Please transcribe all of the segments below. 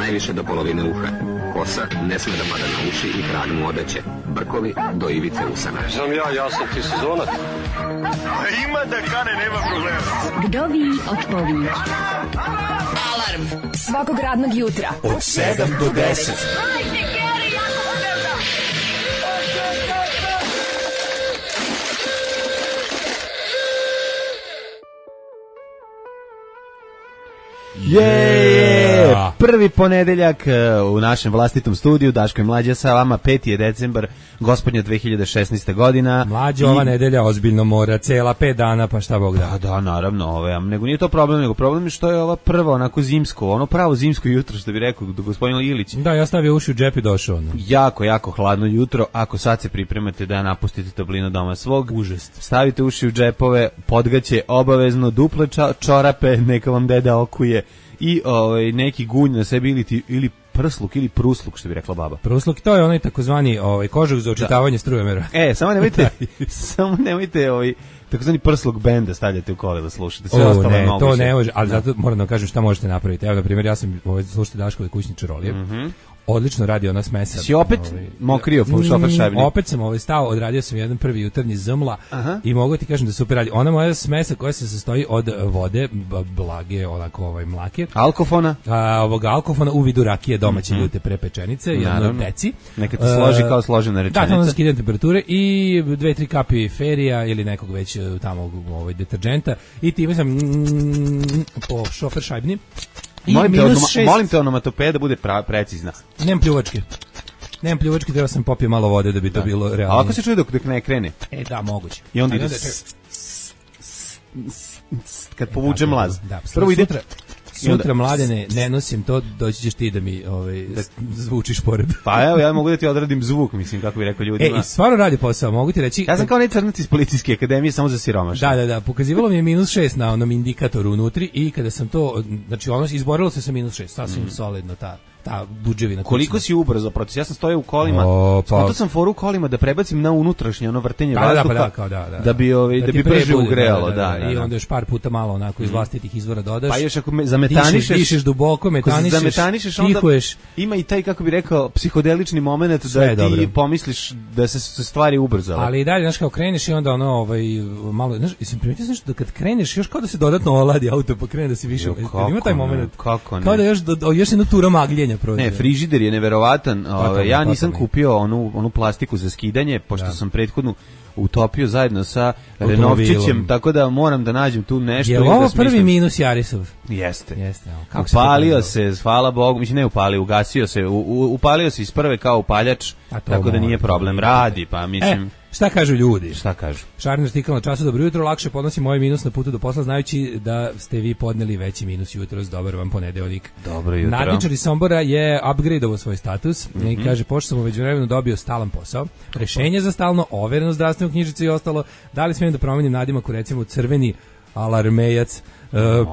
najviše do polovine uha. Kosa ne sme da pada na uši i krag mu odeće. Brkovi do ivice usana. Znam ja sam ti sezonac. Ima da kane, nema problema. Kdo vi odpoví? Alarm svakog radnog jutra od 7 do 10. Prvi ponedeljak u našem vlastitom studiju, Daško i Mlađa sa vama, 5. je decembar, gospodnja 2016. godina. Mlađa, ova nedelja ozbiljno mora, cela 5 dana, pa šta Bog da. Pa da, naravno, nego nije to problem, nego problem je što je ova prva onako zimsko, ono pravo zimsko jutro, što bi rekao gospodin Ilić. Da, ja stavio uši u džep i došao. No. Jako hladno jutro, ako sad se pripremate da napustite toplinu doma svog, užas. Stavite uši u džepove, podgaće obavezno, duple čorape, neka vam deda okuje i neki gunj na sebi ili prsluk ili prusluk, što bi rekla baba. Prusluk, to je onaj takozvani kožuk za očitavanje strujomera. Samo nemojte takozvani prsluk benda stavljate u kolima, slušate. Sve ostalo je moguće. To ne može, ali zato moram da vam kažem šta možete napraviti. Evo, na primjer, ja sam slušao Daškove kućne čarolije. Odlično radi ona smesa. Si opet mokrio po šofer šajbni? Opet sam stao, odradio sam jedan prvi jutarnji zmla i mogu ti kažem da super radi. Ona moja smesa koja se sastoji od vode, blage, onako mlake. Alkofona? Ovoga alkofona u vidu rakije domaće ljute prepečenice, jedno deci. Neka ti složi kao složena rečenica. Da, to onda skidam temperature i 2-3 kapi ferija ili nekog već tamo deterđenta i time sam po šofer šajbni. Molim te onomatopeja da bude precizna. Nemam pljuvačke, treba sam popio malo vode da bi to bilo realno. A ako se čuje dok ne krene? Da, moguće. I onda ide kad povuče mlaz. Prvo ide sutra Mladene, ne nosim to, doći ćeš ti da mi zvučiš pored. Pa evo, ja mogu da ti odradim zvuk, mislim, kako bi rekao ljudima. I stvarno radi posao, mogu ti reći. Ja sam kao crnac iz Policijske akademije, samo za siromašne. Da, pokazivalo mi je -6 na onom indikatoru unutri i kada sam to, znači izborilo se sa -6, sasvim solidno ta buđevina. Koliko si ubrzo proces? Ja sam stojao u kolima. Skontao sam foru u kolima da prebacim na unutrašnje vrtenje vazduha. Da bi brže ugrejalo, I onda još par puta malo onako iz vlastitih izvora dodaš. Pa još ako zametanišeš, dišeš duboko, metanišeš, tihuješ. Ima i taj, kako bi rekao, psihodelični moment da ti pomisliš da se stvari ubrzale. Ali i dalje, znaš, kao kreneš i onda malo, znaš, i sam primetio da kad kreneš još kao da se dodatno oladi auto, pa krene da se više. Ima taj moment. Kako ne? Kao da još jedna tura magljenja. Ne, frižider je neverovatan. Ja nisam kupio onu plastiku za skidanje, pošto sam prethodnu utopio zajedno sa Renovčićem, tako da moram da nađem tu nešto. Je li ovo prvi minus Jarisov? Jeste. Upalio se, hvala Bogu, mislim ne upalio, ugasio se, upalio se iz prve kao upaljač, tako da nije problem, radi, pa mislim... Šta kažu ljudi? Šta kažu? Šarni artikal na Času, dobro jutro, lakše podnosim moj minus na putu do posla, znajući da ste vi podneli veći minus jutros, dobar vam ponedeljak. Dobro jutro. Nadničar iz Sombora je upgradeovao svoj status i kaže, pošto sam u međuvremenu dobio stalan posao, rešenje za stalno, overeno zdravstvenu knjižicu i ostalo, da li smijem da promenim nadimak u recimo crveni alarmejac?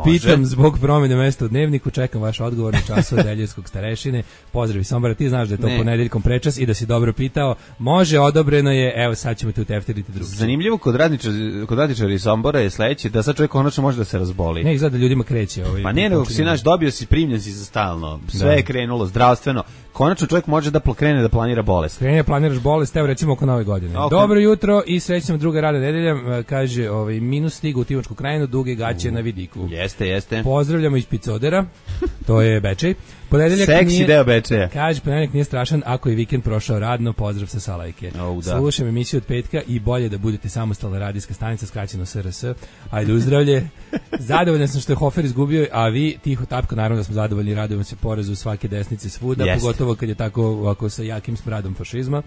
Pitam zbog promjene mesta u dnevniku, čekam vaš odgovor na Času od Deljevskog starešine. Pozdrav iz Sombora, ti znaš da je to ponedeljkom prečas i da si dobro pitao. Može, odobreno je, evo sad ćemo te uteftiriti drugi. Zanimljivo kod radničara iz Sombora je sledeće, da sad čovjek konačno može da se razboli. Ne, izgleda da ljudima kreće. Pa ne, nego si dobio si, primljen si za stalno, sve je krenulo zdravstveno. Konačno čovjek može da krene da planira bolest. Planiraš bolest, evo recimo oko nove godine. Okay. Dobro jutro i srećna druga radna nedelja, kaže minus stigu u Tivačku krajinu, duge gaće na vidiku. Jeste. Pozdravljamo iz Picodera, to je Bečej. Seksi deo Bečeja. Kaže, ponedeljak nije strašan ako je vikend prošao radno, pozdrav sa Salajke. Slušam emisiju od petka i bolje da budete samostalna radijska stanica, skraćeno SRS. Ajde uzdravlje. Zadovoljan sam što je Hofer izgubio, a vi tiho tapko, naravno da smo zadovoljni, radujemo se porezu svake desnice svuda, pogotovo kad je tako ovako sa jakim smradom fašizma.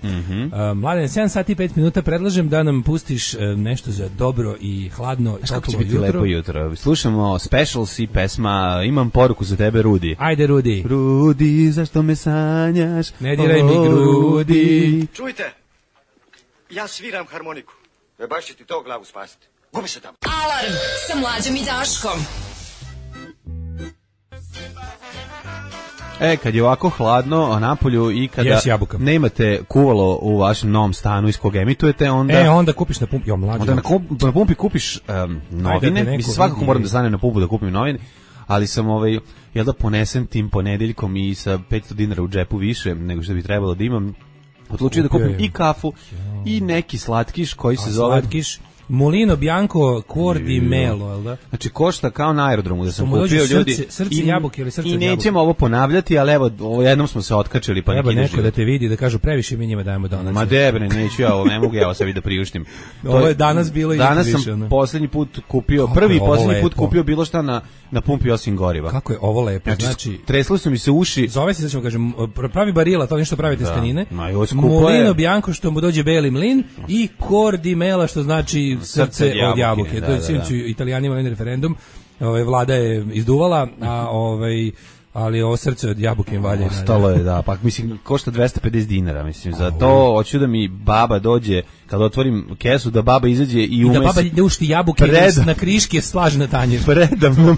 Mladen, 7 sati i 5 minuta, predlažem da nam pustiš nešto za dobro i hladno. Kako će biti lepo jutro? Slušamo Specials i pesma, imam poruku za tebe, Rudi. Ajde, Rudi. Rudi, zašto me sanjaš? Ne diraj mi grudi. Čujte, ja sviram harmoniku. Baš će ti to glavu spasiti. Gubi se tamo. Alarm sa Mlađom i Daškom. Kad je ovako hladno napolju i kada nemate kuvalo u vašem novom stanu iz kog emitujete, onda kupiš na pumpi, onda na pumpi kupiš novine, mislim svakako moram da stanem na pumpu da kupim novine, ali sam jel da ponesem tim ponedeljkom i sa 500 dinara u džepu više nego što bi trebalo da imam, odlučio da kupim i kafu i neki slatkiš koji se zove... Slatkiš? Molino Bianco Cuor di Melo, jel da? Znači košta kao na aerodromu da sam kupio ljudi. Srce jabuke ili srce jabuke. I nećemo ovo ponavljati, ali evo, jednom smo se otkačili pa treba neko da te vidi, da kažu previše mi njima dajemo donacije. Ma debre, neću ja ovo, ne mogu ja ovo sebi da priuštim. Ovo je danas bilo i više. Danas sam poslednji put kupio, poslednji put kupio bilo šta na pumpi osim goriva. Kako je ovo lepo, znači tresli su mi se uši. Zove se, da ćemo kažem, pravi barila, to nešto pravite stenine. Molino Bianco što mu dođe beli mlin i Cuor di Melo što znači srce od jabuke. To je sinoć Italijanima na referendum. Vlada je izduvala, ali ovo srce od jabuke im valja. Ostalo je, da, pa mislim, košta 250 dinara, mislim, za to hoću da mi baba dođe, kad otvorim kesu, da baba izađe i da baba ušti jabuke na kriške slaže na tanjir. Predam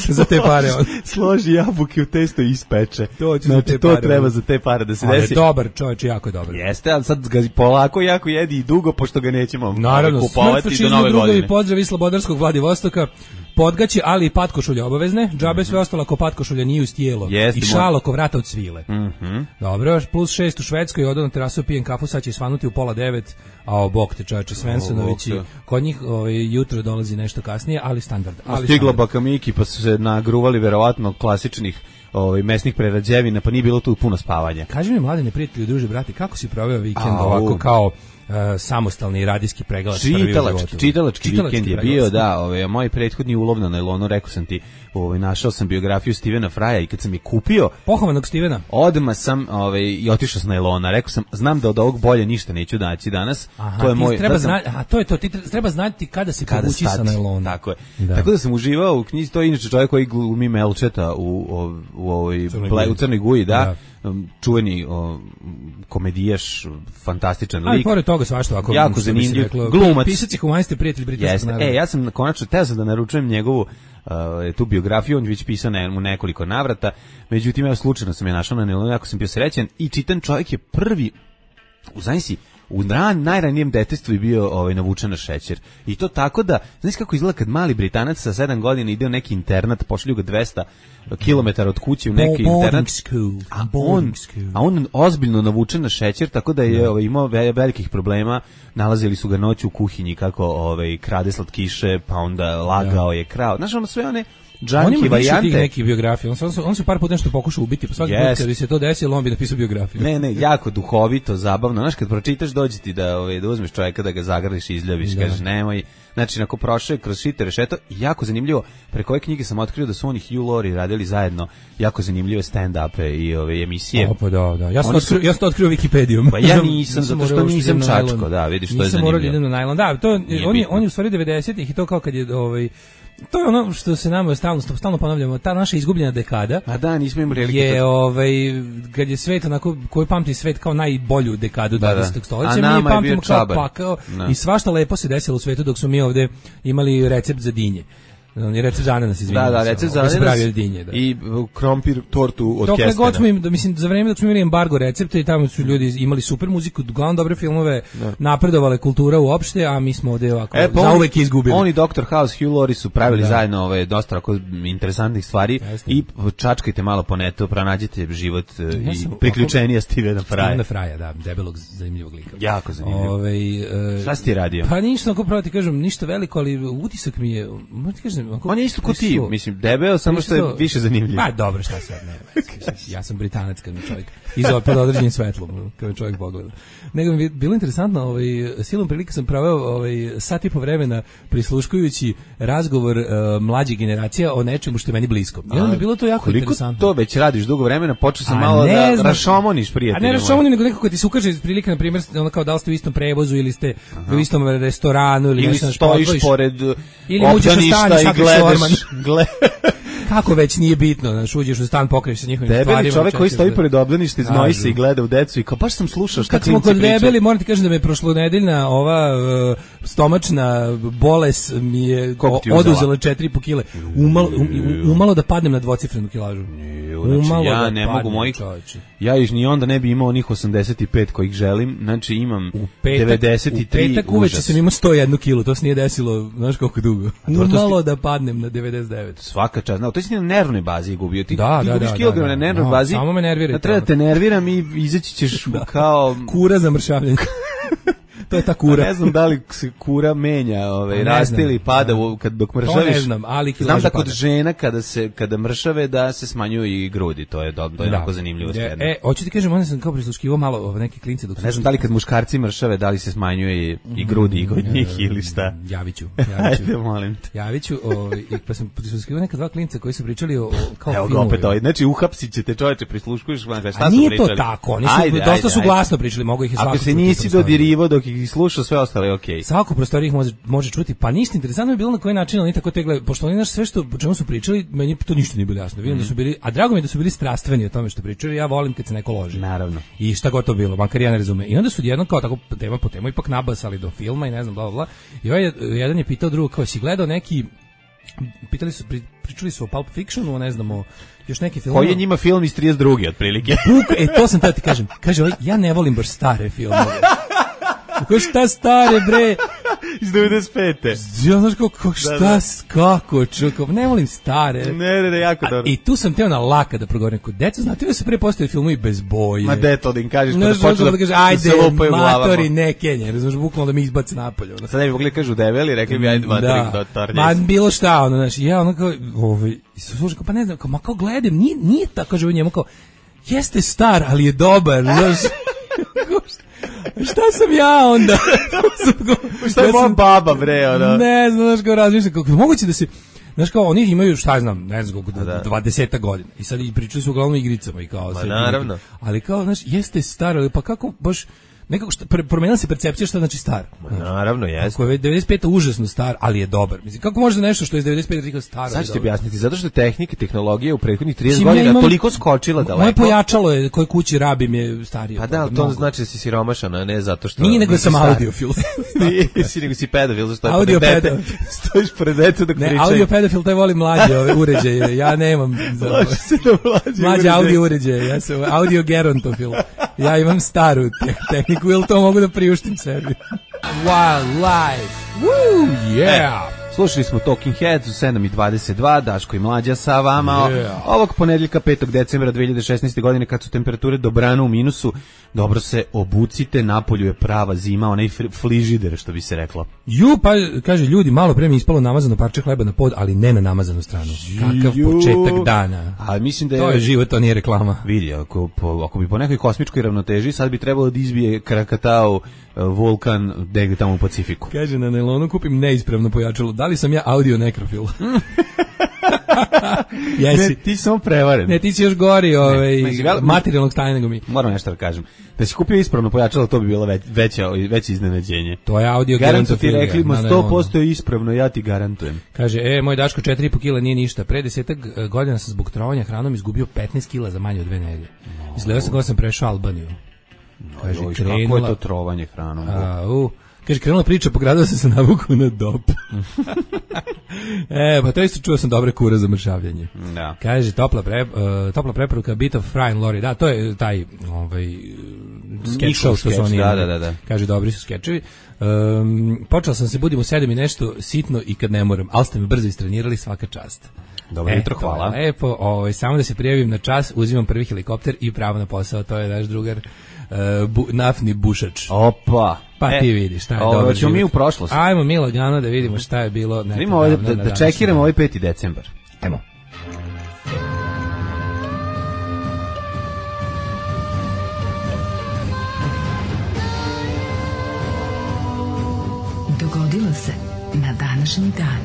za te pare. Složi jabuke u testo i ispeče. Znači, to treba za te pare da se desi. Ali dobar, čovječ, jako je dobar. Jeste, ali sad ga polako jako jedi i dugo, pošto ga nećemo kupovati do nove godine. Pozdrav iz Slobodarskog Vladivostoka. Podgaće, ali i patkošulje obavezne. Džabe sve ostalo ako patkošulja nije uz tijelo. I šal oko vrata od svile. Dobro, plus 6 u Švedskoj, odao na terasu, pijem kafu, sad će svanuti u 8:30, a bok te čovječe, Svensonovići. Kod njih jutro dolazi nešto kasnije, ali standard. Stigla baka Miki, pa su se nagruvali verovatno klasičnih mesnih prerađevina, pa nije bilo tu puno spavanja. Kaži mi, mladine prijatelji, druže, brati, kako si proveo vikend ovako kao samostalni radijski pregalac čitalački vikend je bio, da, moj prethodni ulov na nailonu, rekao sam ti, našao sam biografiju Stevena Fraja i kad sam je kupio pohovanog Stevena, odmah sam i otišao s nailona, rekao sam, znam da od ovog bolje ništa neću naći danas. To je moj, to je to, ti treba znati kada se povući sa nailona. Tako je. Tako da sam uživao u knjizi, to je inače čovjek koji glumi Melčeta u Crnoj Guji, da. Čuveni komedijaš, fantastičan lik. Ali pored toga svašta ovako jako zanimljiv glumac. Pisac i humanist, prijatelj britanskog naroda. Ja sam konačno teo sam da naručujem njegovu tu biografiju, on je već pisao u nekoliko navrata, međutim ja slučajno sam je našao na nailonu, jako sam bio srećan i čitan čovjek je prvi u najranijem detetstvu je bio navučen na šećer. I to tako da, znaš kako izgleda kad mali Britanac sa 7 godina ide u neki internat, pošalju ga 200 kilometara od kuće u neki internat, a on ozbiljno navučen na šećer, tako da je imao velikih problema, nalazili su ga noću u kuhinji kako krade slatkiše, pa onda lagao je krao. Znaš, ono sve one džanki varijante. On ima neki biografije. On se par puta nešto pokušao ubiti, pa svaki put kad bi se to desilo, on bi napisao biografiju. Ne, jako duhovito, zabavno. Znaš, kad pročitaš, dođe ti da uzmeš čovjeka, da ga zagrliš i izljubiš, kažeš nemoj. Znači, ako prošao je kroz šite rešeto, jako zanimljivo, preko ove knjige sam otkrio da su oni Hugh Laurie radili zajedno jako zanimljive stand-upe i emisije. Pa da. Ja sam to otkrio Wikipedijom. Pa ja nisam, zato što nisam čačko, da, vidiš, to je zanimljivo. Nisam morao da idem na najlon. Da, on je u stvari 90-ih i to kao kad je to je ono što se nama stalno ponavljamo, ta naša izgubljena dekada. A da, nismo imali prilike. Je kad je svet onako, koji pamti svet kao najbolju dekadu 20. stoljeća, mi pamtimo kao pakao i svašta lepo se desilo u svetu dok smo mi ovde imali recept za dinje. Recept za ananas, izvinite. Da, recept za ananas i krompir tortu od kestena. God smo mislim, za vreme dok smo imali embargo recepte i tamo su ljudi imali super muziku, uglavnom dobre filmove, napredovale kultura uopšte, a mi smo ovde ovako zauvek izgubili. Oni Dr. House, Hugh Laurie su pravili zajedno dosta interesantnih stvari i čačkajte malo po netu, pronađite život i priključenja Stevena Fraja. Stevena Fraja, da, debelog, zanimljivog lika. Jako zanimljivo. Šta si ti radio? Pa ništa, ako pravo ti kažem, ništa veliko, ali utisak mi je, on je isto ko ti, mislim, debeo, samo što je više zanimljiv. Pa dobro, šta sad, ne. Ja sam Britanac kad mi čovjek izao pod određenim svetlom, kad mi čovjek pogleda. Nego mi je bilo interesantno, silom prilike sam praveo sat i po vremena prisluškujući razgovor mlađih generacija o nečemu što je meni blisko. I onda mi je bilo to jako interesantno. Koliko to već radiš dugo vremena, počeo sam malo da rašomoniš prijateljima. A ne rašomoniš, nego nekako ti se ukaže prilike, na primjer, ono kao da li ste u istom prevozu ili ste u istom restoranu ili nešto stojiš pored obdaništa i gledaš. Kako već nije bitno, znaš, uđeš u stan, pokriješ se njihovim stvarima. Debeli čovjek koji stoji pored obdaništa, znoji se i gleda u decu i kao, baš sam slušao šta kad smo kod debeli, moram ti kažem da me prošlonedeljna ova stomačna bolest mi je oduzela 4,5 kile. Umalo da padnem na dvocifrenu kilažu. Znači, ja ne mogu mojih, ja iš ni onda ne bi imao onih 85 kojih želim, znači imam 93. U petak uveče sam imao 101 kilu, to se nije desilo, znaš koliko dugo. Umalo da padnem na 99. Svaka čast, to to si na nervnoj bazi gubio. Ti gubiš kilograme na nervnoj no, bazi. Samo me nerviraj. Treba da te nerviram i izaći ćeš kao... Kura za mršavljenje. To je ta kura. Ne znam da li se kura menja, raste ili pada dok mršaviš. To ne znam, ali znam da kod žena kada mršave da se smanjuju i grudi, to je jako zanimljivo. Hoću ti kažem, onda sam kao prisluškivao malo neke klince dok ne znam da li kad muškarci mršave, da li se smanjuje i grudi i kod njih ili šta. Javiću. Ajde, molim te. Javiću, pa sam prisluškivao neka dva klinca koji su pričali o kao filmu. Evo ga opet znači uhapsit ćete čoveče, prisluškuješ, šta su pričali? Nije to tako, oni su dosta su glasno pričali, mogu ih i svako. Ako se nisi dodirivo dok ih slušao, sve ostalo je okej. Svako prostorije ih može čuti, pa ništa interesantno je bilo na koji način oni tako tegle, pošto oni sve što o čemu su pričali, meni to ništa nije bilo jasno. Vidim da su bili, a drago mi je da su bili strastveni o tome što pričaju. Ja volim kad se neko loži. Naravno. I šta god to bilo, makar ja ne razumem. I onda su jednom kao tako tema po temu ipak nabasali do filma i ne znam bla bla bla. I jedan je pitao drugog kao si gledao neki, pričali su o Pulp Fictionu, ne znamo, još neki film. Koji je njima film iz 32. otprilike? To sam tada ti kažem. Kaže, ja ne volim baš stare filmove. Kako šta stare, bre? Iz 95. Ja znaš kako, čuko, ne volim stare. Ne, jako dobro. I tu sam teo na laka da progovorim kod deca, znate da se pre postoje filmovi bez boje. Ma deto, da im kažeš kada počne da kaže, ajde, matori, ne Kenje, znaš, bukvalno da mi izbaci napolje. Sad ne bi mogli kažu debeli, rekli bi, ajde, matori, dotar. Ma bilo šta, ono, znaš, ja ono kao, slušaj, pa ne znam, kao gledam, nije tako, kaže u njemu kao, jeste star, ali je dobar, znaš. Šta sam ja onda? Šta je moja baba, bre, ono? Ne znam, znaš, kao razmišljam, kako moguće da se, znaš, kao, oni imaju, šta znam, ne znam, 20 godina, i sad i pričali su uglavnom igricama i kao... Ma, naravno. Ali kao, znaš, jeste staro, pa kako, baš... Nekako promenila se percepcija šta znači star. Naravno, jeste. Ako je 95 užasno star, ali je dobar. Mislim, kako može nešto što je iz 95 rekao staro? Sad ću ti objasniti, zato što tehnologija u prethodnih 30 godina toliko skočila daleko. Moje pojačalo je koje kući rabim je starije. Pa da, to znači da si siromašan, a ne zato što... Nije, nego sam audiofil. Nisi, nego si pedofil, zašto je audio pedofil. Stojiš pored dete dok pričaju. Ne, audio pedofil, taj voli mlađe ove uređaje. Ja nemam. Mlađe audio uređaje. Ja sam audio gerontofil. Ja imam staru tehniku, ili to mogu da priuštim sebi. Wildlife. Woo, yeah. Slušali smo Talking Heads u 7:22, Daško i Mlađa sa vama. Yeah. Ovog ponedjeljka 5. decembra 2016. godine, kad su temperature dobrano u minusu, dobro se obucite, napolju je prava zima, onaj frižider, što bi se reklo. Pa kaže, ljudi, malo pre mi ispalo namazano parče hleba na pod, ali ne na namazanu stranu. Kakav početak dana. A mislim da je... To je život, to nije reklama. Vidi, ako bi po nekoj kosmičkoj ravnoteži, sad bi trebalo da izbije Krakatau vulkan negde tamo u Pacifiku. Kaže, na nailonu kupim neispravno pojačalo. Da li sam ja audio nekrofil? Jesi. Ne, ti si samo prevaren. Ne, ti si još gori materijalnog stanja nego mi. Moram nešto da kažem. Da si kupio ispravno pojačalo, to bi bilo veće iznenađenje. To je audio garantu ti rekli, 100% je ispravno, ja ti garantujem. Kaže, moj Daško, 4,5 kila nije ništa. Pre 10 godina sam zbog trovanja hranom izgubio 15 kila za manje od 2 nedelje. Izgledao sam kao sam prešao Albaniju. Kaže, kako je to trovanje hranom? Kaže, krenula priča, pogradao sam se navuku na dop. Pa to isto čuo sam dobre kure za mršavljanje. Da. Kaže, topla preporuka Bit of Fry and Laurie. Da, to je taj sketch show što su oni imali. Da. Kaže, dobri su skečevi. Počela sam se budim u 7 i nešto sitno i kad ne moram, ali ste me brzo istrenirali, svaka čast. Dobro jutro, hvala. Lepo, samo da se prijavim na čas, uzimam prvi helikopter i pravo na posao, to je naš drugar naftni bušač. Opa. Pa ti vidiš, šta je dobro. Ćemo mi u prošlost. Ajmo mi lagano da vidimo šta je bilo. Vidimo da čekiramo ovaj 5. decembar. Ajmo. Dogodilo se na današnji dan.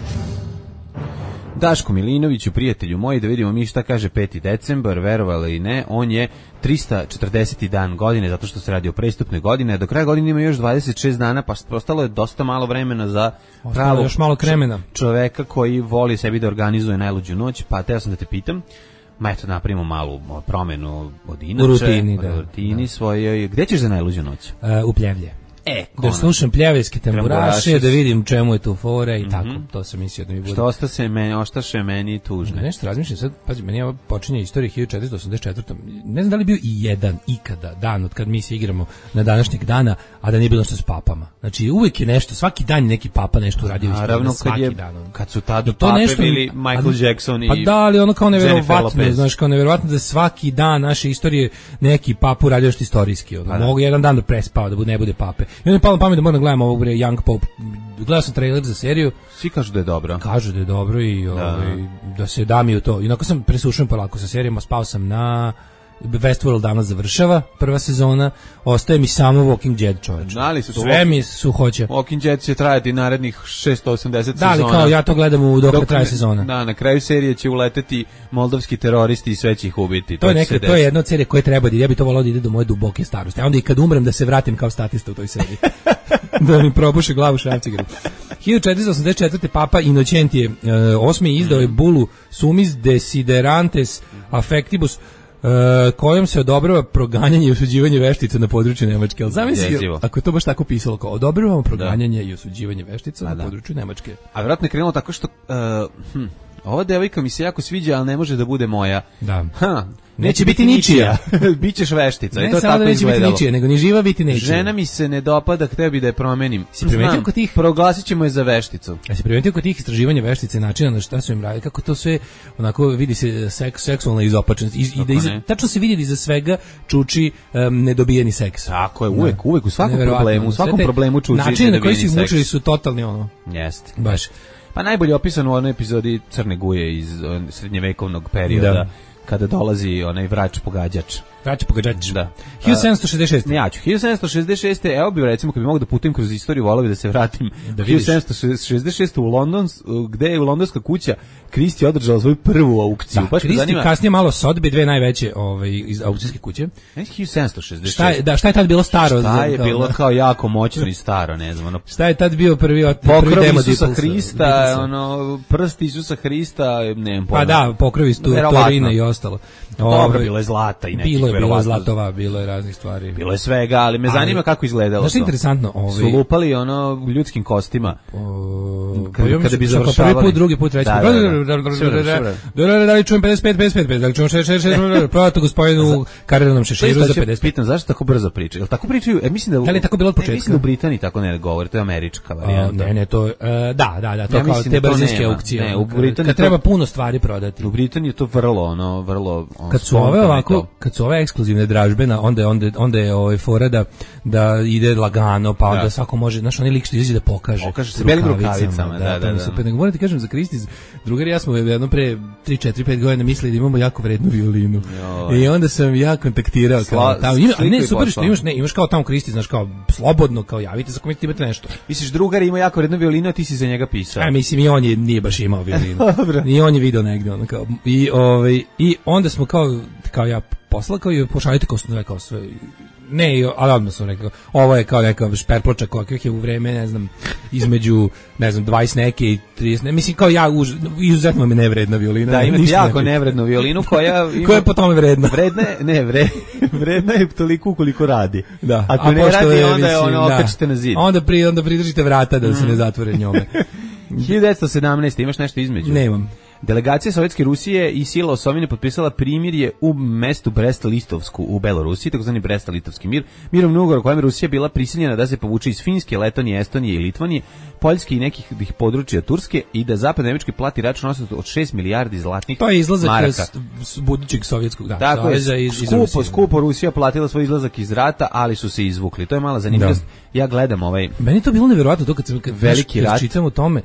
Daško Milinoviću, prijatelju moji, da vidimo mi šta kaže 5. decembar, verovali ili ne, on je 340. dan godine, zato što se radi o prestupne godine, do kraja godine ima još 26 dana, pa ostalo je dosta malo vremena za pravog još malo kremena. Čoveka koji voli sebi da organizuje najluđu noć, pa teo sam da te pitam, eto napravimo malu promenu od inače, u rutini, svojoj. Gde ćeš za najluđu noć? U Pljevlje. Da slušam pljevejske tamburaše, da vidim čemu je tu fora i tako. To sam mislio da mi bude. Što ostaše meni tužno. Nešto razmišljam sad, pazi, meni je počinje istorija 1484. Ne znam da li je bio i jedan ikada dan od kad mi se igramo na današnjeg dana, a da nije bilo što s papama. Znači uvek je nešto, svaki dan je neki papa nešto uradio. Naravno, kad su tada pape nešto, bili Michael Jackson i pa da, ali ono kao neverovatno, znaš, kao neverovatno da svaki dan naše istorije neki papu uradio što istorijski. Mogu jedan dan da prespava, da ne bude pape. I onda je palo na pamet da moram gledam ovog Young Pope. Gledao sam trailer za seriju. Svi kažu da je dobro. Kažu da je dobro i da se da mi u to. Inako sam presušen polako sa serijama, spao sam na Westworld danas završava, prva sezona, ostaje mi samo Walking Dead, čoveče. Sve mi suhoće. Walking Dead će trajati narednih 680 sezona. Da, ali kao ja to gledam dok traje sezona. Da, na kraju serije će uleteti moldavski teroristi i sve će ih ubiti. To je jedna od serije koje treba da ja bi to volao da ide do moje duboke starosti. A onda i kad umrem da se vratim kao statista u toj seriji. Da mi probuše glavu šrafcigeru. 1484. Papa Inocentije VIII izdao je bulu Sumis Desiderantes Affectibus, kojom se odobrava proganjanje i osuđivanje veštica na području Nemačke. Ali zamisli, ako je to baš tako pisalo, kao odobravamo proganjanje i osuđivanje veštica na području Nemačke. A vjerojatno je krenulo tako što ova devojka mi se jako sviđa, ali ne može da bude moja. Da. Neće biti ničija. Bićeš veštica. Ne I to samo tako da neće biti ničija, nego ni živa biti neće. Žena mi se ne dopada, hteo bi da je promenim. Znam, proglasit ćemo je za vešticu. Ja se primetio kod tih istraživanja veštice, načina na šta su im radili, kako to sve, onako vidi se seksualna izopačenost. Tačno se vidi da iza svega čuči nedobijeni seks. Tako je, uvek, u svakom problemu čuči nedobijeni seks. Način na koji su ih mučili su totalni ono. Jeste. Baš. Pa najbolje opisano u onoj epizodi Crne Guje iz srednjevekovnog perioda, kada dolazi onaj vrač pogađač. Da. 1766. Ja ću. 1766. Evo bi recimo kad bi mogao da putujem kroz istoriju, voleo bih da se vratim. 1766. u London, gde je londonska kuća Christie održala svoju prvu aukciju. Da, Christie kasnije malo Sotheby's, dve najveće iz aukcijske kuće. 1766. Šta je tad bilo staro? Šta je bilo kao jako moćno i staro, ne znam. Šta je tad bio prvi pokrov Isusa Hrista, prst Isusa Hrista, ne znam. Pa da, pokrovi Torina i ostalo. Dobro, bilo je zlata i nekih bilo je zlatova, bilo je raznih stvari. Bilo je svega, ali me zanima kako izgledalo to. Znaš, interesantno. Su lupali ljudskim kostima. Kada bi završavali. Prvi put, drugi put, treći put. Da li čujem 55, da li čujem 66, prodate gospodinu Karelom Šeširu za 55. Pitam, zašto tako brzo pričaju? Jel tako pričaju? Mislim da li je tako bilo od početka? Mislim da u Britaniji tako ne govore, to je američka varijanta. Ne, to da, to kao te brzinske aukcije. Ne, u Britaniji kad treba puno stvari prodati. U Britaniji je to vrlo kad su ove ovako, kad su ove ekskluzivne dražbe, onda je fora da ide lagano, pa onda svako može, znaš, onaj lik što izađe da pokaže sa belim rukavicama, da. Super, nego moram ti kažem za Christie's, drugari ja smo jedno pre 3-4-5 godina mislili da imamo jako vrednu violinu. I onda sam ja kontaktirao kao tamo, ne, super što imaš kao tamo Christie's, znaš, kao slobodno, kao javite se ako imate nešto. Misliš, drugar ima jako vrednu violinu, a ti si za njega pisao? Mislim, i on nije baš imao violinu. I on je video negde, ono kao, i onda smo kao ja poslao kao i pošaljite kao sve. Ne, ali odmah sam rekao, ovo je kao neka šperploča kakvih je u vreme, ne znam, između, ne znam, 20 neke i 30, mislim, kao ja, izuzetno me nevredna violina. Da, imate jako nevrednu violinu koja... Koja je po tome vredna? Vredna je toliko koliko radi. Da. Ako ne radi, onda je okačite na zid. Onda pridržite vrata da se ne zatvore njome. 1917. Imaš nešto između? Nemam. Delegacija Sovjetske Rusije i sila Osovine potpisala primirje u mestu Brest-Litovsku u Belorusiji, takozvani Brest-Litovski mir. Mirovni ugovor u kojem Rusija bila prisiljena da se povuče iz Finske, Letonije, Estonije i Litvanije, Poljske i nekih područja Turske i da Zapad Nemački plati račun od 6 milijardi zlatnih maraka. To je izlazak iz budućeg sovjetskog saveza iz Rusije. Skupo Rusija platila svoj izlazak iz rata, ali su se izvukli. To je mala zanimljivost. Ja gledam Meni to bilo nevjerojatno to kad veliki rat čitam o tome.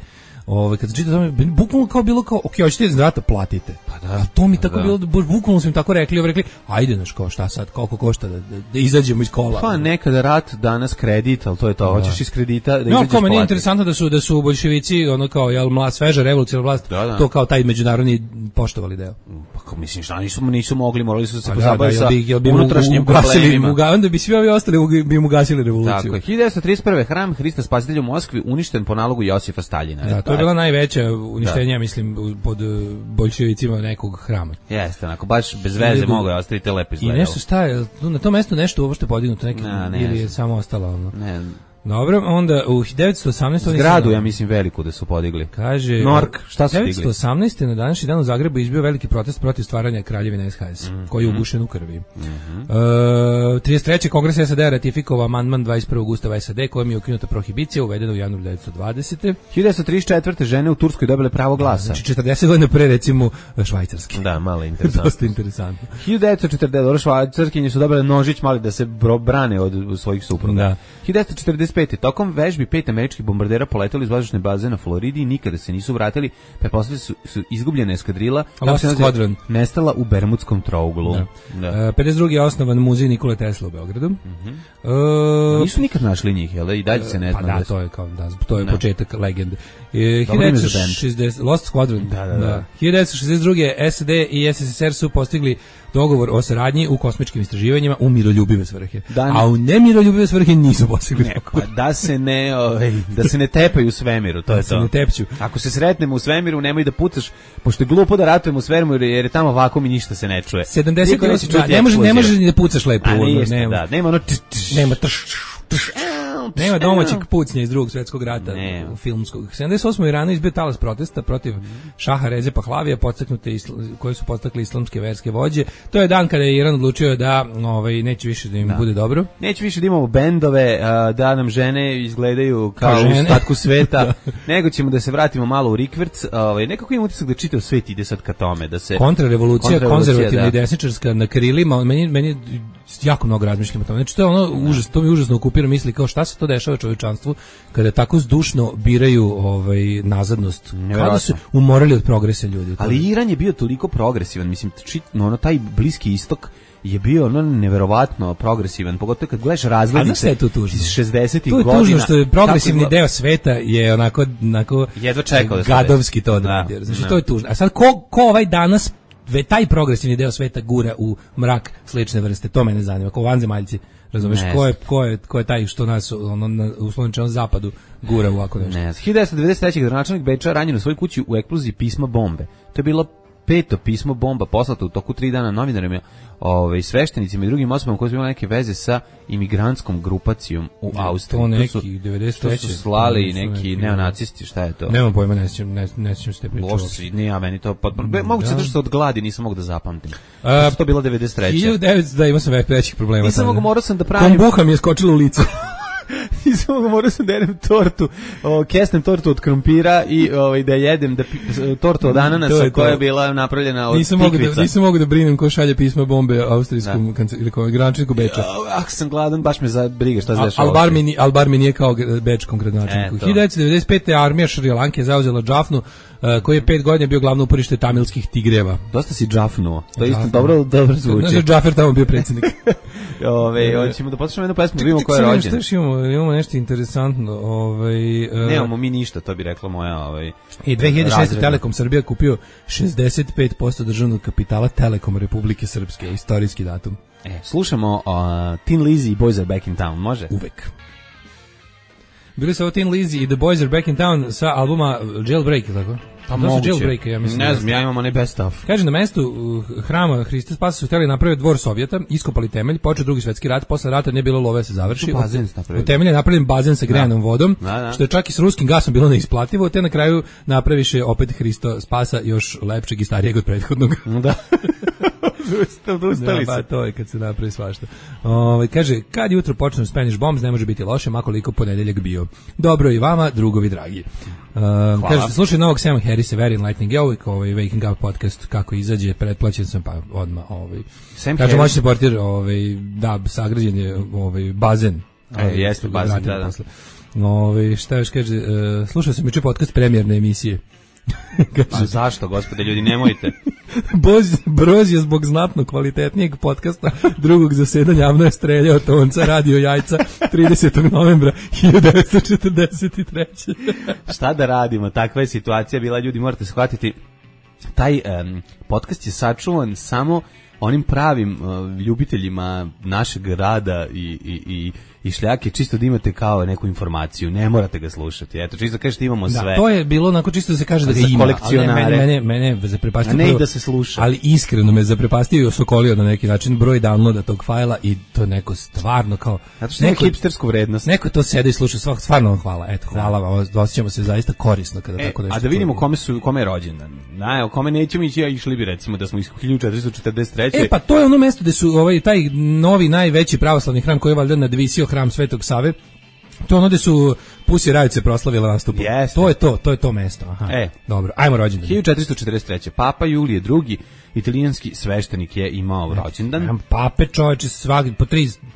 Kad se čita tome, bukvalno kao bilo kao, ok, hoćete iz rata, platite. Pa da. To mi tako bilo, bukvalno su im tako rekli, ajde, znaš, kao šta sad, koliko košta da izađemo iz kola. Pa nekada rat, danas kredit, ali to je to, hoćeš iz kredita da izađeš platiti. Kao meni je interesantno da su boljševici, ono kao, sveža revolucionarna vlast, to kao taj međunarodni poštovali deo. Pa kao mislim, šta nisu mogli, morali su se pozabaviti sa unutrašnjim problemima. Onda bi svi ovi ostali bi im ugasili revoluciju. Tako je, 1931. hram Hrista Spasitelja u Moskvi uništen po nalogu Josifa Staljina. To je bila najveća uništenja, mislim, pod boljševicima nekog hrama. Jeste, onako, baš bez veze mogu je ostaviti lepo izgledalo. I nešto šta je, na tom mestu nešto uopšte podignuto, ili je samo ostalo ono? Ne, Dobro, onda u 1918. Zgradu, ja mislim, veliku da su podigli. Kaže, Nork, šta su digli? 1918. na današnji dan u Zagrebu izbio veliki protest protiv stvaranja kraljevine SHS, koji je ugušen u krvi. 33. Kongres SAD ratifikovao amandman 21. Ustava SAD kojim je ukinuta prohibicija uvedena u januaru 1920. 1934. žene u Turskoj dobile pravo glasa. Znači 40 godina pre, recimo, švajcarski. Da, malo interesantno. Dosta interesantno. 1940. Švajcarskinje su dobile nožić mali da se brane od svojih supruga. Da. 1945. Tokom vežbi 5 američkih bombardera poleteli iz vazdušne baze na Floridi i nikada se nisu vratili, pa posle su izgubljena eskadrila nestala u Bermudskom trouglu. Da. 52. je osnovan muzej Nikole Tesla u Beogradu. Nisu nikad našli njih, jel? I dalje se ne zna. Pa da, to je kao to je početak legende. 1960 Lost Squadron. Da. 1962. SAD i SSSR su postigli dogovor o saradnji u kosmičkim istraživanjima u miroljubive svrhe. A u nemiroljubive svrhe nisu postigli dogovor. Pa da se ne tepaju u svemiru, to je to. Se ne tepću. Ako se sretnemo u svemiru, nemoj da pucaš, pošto je glupo da ratujemo u svemiru jer je tamo vakuum i ništa se ne čuje. 70 ne možeš ni da pucaš lepo. Nema domaćeg pucnja iz Drugog svjetskog rata u filmskog. 78. u Iranu izbio talas protesta protiv Šaha Reze Pahlavija, koji su podstakli islamske verske vođe. To je dan kada je Iran odlučio da neće više da im bude dobro. Neće više da imamo bendove, da nam žene izgledaju kao u ostatku sveta, nego ćemo da se vratimo malo u rikverc. Nekako imam utisak da čitav svet ide sad ka tome. Kontrarevolucija, konzervativna i desničarska na krilima, meni jako mnogo razmišljam o tome. Znači, to mi užasno okupira misli kao šta se to dešava čovječanstvu kada tako zdušno biraju nazadnost. Kada su umorali od progresa ljudi. Ali Iran je bio toliko progresivan, mislim, taj Bliski istok je bio neverovatno progresivan, pogotovo kad gledaš razglednice iz 60-ih godina. To je tužno što je progresivni deo sveta je onako jedva čekao da gadovski to odradio. Znači, to je tužno. A sad ko ovaj danas taj progresivni deo sveta gura u mrak slične vrste, to mene zanima, kao vanzemaljci, razumeš, ko je taj što nas u slovničnom zapadu gura u ovako nešto. 1993. gradonačelnik Beča ranjen u svojoj kući u eksploziji pisma bombe. To je bilo 5. pismo bomba poslato u toku 3 dana novinarima, sveštenicima i drugim osobama koji su imali neke veze sa imigrantskom grupacijom u Austriji. To neki 93. To su slali neki neonacisti, šta je to? Nemam pojma, ne sjećam se te priče. Nije, meni to potpuno. Mogu se držati od gladi, nisam mogu da zapamtim. To bilo 93. 1900, da, imao sam većih problema. Nisam mogu, morao sam da pravim. Kombuha mi je skočila u lice. Nisam mogu, morao sam da jedem tortu, kesnem tortu od krompira i da jedem tortu od ananasa koja je bila napravljena od tikvica. Nisam mogu da brinem ko šalje pisma bombe austrijskom ili gradonačelniku Beča. Ako sam gladan, baš me za briga šta se dešava. Al bar mi nije kao bečkom gradonačelniku. 1995. armija Šrilanke zauzela Džafnu, koji je 5 godina bio glavno uporište tamilskih tigreva. Dosta si džafnuo. To je isto dobro zvuči. Znači, Džafer tamo bio predsjednik. Hoćemo da poslušamo jednu pesmu, da vidimo ko je rođen. Imamo nešto interesantno. Nemamo mi ništa, to bi rekla moja... I 2006. Telekom Srbija kupio 65% državnog kapitala Telekom Republike Srpske, istorijski datum. Slušamo Tin Lizzy i Boys Are Back in Town, može? Uvek. Bili su ovo Tin Lizzy i The Boys Are Back in Town sa albuma Jailbreak, tako? Pa moguće. Jailbreak, ja mislim. Ne znam, ja imam onaj best of. Kaže, na mestu hrama Hrista Spasa su htjeli napraviti dvor Sovjeta, iskopali temelj, počeo Drugi svjetski rat, posle rata nije bilo love se završi. U temelju je napravljen bazen sa grejanom vodom, što je čak i s ruskim gasom bilo neisplativo, te na kraju napraviše opet Hristo Spasa još lepšeg i starijeg od prethodnog. Da. Ustali se. To je kad se napravi svašta. Kaže, kad jutro počnu Spanish Bombs, ne može biti loše, makoliko ponedeljak bio. Dobro i vama, drugovi dragi. Kaže, slušaj novog Sama Harrisa, Very Enlightening, ja uvijek Waking Up podcast, kako izađe, pretplaćen sam, pa odmah. Kaže, moći se portir, da, sagrađen je bazen. Jeste, bazen, da. Šta još kaže, slušao sam juče podcast premijerne emisije. Pa zašto, gospode, ljudi, nemojte. Broz je zbog znatno kvalitetnijeg podcasta drugog zasedanja javno je streljao tonca radio jajca 30. novembra 1943. Šta da radimo, takva je situacija bila, ljudi, morate shvatiti, taj podcast je sačuvan samo onim pravim ljubiteljima našeg rada i šljake, čisto da imate kao neku informaciju, ne morate ga slušati. Eto, čisto kažete imamo sve. Da, to je bilo onako čisto da se kaže da ga ima, kolekcionare. Mene zaprepastio. A ne i da se sluša. Ali iskreno me zaprepastio i osokolio na neki način broj downloada tog fajla i to neko stvarno kao... Zato što neko hipstersku vrednost. Neko to sede i sluša, stvarno vam hvala. Eto, hvala vam, osjećamo se zaista korisno kada tako nešto... A da vidimo kome je rođendan. Kome nećemo ići, išli bi recimo da smo iz 1443. Pa to je ono mesto gde su taj novi najveći pravoslavni hram koji je valjda nadvisio hram Svetog Save. To je ono gde su Pussy Riot se proslavila nastupom. To je to mesto. Aha. Dobro, ajmo rođendan. 1443. Papa Julije II, italijanski sveštenik, je imao rođendan. Pape, čoveče, svaki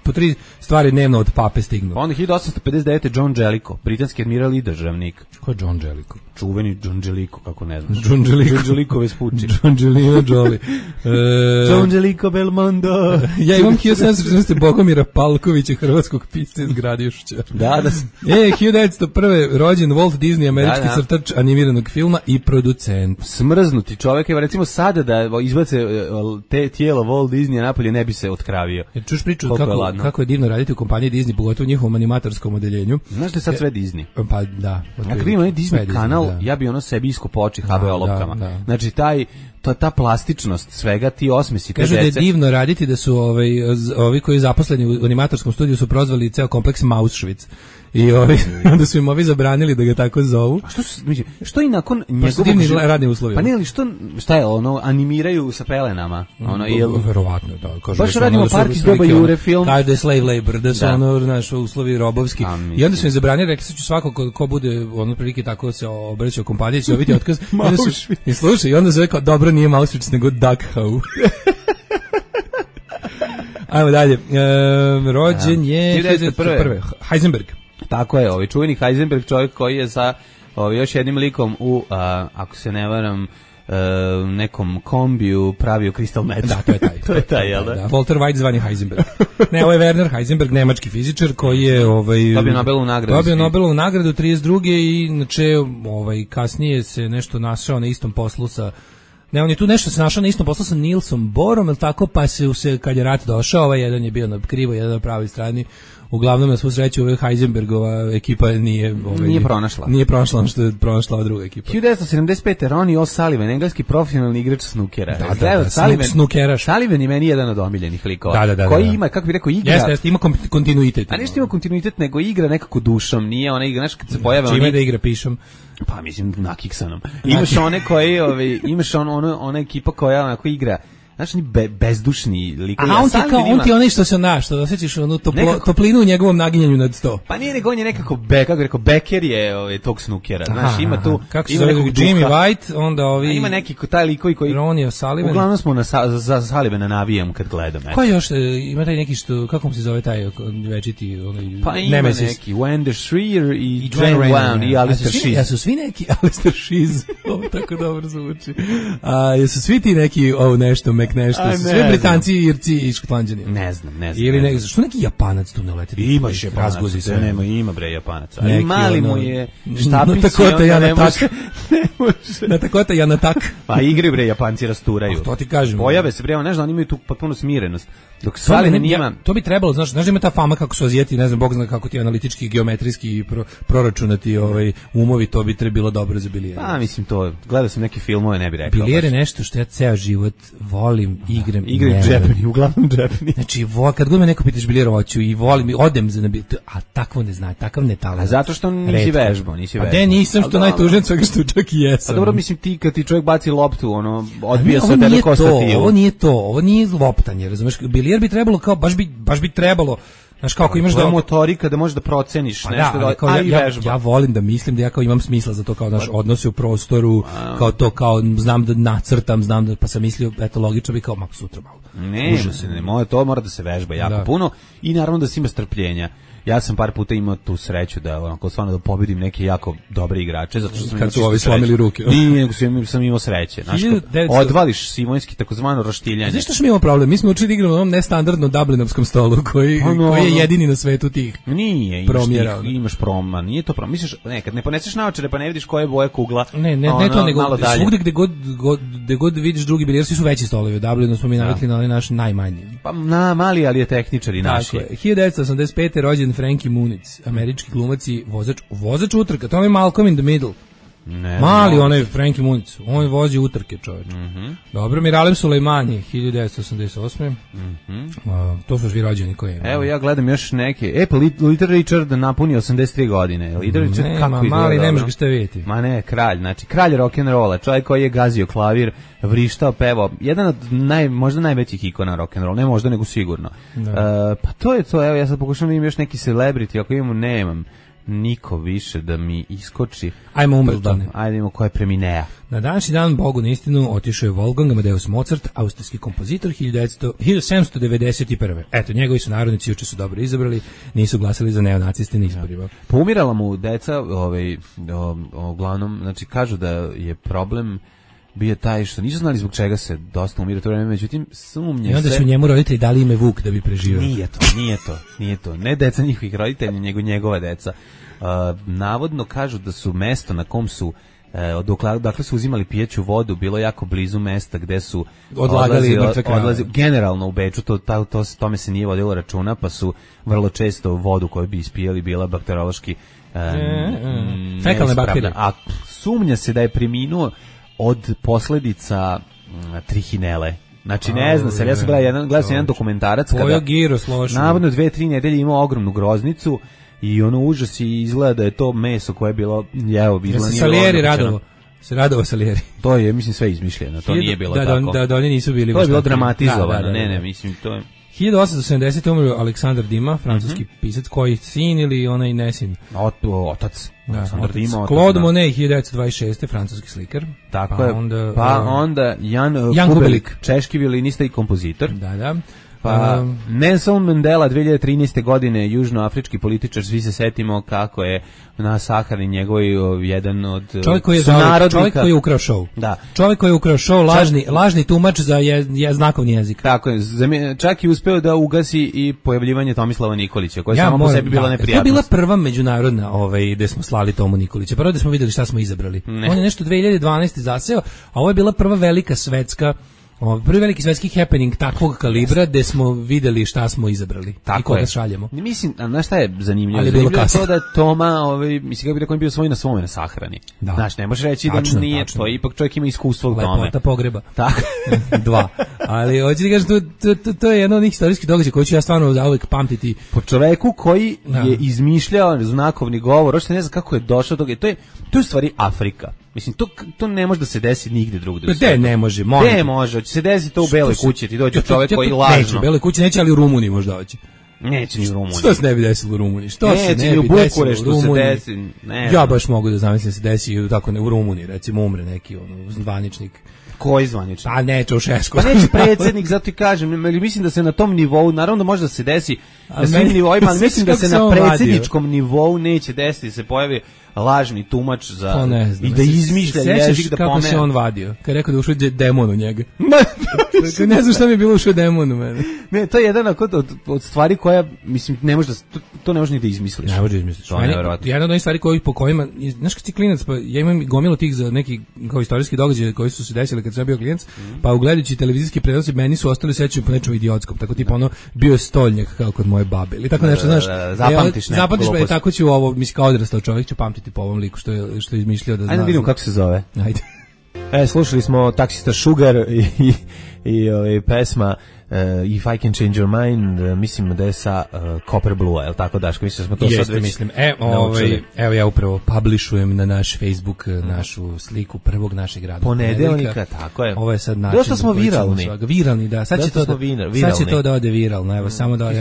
po tri stvari dnevno od pape stignu. Onda 1859. John Jellicoe, britanski admiral i državnik. Ko je John Jellicoe? Čuveni John Jellicoe, kako ne znaš. John Jellicoe Vespucci. John Jolie. John Jellicoe Belmondo. Ja imam 1714. Bogomira Palkovića, hrvatskog pisca iz Gradišća. Da. 1901. rođen Walt Disney, američki crtač animiranog filma i producent. Smrznuti čovjek, evo recimo sada da izbace tijelo Walt Disneya napolje, ne bi se otkravio. Čuš priču kako je divno raditi u kompaniji Disney, pogotovo u njihovom animatorskom odeljenju. Znaš da je sad sve Disney? Pa da. Ja kad imam Disney kanal, ja bi ono sebi iskopo oči HBO lopkama. Znači ta plastičnost svega, ti osmesi te dece. Kažu da je divno raditi, da su ovi koji zaposleni u animatorskom studiju su prozvali ceo kompleks Mausschwitz. I onda su im ovi zabranili da ga tako zovu. A što i nakon njegovog radni uslovi. Pa ne, ali šta je ono, animiraju sa pelenama? Verovatno, da. Baš radimo Park iz doba Jure film. Kaže da je slave labor, da su uslovi robovski. I onda su im zabranili, rekli su svako ko bude prilike tako se obraćao kompaniji, će dobiti otkaz. I slušaj, i onda se rekao, dobro, nije Mausschwitz, nego Dachau. Ajmo dalje. Rođen je 1901. Heisenberg. Tako je, čuveni Heisenberg, čovjek koji je sa još jednim likom u, ako se ne varam, nekom kombiju pravio crystal meth. Da, to je taj. To je taj, jel da? Walter White zvani Heisenberg. Ne, ovo je Werner Heisenberg, nemački fizičar koji je dobio Nobelovu nagradu. Dobio Nobelovu nagradu 32. i inače kasnije se nešto našao na istom poslu sa on je tu nešto se našao na istom poslu sa Nielsom Bohrom, ili tako, pa se kad je rat došao, jedan je bio na krivo, jedan na pravoj strani. Uglavnom, na svu sreću, Heisenbergova ekipa nije pronašla. Nije pronašla ono što je pronašla ova druga ekipa. 1975. Ronnie O'Sullivan, engleski profesionalni igrač snukera. Sullivan je meni jedan od omiljenih likova. Da. Koji ima, kako bi rekao, igra... Jeste, ima kontinuitet. A nešto ima kontinuitet, nego igra nekako dušom. Nije ona igra, znaš, kad se pojave... Čime da igra pišom? Pa mislim, nakiksanom. Imaš one koji, imaš ona ekipa koja onako igra... Znaš, oni bezdušni likovi. A on ti onaj što se što osjećaš onu toplinu u njegovom naginjanju nad sto. Pa nije, nego on je nekako, kako rekao, Becker je tog snukera. Znaš, ima tu... Kako se zove Jimmy White, onda ovi... A ima neki taj likovi koji... Ronnie O'Sullivan. Uglavnom smo za Sullivana navijam kad gledam. Ko još, ima taj neki što, kako mu se zove taj večiti, pa ima neki, Wender Shreer i Jane Brown i Alistair Sheez. Ja su svi neki, Alistair Sheez, ovo tako dobro zvuči. Jesu svi ti neki, nešto, nešto, sve Britanci, Irci i Škotlanđani. Ne znam. Ili što neki Japanac tu ne uleti? Imaš Japanac, ima bre Japanaca. Ali mali mu je štapić. Na takota ja na tak. Pa igraju bre Japanci, rasturaju. To ti kažem. Pojave se bre, ne znam, oni imaju tu potpuno smirenost. Dok Sullivan ima... To bi trebalo, znaš da ima ta fama kako su Azijeti, ne znam, Bog zna kako ti analitički, geometrijski proračunati umovi, to bi trebalo dobro za bilijere. Pa mislim to, gledao sam neke filmove, ne bi rekao. Bilijere je nešto što ja ceo život volim, igram. Igram džepni, uglavnom džepni. Znači, kad god me neko pitaš bilijer hoću i volim, odem za nabijer, a takvo ne zna, takav ne talent. A zato što nisi vežbao. A de nisam, što najtužen svega što čak i jesam. A dobro, mislim ti, kad ti čovjek baci loptu, odbija se od tebe ko stativu. Ovo nije loptanje, razumeš? Bilijer bi trebalo kao, baš bi trebalo, znaš kako imaš da motorika da možeš da proceniš nešto, ja volim da mislim da ja kao imam smisla za to, kao naš odnose u prostoru, kao to, kao znam da nacrtam, pa sam mislio, eto logično bi kao sutra malo. To mora da se vežba jako puno i naravno da se ima strpljenja. ja sam par puta imao tu sreću da onako stvarno da pobedim neke jako dobre igrače, zato što sam kad su ovi slomili ruke. Nije, nego sam imao sreće. Znaš, odvališ simonski takozvano roštiljanje. Znaš što mi imamo problem? Mi smo učili da igramo na onom nestandardnom dublinovskom stolu koji je jedini na svetu tih. Nije, imaš proma, nije to proma. Misliš, kad ne poneseš naočare pa ne vidiš koje boje kugla. Ne to, nego svugde gde god vidiš drugi bilijar, svi su veći stolovi. U Dublinu smo mi navikli na onaj naš najmanji. Pa mali, ali je tehničar i naši. 1985. rođen Frankie Muniz, američki glumac i vozač utrka, to je Malcolm in the Middle. Mali onaj Frankie Muniz, on vozi utrke, čovječ. Dobro, Miralem Sulejmani, 1988. To su svi rođeni koji. Evo ja gledam još neke. Pa Little Richard napuni 83 godine. Little Richard kako izgleda? Mali, ne možeš ga ste vidjeti. Ma ne, kralj, znači kralj rock'n'rolla, čovjek koji je gazio klavir, vrištao, pevao, jedan od možda najvećih ikona rock'n'rolla, ne možda nego sigurno. Pa to je to, evo ja sad pokušam da imam još neki celebrity, ako imamo, nemam niko više da mi iskoči. Ajmo umrtane. Ajde imamo ko je preminea. Na današnji dan, Bogu na istinu, otišao je Wolfgang Amadeus Mozart, austrijski kompozitor, 1791. Eto, njegovi su narodnici juče su dobro izabrali, nisu glasali za neonaciste na izborima. Poumirala mu deca, uglavnom, znači kažu da je problem bio taj što nisu znali zbog čega se dosta umira to vreme, međutim sumnje se. I onda su njemu roditelji dali ime Vuk da bi preživio. Nije to. Ne deca njihovih roditelja, nego njegova deca. Navodno kažu da su mesto na kom su dakle su uzimali pijeću vodu, bilo jako blizu mesta gde su odlagali mrtve krave. Generalno u Beču tome se nije vodilo računa, pa su vrlo često vodu koju bi ispijali bila bakteriološki fekalne bakterije. A sumnja se da je preminuo od posledica trihinele. Znači ne znam se, ja sam gledao jedan dokumentarac kada navodno 2-3 nedelje imao ogromnu groznicu i ono užas i izgleda da je to meso koje je bilo radovao Salieri. To je, mislim, sve izmišljeno, to nije bilo tako. Da oni nisu bili. To je bilo dramatizovano, ne, mislim, to je... 1870. umro Aleksandar Dima, francuski pisac, koji sin ili onaj nesin? Otac. Aleksandar Dima. Claude Monet, 1926. francuski slikar. Tako je. Onda Jan Kubelik, češki violinista i kompozitor. Da. Pa Nelson Mandela 2013. godine, južnoafrički političar, svi se setimo kako je na sahrani njegovoj jedan od čovjek koji je ukrao show. Da. Čovjek koji je ukrao show, lažni tumač za znakovni jezik. Tako je, čak i uspeo da ugasi i pojavljivanje Tomislava Nikolića, koja je samo po sebi bila neprijatnost. To je bila prva međunarodna gde smo slali Tomu Nikolića. Prvo da smo vidjeli šta smo izabrali. On je nešto 2012. zaseo, a ovo je bila prva velika svetska prvi veliki svetski happening takvog kalibra gde smo videli šta smo izabrali i koga šaljemo. Mislim, znaš šta je zanimljivo? Zanimljivo je to da Toma, mislim kako bi rekao, on bio svoj na svome na sahrani. Znaš, ne možeš reći da nije, to ipak čovjek ima iskustvo u tome. Lepota pogreba. Tako. 2. Ali hoću ti kažem, to je jedan od njih istorijskih događaja koji ću ja stvarno zauvek pamtiti. Po čoveku koji je izmišljao znakovni govor, ne znam kako je došao do toga. To je u stvari Afrika. Mislim, to ne može da se desi nigde drugde. Ne može, će se desiti to u Beloj kući, ti dođe čovjek koji lažno. Neće, u Beloj kući neće, ali u Rumuniji možda hoće. Neće ni u Rumuniji. Što se ne bi desilo u Rumuniji? Neće, u Bukureštu se desi. Ja baš mogu da zamislim se desi tako u Rumuniji, recimo umre neki zvaničnik. Koji zvaničnik? Pa ne, Čaušesku. Pa neće predsjednik, zato i kažem, mislim da se na tom nivou, naravno da može da se desi na svim nivoima, ali mislim da se na predsjedničkom nivou neće desiti, se pojavi lažni tumač za i da izmišlja jezik da pomene. Kako se on vadio? Kad je rekao da ušao demon u njega. Ne znam šta mi je bilo ušao demon u mene. Ne, to je jedan od stvari koja, mislim, ne može to ne može ni da izmisliš. Ne može da izmisliš. Jedna od onih stvari po kojima, znaš kad si klinac, pa ja imam gomilu tih za neki kao istorijski događaj koji su se desili kad sam bio klinac, pa ugledajući televizijski prenosi meni su ostali sećaju po nečem idiotskom, tako tipa ono bio stoljnjak kao kod moje babe ili tako nešto, znaš. Zapamtiš pa tako ću ovo, mislim kao odrastao čovjek ću pamtiti po ovom liku što je izmišljao da zna. Ajde vidimo kako se zove. Ajde. Slušali smo Taksista Sugar i pesma If I Can Change Your Mind, mislim da je sa Copper Blue, je li tako, Daško? Mislim da smo to sad već mislim. Evo ja upravo publishujem na naš Facebook našu sliku prvog našeg rada. Ponedeljnika, tako je. Ovo je sad način. Dosta smo viralni. Viralni, da. Sad će to da ode viralno. Evo, samo da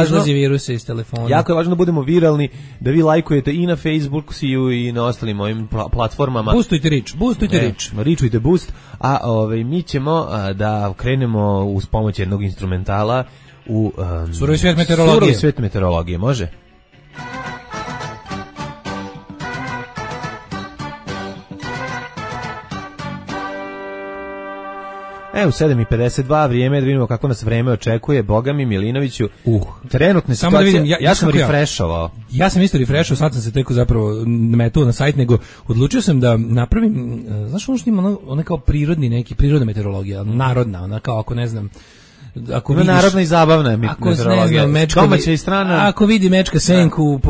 izlazi viruse iz telefona. Jako je važno da budemo viralni, da vi lajkujete i na Facebooku i na ostalim ovim platformama. Boostujte rič. Ričujte boost. A mi ćemo da krenemo uz pomoć jednog instrumentala u Surovi svijet meteorologije. Surovi svijet meteorologije, može? U 7:52 vrijeme da vidimo kako nas vreme očekuje. Boga mi, Milinoviću, trenutne situacije. Samo da vidim, ja sam refreshovao. Ja sam isto refreshovao, sad sam se teko zapravo metao na sajt, nego odlučio sam da napravim, znaš ono što ima ono kao prirodna meteorologija, narodna, ona kao ako ne znam, ako vidiš, narodna i zabavna meteorologija, domaća i strana. Ako vidi mečka senku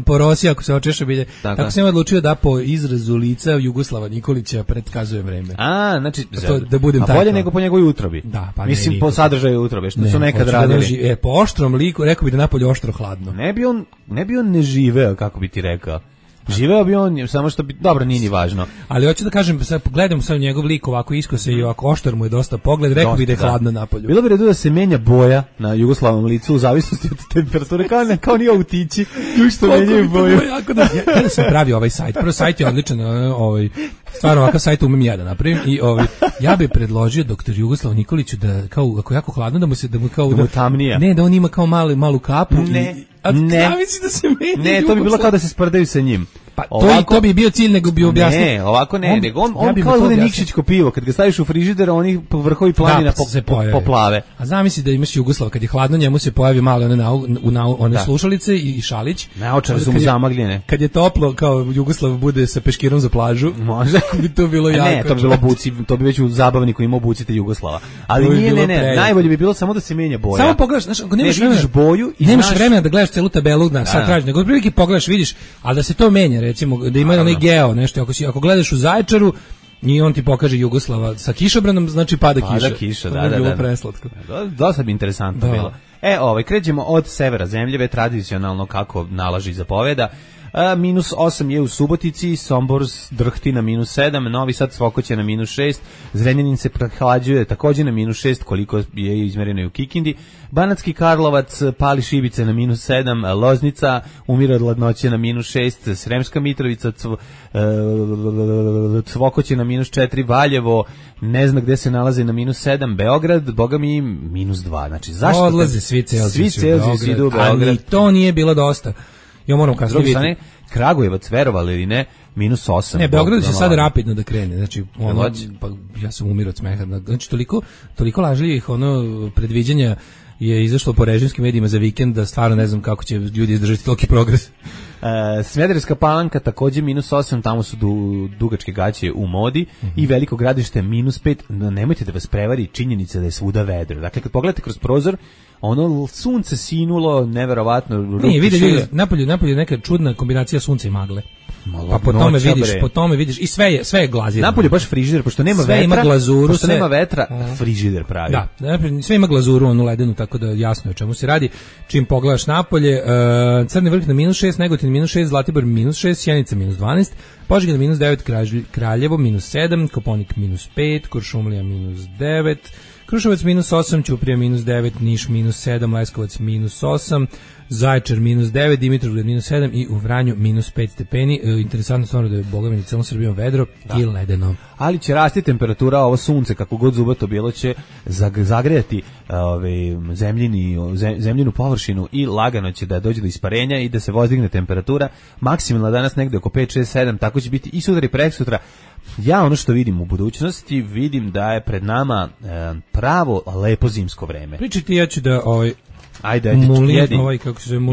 po rosi, ako se očeša bilje, tako sam odlučio da po izrazu lica Jugoslava Nikolića predkazuje vreme. Znači, da budem tako. Bolje nego po njegovoj utrobi. Da, pa mislim po sadržaju utrobe, što su nekad radili. Po oštrom liku, rekao bi da napolje oštro hladno. Ne bi on ne živeo, kako bi ti rekao. Živeo bi on, samo što bi, dobro, nije ni važno. Ali hoću da kažem, sad gledam sad njegov lik ovako iskose i ovako oštar mu je dosta pogled, rekao bi da je hladno napolju. Bilo bi redu da se menja boja na Jugoslavom licu u zavisnosti od temperature, kao ni autići, što menjaju boju. Kada sam pravio ovaj sajt, prvo sajt je odličan, stvarno ovakav sajt umem ja da napravim i ja bih predložio doktor Jugoslavu Nikoliću da, kao, ako jako hladno, da mu tamnija. Ne, da on ima kao malu kapu zavisi da se menja. Ne, to bi bilo kao da se sprdaju sa njim. Pa to bi bio cilj, nego bi objasnio. Ne, ovako ne, nego on kao bude Nikšićko pivo, kad ga staviš u frižider, oni vrhovi planina poplave. A zamisli da imaš Jugoslava, kad je hladno, njemu se pojavi malo one slušalice i šalić. Naočare su mu zamagljene. Kad je toplo, kao Jugoslav bude sa peškirom za plažu, može bi to bilo jako. Ne, to bi bilo buci, to bi već u zabavniku imao bucite Jugoslava. Ali nije, ne, najbolje bi bilo samo da se menja boja. Samo pogledaš, znaš, ako nemaš boju i nemaš vremena da gledaš celu tabelu na sad traži, nego otprilike pogledaš, vidiš, al da se to menja, recimo da ima onaj geo, nešto, ako gledaš u Zaječaru i on ti pokaže Jugoslava sa kišobranom, znači pada kiša. Da. Bilo preslatko. Dosta bi interesantno bilo. Krećemo od severa zemljeve, tradicionalno kako nalaži zapoveda. -8 je u Subotici, Sombor drhti na -7, Novi Sad Cvokoće na -6, Zrenjanin se prehlađuje također na -6, koliko je izmereno i u Kikindi, Banatski Karlovac pali šibice na -7, Loznica umire od hladnoće na -6, Sremska Mitrovica Cvokoće na -4, Valjevo ne zna gde se nalaze na -7, Beograd, boga mi -2. Znači, zašto? Odlaze svi Celzijsi u Beograd. Ali to nije bilo dosta. Ja moram kasnije vidjeti. Kragujevac, verovali ili ne, -8. Ne, Beograd će sad rapidno da krene. Znači, pa ja sam umirao od smeha. Znači, toliko lažljivih predviđanja je izašlo po režimskim medijima za vikend da stvarno ne znam kako će ljudi izdržati toliki progres. Smederevska Palanka također -8, tamo su dugačke gaće u modi i Veliko Gradište -5. Nemojte da vas prevari činjenica da je svuda vedro. Dakle, kad pogledate kroz prozor, ono sunce sinulo, neverovatno. Nije, vidi, napolje neka čudna kombinacija sunca i magle. Pa po tome vidiš i sve je glazirano. Napolje baš frižider, pošto nema sve vetra. Ima glazuru, pošto nema vetra, frižider pravi. Da, sve ima glazuru, onu ledenu, tako da jasno je o čemu se radi. Čim pogledaš napolje, Crni Vrh na -6, Negotin -6, Zlatibor -6, Sjenica -12, Požega na -9, Kraljevo -7, Koponik -5, Kuršumlija -9, Kruševac -8, Ćuprija -9, Niš -7, Leskovac -8, Zaječar -9, Dimitrovgrad -7 i u Vranju -5 stepeni. Interesantno stvarno da je bogami celom Srbijom vedro i ledeno. Ali će rasti temperatura, ovo sunce, kako god zubato bilo, će zagrejati zemljinu površinu i lagano će da dođe do isparenja i da se vozdigne temperatura. Maksimalna danas negde oko 5, 6, 7, tako će biti i sutra i preksutra. Ja ono što vidim u budućnosti, vidim da je pred nama pravo lepo zimsko vreme. Pričajte, ja ću da Ajde,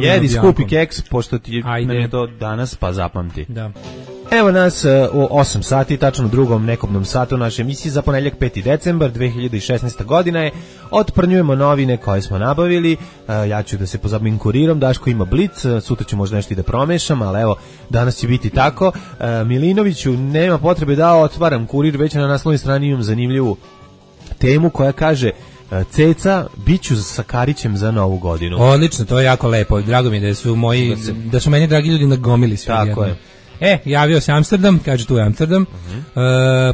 jedi skupi keks, pošto ti je to danas, pa zapamti. Da. Evo nas u 8 sati, tačno u drugom nekobnom satu naše emisije za ponedjeljak 5. decembar 2016. godina je. Otprnjujemo novine koje smo nabavili. Ja ću da se pozabavim kurirom, Daško ima blic, sutra ću možda nešto i da promešam, ali evo, danas će biti tako. Milinoviću, nema potrebe da otvaram kurir, već na naslovnoj strani imam zanimljivu temu koja kaže: Ceca, biću sa Karićem za Novu godinu. Odlično, to je jako lepo. Drago mi je da su meni dragi ljudi nagomili sve. Tako je. Javio se Amsterdam, kaže tu je Amsterdam.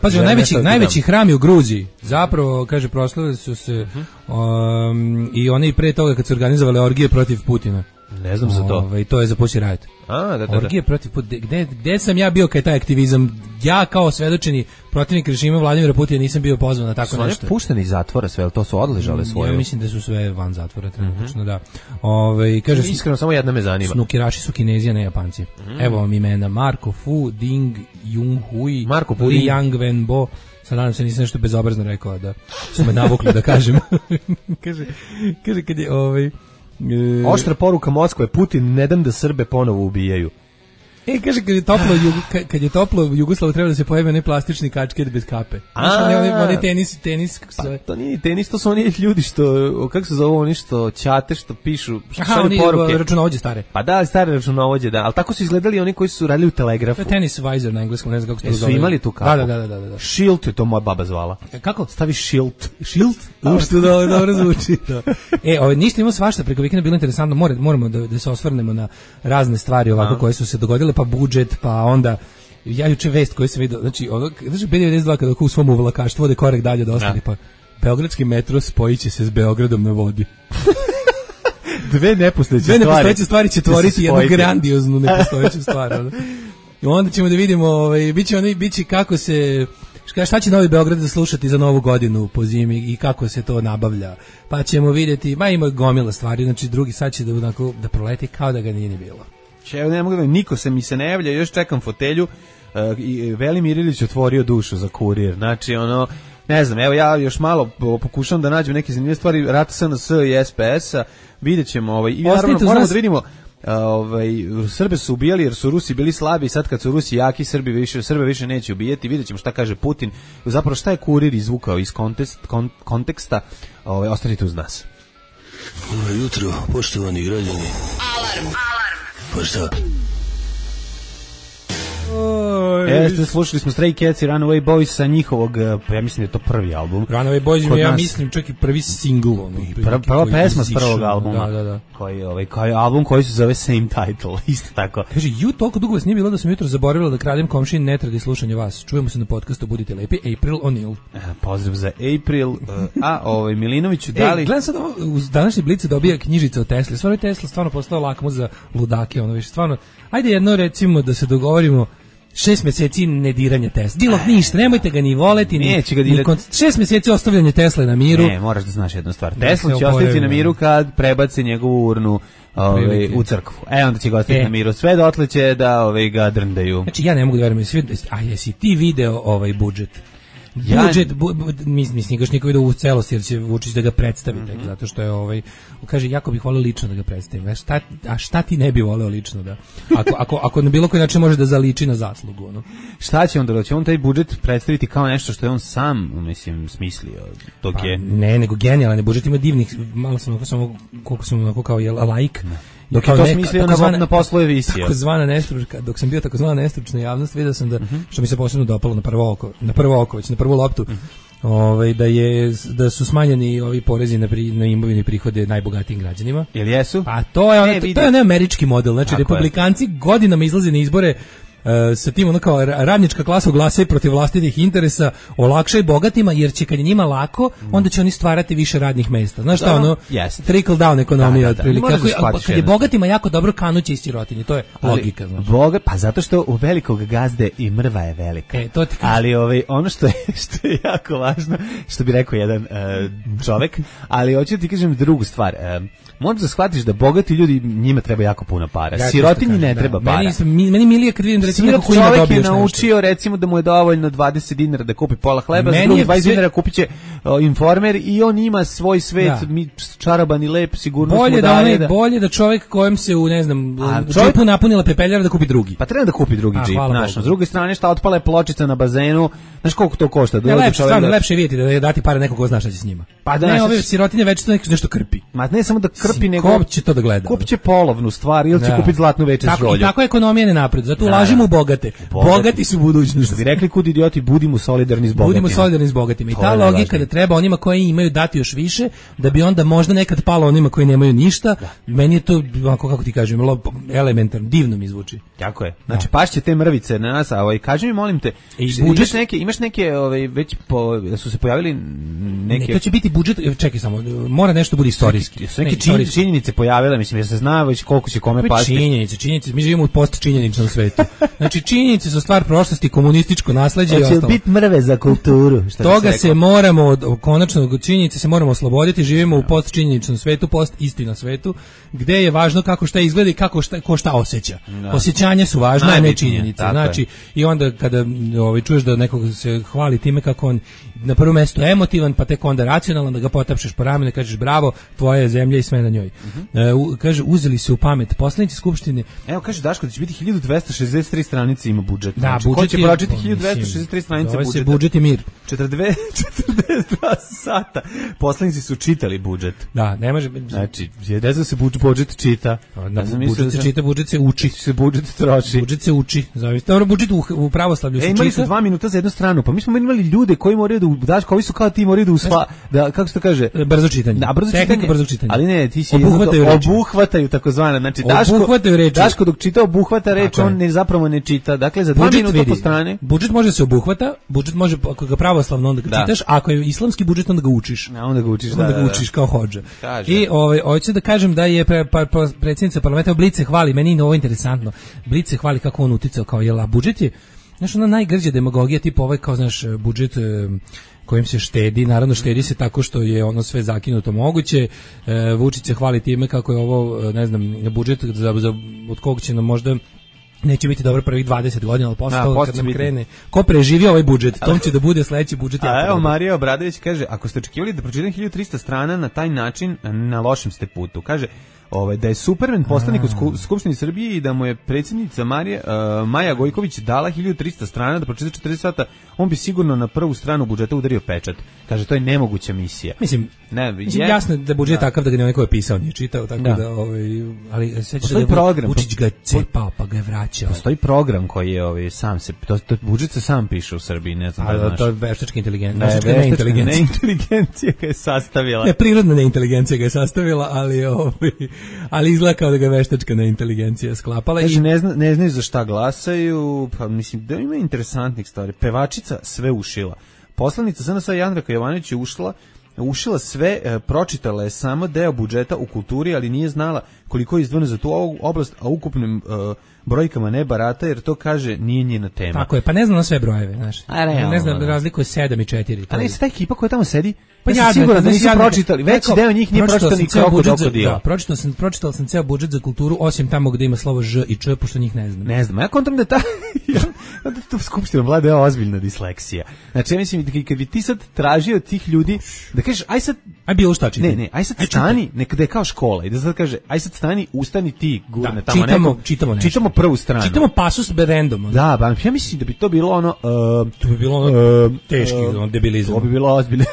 Pazi, najveći hram je u Gruziji. Zapravo, kaže, proslavili su se i oni pre toga kad su organizovali orgije protiv Putina. Ne znam za to. To je za Pussy Riot. Da. Orgije protiv... Gde sam ja bio kad je taj aktivizam? Ja kao svedočeni protivnik režima Vladimira Putina nisam bio pozvan na tako nešto. Su oni pušteni iz zatvora sve, to su odležale svoje? Ja mislim da su sve van zatvora, trenutno, da. Kaže, iskreno, samo jedna me zanima. Snukeraši su Kinezi, a ne Japanci. Evo vam imena: Marko Fu, Ding Junhui, Li Yang Wenbo. Sad nadam se nisam nešto bezobrazno rekao, da su me navukli da kažem. kaže kad je oštra poruka Moskve, Putin, ne dam da Srbe ponovo ubijaju. Kaže, kad je toplo u Jugoslavu treba da se pojave ne plastični kačket bez kape. Oni tenis. Pa, to nije tenis, to su oni ljudi što, kako se zove, oni što ćate, što pišu, što šalju poruke. Računovođe stare. Pa da, stare računovođe, da. Ali tako su izgledali oni koji su radili u telegrafu. Tenis visor na engleskom, ne znam kako se to zove. Su imali tu kapu? Da. Shield je to moja baba zvala. Kako? Stavi shield. Shield? Što dobro zvuči. Ništa imamo svašta, preko vikenda bilo interesantno, moramo da se osvrnemo na razne stvari ovako koje su se dogodile, pa budžet, pa onda ja juče vest koju sam vidio, znači B92 kada u svom uvlakaštvu ode korek dalje da ostali, pa beogradski metro spojit će se s Beogradom na vodi. Dve nepostojeće stvari će tvoriti jednu grandioznu nepostojeću stvar. Onda ćemo da vidimo, biće kako se, šta će Novi Beograd da slušati za Novu godinu po zimi i kako se to nabavlja. Pa ćemo vidjeti, ima gomila stvari, znači drugi sad će da proleti kao da ga nije ni bilo. Ne mogu da niko mi se ne javlja, još čekam fotelju i Velimir Ilić otvorio dušu za Kurir. Znači ne znam, evo ja još malo pokušam da nađem neke zanimljive stvari, rata SNS i SPS-a, vidjet ćemo i naravno moramo da vidimo Srbe su ubijali jer su Rusi bili slabi i sad kad su Rusi jaki Srbe više neće ubijeti, vidjet ćemo šta kaže Putin, zapravo šta je Kurir izvukao iz konteksta, ostanite uz nas. Dobro jutro, poštovani građani. Alarm. Pa šta? Slušali smo Stray Cats i Runaway Boys sa njihovog, ja mislim da je to prvi album. Runaway Boys je, ja mislim, čak i prvi singl. Prva pesma s prvog albuma. Da. Koji album koji se zove Same Title, isto tako. Kaže, toliko dugo vas nije bilo da sam jutro zaboravila da kradem komšin ne tradi slušanje vas. Čujemo se na podcastu, budite lepi. April O'Neil. Pozdrav za April. Milinoviću, da li... Gledam sad u današnji Blicu dobija knjižica o Tesli. Stvarno je Tesla stvarno postao lakmus za ludake, stvarno. Ajde jedno recimo da se dogovorimo 6 meseci nediranja Tesla. Dilog ništa, nemojte ga ni voleti, neće ga dirati. 6 meseci ostavljanje Tesle na miru. Ne, moraš da znaš jednu stvar. Tesla će ostaviti na miru kad prebaci njegovu urnu u crkvu. Onda će ga ostaviti na miru. Sve dotle će da ga drndaju. Znači ja ne mogu da verujem, jesi ti video budžet? Mislim, još niko vidio u celosti jer će Vučić da ga predstavi, zato što je kaže, jako bih volio lično da ga predstavim. A šta ti ne bi voleo lično da? Ako na bilo koji način može da zaliči na zaslugu. Šta će onda? Će on taj budžet predstaviti kao nešto što je on sam, smislio? Ne, nego genijalan budžet, ima divnih, malo sam koliko sam kao laik. Dok je to smislio na poslove visio. Dok sam bio takozvana nestručna javnost, vidio sam da, što mi se posebno dopalo na prvo oko, već na prvu loptu, da su smanjeni ovi porezi na imovine i prihode najbogatijim građanima. Jel jesu? Pa to je američki model, znači republikanci godinama izlaze na izbore sa tim kao radnička klasa glasa protiv vlastitih interesa, olakšaj bogatima jer će kad je njima lako, onda će oni stvarati više radnih mesta. Znaš šta trickle down ekonomija otprilike. Kad je bogatima jako dobro, kanuće iz sirotinje, to je logika. Pa zato što u velikog gazde i mrva je velika. Ali ono što je jako važno, što bi rekao jedan čovek, ali hoću da ti kažem drugu stvar. Možeš da shvatiš da bogati ljudi, njima treba jako puno para. Sirotinji ne treba para. Meni milije kad vidim da recimo neko koji čovjek je naučio recimo da mu je dovoljno 20 dinara da kupi pola hleba, za drugi 20 dinara kupit će Informer i on ima svoj svet, čaroban i lep, sigurno mu daje. Bolje da čovjek kojem se u džipu napunila pepeljara da kupi drugi. Pa treba da kupi drugi džip, znaš. S druge strane šta otpala je pločica na bazenu, znaš koliko to košta? Lepše vidjeti da dati pare neko ko zna šta će s njima. Ne, ove sirotinje već to nešto krpi. Ma ne samo da krpi, nego ko će to da gleda? Kupit će polovnu stvar ili će kupiti zlatnu večer s rolju. I tako ekonomija ne napred, zato ulažimo u bogate. Bogati su budućnost. Što bi rekli kud idioti, budimo solidarni s bogatima. Budimo solidarni s bogatima. I ta logika da treba onima koji imaju dati još više, da bi onda možda nekad palo onima koji nemaju ništa. Meni je to, kako ti kažem, elementarno, divno mi zvuči. Tako je. Znači, pašće te mrvice na nas, a kaži mi, molim te, imaš neke već su se pojavili neke... To će biti budžet, čekaj samo, mora nešto bude istorijski. Su neke činjenice pojavile, mislim, jer se zna već koliko će kome pasti. Činjenice, mi živimo u postčinjeničnom svetu. Znači, činjenice su stvar prošlosti, komunističko nasleđe i ostalo. Hoće biti mrve za kulturu. Toga se moramo, konačno, činjenice se moramo osloboditi, živimo u postčinjeničnom svetu, post-istina svetu, gde je važno kako šta izgleda i ko šta osjeća. Osjećanja su važna, a ne činjenice. Znači, i onda kada čuješ da nekog se hvali time kako on na prvo mesto emotivan, pa tek onda racionalan, da ga potapšeš po ramenu i kažeš bravo, tvoja je zemlja i sve na njoj. Kaže, uzeli se u pamet poslanici Skupštine. Evo, kaže Daško da će biti 1263 stranice ima budžet. Da, znači, budžet će pročiti 1263 stranice budžeta. Se budžet i mir. 42 sata. Poslanici su čitali budžet. Da, ne može. Znači, ne znam se budžet čita. Budžet se čita, budžet se uči. Budžet troši. Budžet se uči. Dobro, budžet u pravoslavlju se čita. Imali su 2 minuta za jednu stranu, pa mi smo imali ljude koji moraju da Daško, ovi su kao ti moraju da kako se to kaže? Brzo čitanje. Da, brzo čitanje. Ali ne, ti si obuhvataju takozvane. Znači Daško dok čita obuhvata reč, on zapravo ne čita. Dakle, za 2 minuta po strane. Budžet može se obuhvata, budžet može, ako ga pravoslavno onda ga čitaš, ako je islamski budžet onda ga učiš. Onda ga učiš, onda ga učiš kao hodža. I hoću da kažem da je predsjednica parlamenta Blice hvali, meni je ovo interesantno. Blice hvali kako on uticao kao jela budžet je. Znaš, ona najgrđa demagogija, tipa kao, znaš, budžet kojim se štedi, naravno štedi se tako što je ono sve zakinuto moguće. Vučić se hvali time kako je ovo, ne znam, budžet od kog će nam možda neće biti dobro prvih 20 godina, ali posle toga kad nam krene. Ko preživi ovaj budžet, tom će da bude sledeći budžet. A evo, Marija Obradović kaže, ako ste očekivali da pročitam 1300 strana na taj način, na lošem ste putu. Kaže, da je Superman poslanik u Skupštini Srbije i da mu je predsjednica Maja Gojković dala 1300 strana da pročita 40 sata, on bi sigurno na prvu stranu budžeta udario pečat. Kaže, to je nemoguća misija. Mislim, jasno da budžet je takav da ga neko je pisao, nije čitao, tako da ali sećaš da je Vučić ga cepao, pa ga je vraćao. Postoji program koji je sam se, budžet se sam piše u Srbiji, ne znam da znaš. To je veštačka inteligencija. Neinteligencija ga je sastavila. Ne, prirodna neinteligencija ga je sastavila, ali izgleda kao da ga veštačka neinteligencija sklapala. Kaže, ne znaju za šta glasaju, pa mislim da ima interesantnih stvari. Pevačica sve ušila. Poslanica SNS Jandrka Jovanović je ušila sve, pročitala je samo deo budžeta u kulturi, ali nije znala koliko je izdvojeno za tu oblast, a ukupnim brojkama ne barata, jer to kaže nije njena tema. Tako je, pa ne znam na sve brojeve, znaš. Ne znam, razliku je 7 i 4. Ali je ta ekipa koja tamo sedi, pa ja sam siguran da nisu pročitali, veći deo njih nije pročitao ni krokodila. Pročitao sam ceo budžet za kulturu, osim tamo gde ima slovo Ž i Č, pošto njih ne znam. Ne znam, ja kontam da to skupština vlada je ozbiljna disleksija. Znači, ja mislim, kad bi ti sad tražio od tih ljudi, da kažeš, aj bilo šta čiti. Ne, aj sad stani, nekada je kao škola, i da sad kaže, aj sad stani, ustani ti, gurne tamo neko. Čitamo prvu stranu. Čitamo pasus berendom. Da, ba, ja mislim da bi to bilo ono... to bi bilo ono teški debilizam. To bi bilo ozbiljno.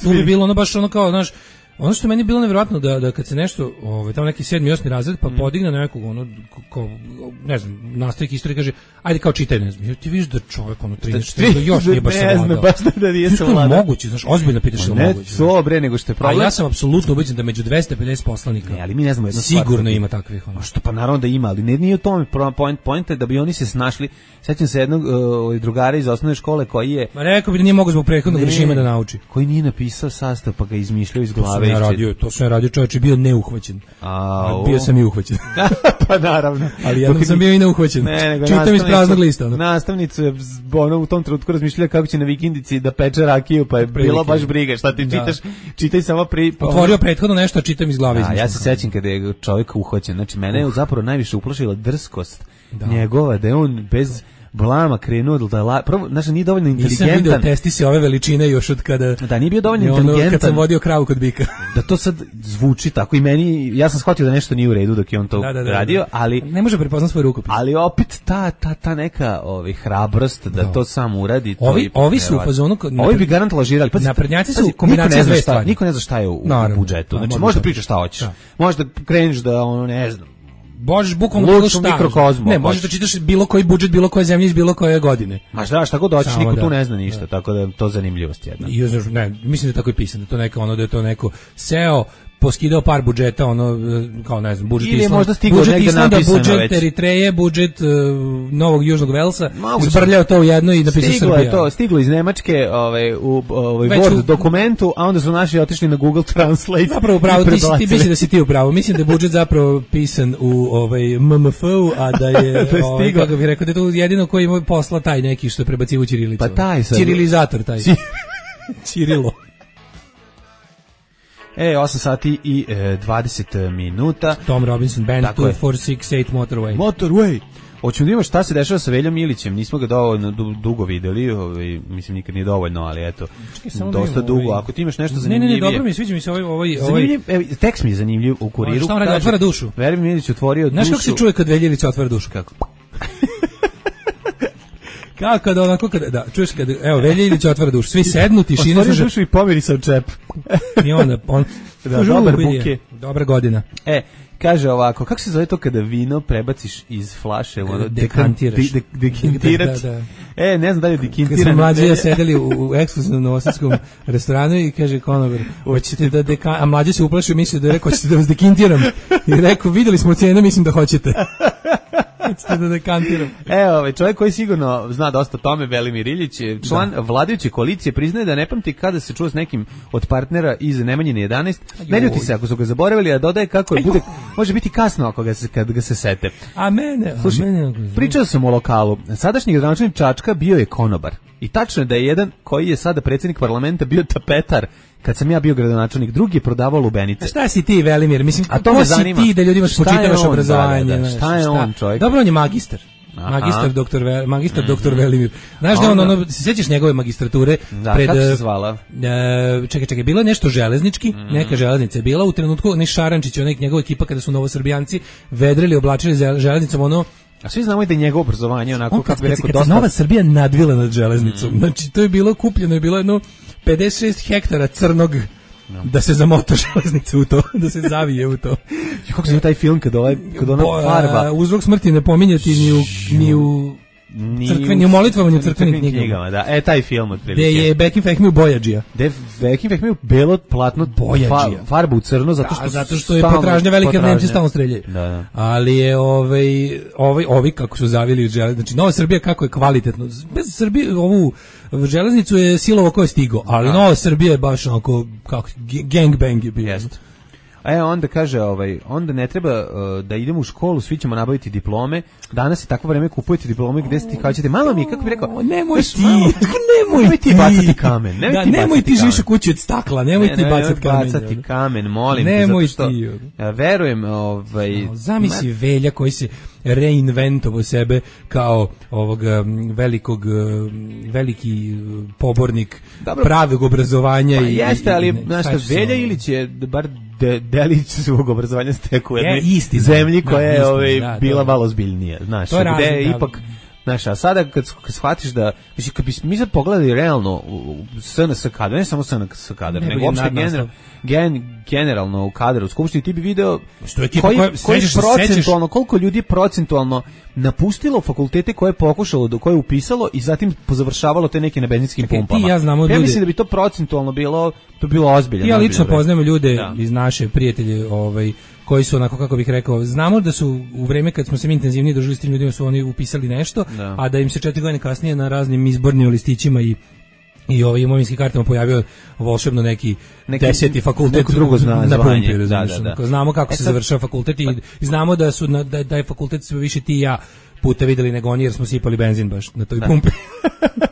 To bi bilo ono baš ono kao, znaš, ono što meni je bilo nevjerojatno da kad se nešto, tamo neki 7. i 8. razred, pa podigne na nekog, ne znam, nastavnik istorije kaže, ajde kao čitaj, ne znam, ti vidiš da čovjek, 34, još nije baš savladao. Ne znam, baš da nije savladao. To je moguće, znaš, ozbiljno pitaš je moguće. Ne, to bre, nego što je problem. A ja sam apsolutno ubeđen da među 250 poslanika, ne, ali mi ne znamo jednu stvar. Sigurno ima takvih. Što pa naravno da ima, ali nije u tome point je da bi oni se snašli. Sećam se jednog drugara iz osnovne škole koji je... Ma rekao bi da nije mogao zbog prethodnog režima da nauči. Koji nije napisao sastav, pa ga izmišljao iz glave. To sam radio, čovječ, bio neuhvaćen. Bio sam i uhvaćen. Pa naravno. Ali jednom sam bio i neuhvaćen. Čitam iz praznog lista. Nastavnicu je u tom trenutku razmišljala kako će na vikendici da peče rakiju, pa je bilo baš briga. Šta ti čitaš? Čitaj samo otvorio prethodno nešto, a čitam iz glave. Ja se sećam kada je čovjek uhvaćen. Znači, mene je zapravo najviše uplašila drskost njegova, da je on bez blama krenuo da prvo, znači nije dovoljno inteligentan. Nisam vidio testi se ove veličine još od kada... Da, nije bio dovoljno inteligentan. Kad sam vodio kravu kod bika. Da to sad zvuči tako i meni, ja sam shvatio da nešto nije u redu dok je on to radio, ali... Ne može prepoznati svoj rukopis. Ali opet ta neka hrabrost da to sam uradi. Ovi su u fazonu... Ovi bi garant lažirali. Naprednjaci su kombinacija dve stvari. Niko ne zna šta je u budžetu. Znači, možda pričaš šta hoćeš. Možda kreneš da, ne znam, Možeš bukvalno bilo šta. Mikrokozmo. Ne, možeš da čitaš bilo koji budžet, bilo koje zemlje iz bilo koje godine. Ma šta god hoćeš, niko tu ne zna ništa, tako da to zanimljivost jedna. I ne, mislim da je tako i pisano, da je to neko seo poskidao par budžeta, ono, kao ne znam, budžet Islanda, budžet Eritreje, budžet Novog Južnog Velsa, zbrljao to u jedno i napisao Srbija. Stiglo iz Nemačke u Word dokumentu, a onda su naši otišli na Google Translate. Zapravo upravo, ti misli da si ti upravo. Mislim da je budžet zapravo pisan u MMF-u, a da je, kako bih rekao, da je to jedino koji ima posla taj neki što je prebacivo ćirilicu. Pa taj sad. Ćirilizator taj. Ćirilo. 8 sati i 20 minuta. Tom Robinson Band, 2468 Motorway. Hoćemo da imamo šta se dešava sa Veljom Ilićem. Nismo ga dovoljno dugo videli, mislim nikad nije dovoljno, ali eto, dosta dugo. Ako ti imaš nešto zanimljivije. Ne, dobro mi, sviđa mi se ovaj... Tekst mi je zanimljiv u Kuriru. Šta on radi, otvara dušu. Veljom Ilić otvorio dušu. Znaš kako se čuje kad Velja Ilić otvara dušu? Kako? Kako kada onako da čuješ kad Velja Ilić otvara dušu, svi sednu, tišina, otvori dušu i pomiri se u čep. I onda dobar buke, dobra godina. Kaže ovako, kako se zove to kada vino prebaciš iz flaše, ono dekantiraš. Dekintirać. Ne znam da li je dekintiran. Kad smo mlađi sedeli u ekskluzivnom novosadskom restoranu i kaže konobar, hoćete da a mlađi se uplašio, mislio da je rekao, hoćete da vas dekintiram. I rekao, videli smo cenu, mislim da hoćete. Da dekantiram. Čovjek koji sigurno zna dosta o tome, Velimir Ilić, član vladajuće koalicije, priznaje da ne pamti kada se čuo s nekim od partnera iz Nemanjine 11. Ne ljuti se ako su ga zaboravili, a dodaje kako je bude, može biti kasno kad ga se sete. A mene, pričao sam o lokalu. Sadašnji gradonačelnik Čačka bio je konobar. I tačno je da je jedan koji je sada predsjednik parlamenta bio tapetar kad sam ja bio gradonačelnik, drugi je prodavao lubenice. A šta si ti, Velimir? Mislim, ko si ti da ljudima spočitavaš obrazovanje? Šta je on, čovjek? Dobro, on je magistar. Magistar doktor Velimir. Znaš da on, se sjećaš njegove magistrature? Kako se zvala? Čekaj, bilo je nešto železnički, neka železnica je bila u trenutku, ne Šarančić, njegova ekipa kada su novosrbijanci vedrili, oblačili železnicom, a svi znamo i da je njegovo obrazovanje onako, kako bi rekao, dosta... Nova Srbija nadvila nad železnicom. Znači, to je bilo kupljeno, je bilo jedno 56 hektara crnog da se zamota železnica u to, da se zavije u to. Kako se taj film kad ona farba... Uzrok smrti ne pominjati ni u crkveni, u molitvama, ni u crkvenim knjigama. Da, taj film otprilike. Gde je Bekim Fehmiju Bojađija. Bekim Fehmiju belo platno farbu u crno, zato što je potražnja velika, Nemci stalno streljaju. Da. Ali je ovi kako su zavili železnicu, znači Nova Srbija kako je kvalitetno. Bez Srbije ovu železnicu je silovo ko je stigo, ali Nova Srbija je baš onako kako gangbang je bio. Onda kaže, onda ne treba da idemo u školu, svi ćemo nabaviti diplome. Danas je takvo vreme, kupujete diplome gde se ti kažete, mama mi, kako bi rekao, nemoj ti bacati kamen. Nemoj ti živiš u kući od stakla, nemoj ti bacati kamen, molim te, zato što verujem, zamisli Velja koji se reinventovao sebe kao veliki pobornik pravog obrazovanja. Pa jeste, ali Velja Ilić je bar delić svog obrazovanja stekao u jednoj zemlji koja je bila malo ozbiljnija, znaš, gde je ipak, znaš, a sada kad shvatiš da, mislim, kad bi mi sad pogledali realno SNS kadar, ne samo SNS kadar, nego uopšte generalno u kadar u Skupštini, ti bi video koji procentualno, koliko ljudi procentualno napustilo fakultete koje je pokušalo, koje je upisalo i zatim pozavršavalo te neke na benzinskim pumpama. Ja mislim da bi to procentualno bilo ozbiljno. Ja lično poznajem ljude iz naše prijatelje, koji su onako, kako bih rekao, znamo da su u vreme kad smo se mi intenzivnije družili s tim ljudima su oni upisali nešto, a da im se 4 godine kasnije na raznim izbornim listićima i imovinskim kartama pojavio volšebno neki 10. fakultet, neko drugo na pumpi, da. Znamo kako se završava fakultet i znamo da su da je fakultet sve više ti i ja puta videli nego oni jer smo sipali benzin baš na toj pumpi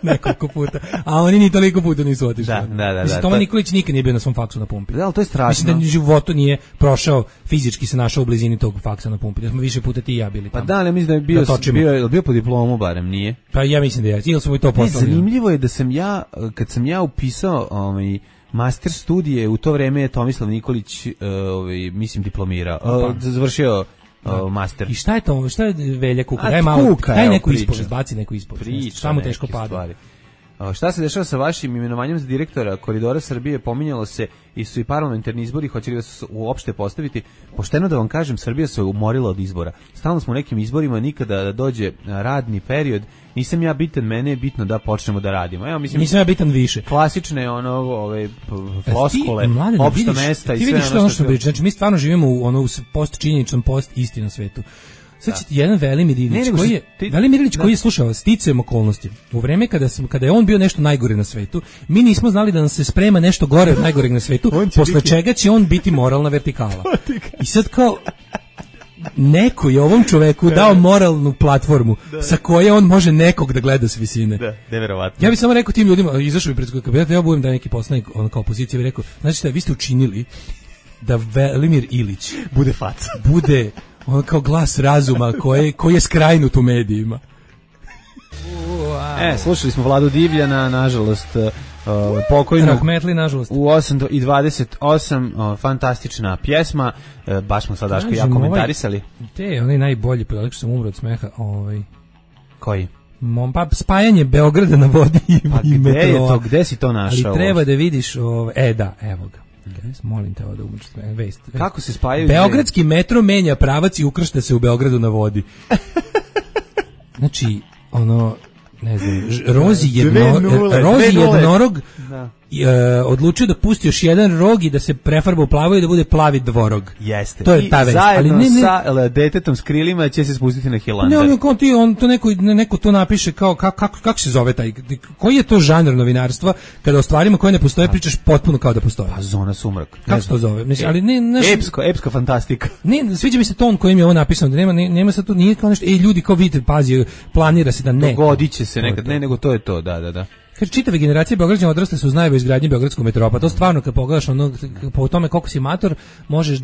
nekoliko puta, a oni ni toliko puta nisu otišli. Mislim, Toma Nikolić nikad nije bio na svom faksu na pumpi. Da, ali to je strašno. Mislim da u životu nije prošao, fizički se našao u blizini tog faksa na pumpi. Da smo više puta ti i ja bili tamo. Pa da, ali mislim da je bio po diplomu barem, nije? Pa ja mislim da je. Ili smo i to poslali. Zanimljivo je da sam ja, kad sam ja upisao master studije, u to vreme je Tomislav Nikolić mislim diplomirao, završio master. I šta je to? Šta je Velja kuka? Daj malo, daj neku ispovest, baci neku ispovest. Šta mu teško pada? Šta se dešava sa vašim imenovanjem za direktora Koridora Srbije? Pominjalo se i su i parlamentarni izbori, hoće li da se uopšte postaviti? Pošteno da vam kažem, Srbija se umorila od izbora. Stalno smo u nekim izborima, nikada da dođe radni period. Nisam ja bitan, mene je bitno da počnemo da radimo. Evo, mislim, nisam ja bitan više. Klasične floskule, opšta mesta i sve ono što... Ti vidiš što priča, znači mi stvarno živimo u post-činjeničnom, post-istinom svetu. Sad će ti jedan Velimir Ilić, koji je slušao sticajem okolnosti. U vreme kada je on bio nešto najgore na svetu, mi nismo znali da nam se sprema nešto gore od najgoreg na svetu, posle čega će on biti moralna vertikala. I sad kao neko je ovom čoveku dao moralnu platformu sa koje on može nekog da gleda s visine. Da, neverovatno. Ja bih samo rekao tim ljudima, izašao bi pred kabineta, ja budem da neki poslanik, on kao opozicija bi rekao, znači šta, vi ste učinili da Velimir Ilić bude faca. Bude on kao glas razuma koji je skrajnut u medijima. Slušali smo Vladu Divljana, nažalost, pokojnog. Rahmetli, nažalost. U 8:28, fantastična pjesma, baš smo sad Daško ja komentarisali. Onaj najbolji pedalik što sam umro od smeha. Koji? Pa spajanje Beograda na vodi i metroa. Gde si to našao? Ali treba da vidiš, da, evo ga. Molim te da umreš vest. Kako se spajaju? Beogradski metro menja pravac i ukršta se u Beogradu na vodi. Znači, ne znam, Rozi jednorog odlučio da pusti još jedan rog i da se prefarba u plavo i da bude plavi dvorog. Jeste. To je ta vest. Zajedno sa detetom s krilima će se spustiti na Hilandar. Neko to napiše kao kako se zove taj, koji je to žanr novinarstva kada o stvarima koje ne postoje pričaš potpuno kao da postoje. Pa zona sumrak. Kako se to zove? Mislim, ali epska fantastika. Ne, sviđa mi se ton kojim je ovo napisano, da nema sad tu nije kao nešto, ljudi kao vidite, pazi, planira se da ne. Dogodiće se nekad, ne, nego to je to, da. Kaže, čitave generacije Beograđana odrasle su uz najavu izgradnje Beogradskog metroa, pa to stvarno kad pogledaš po tome koliko si mator, možeš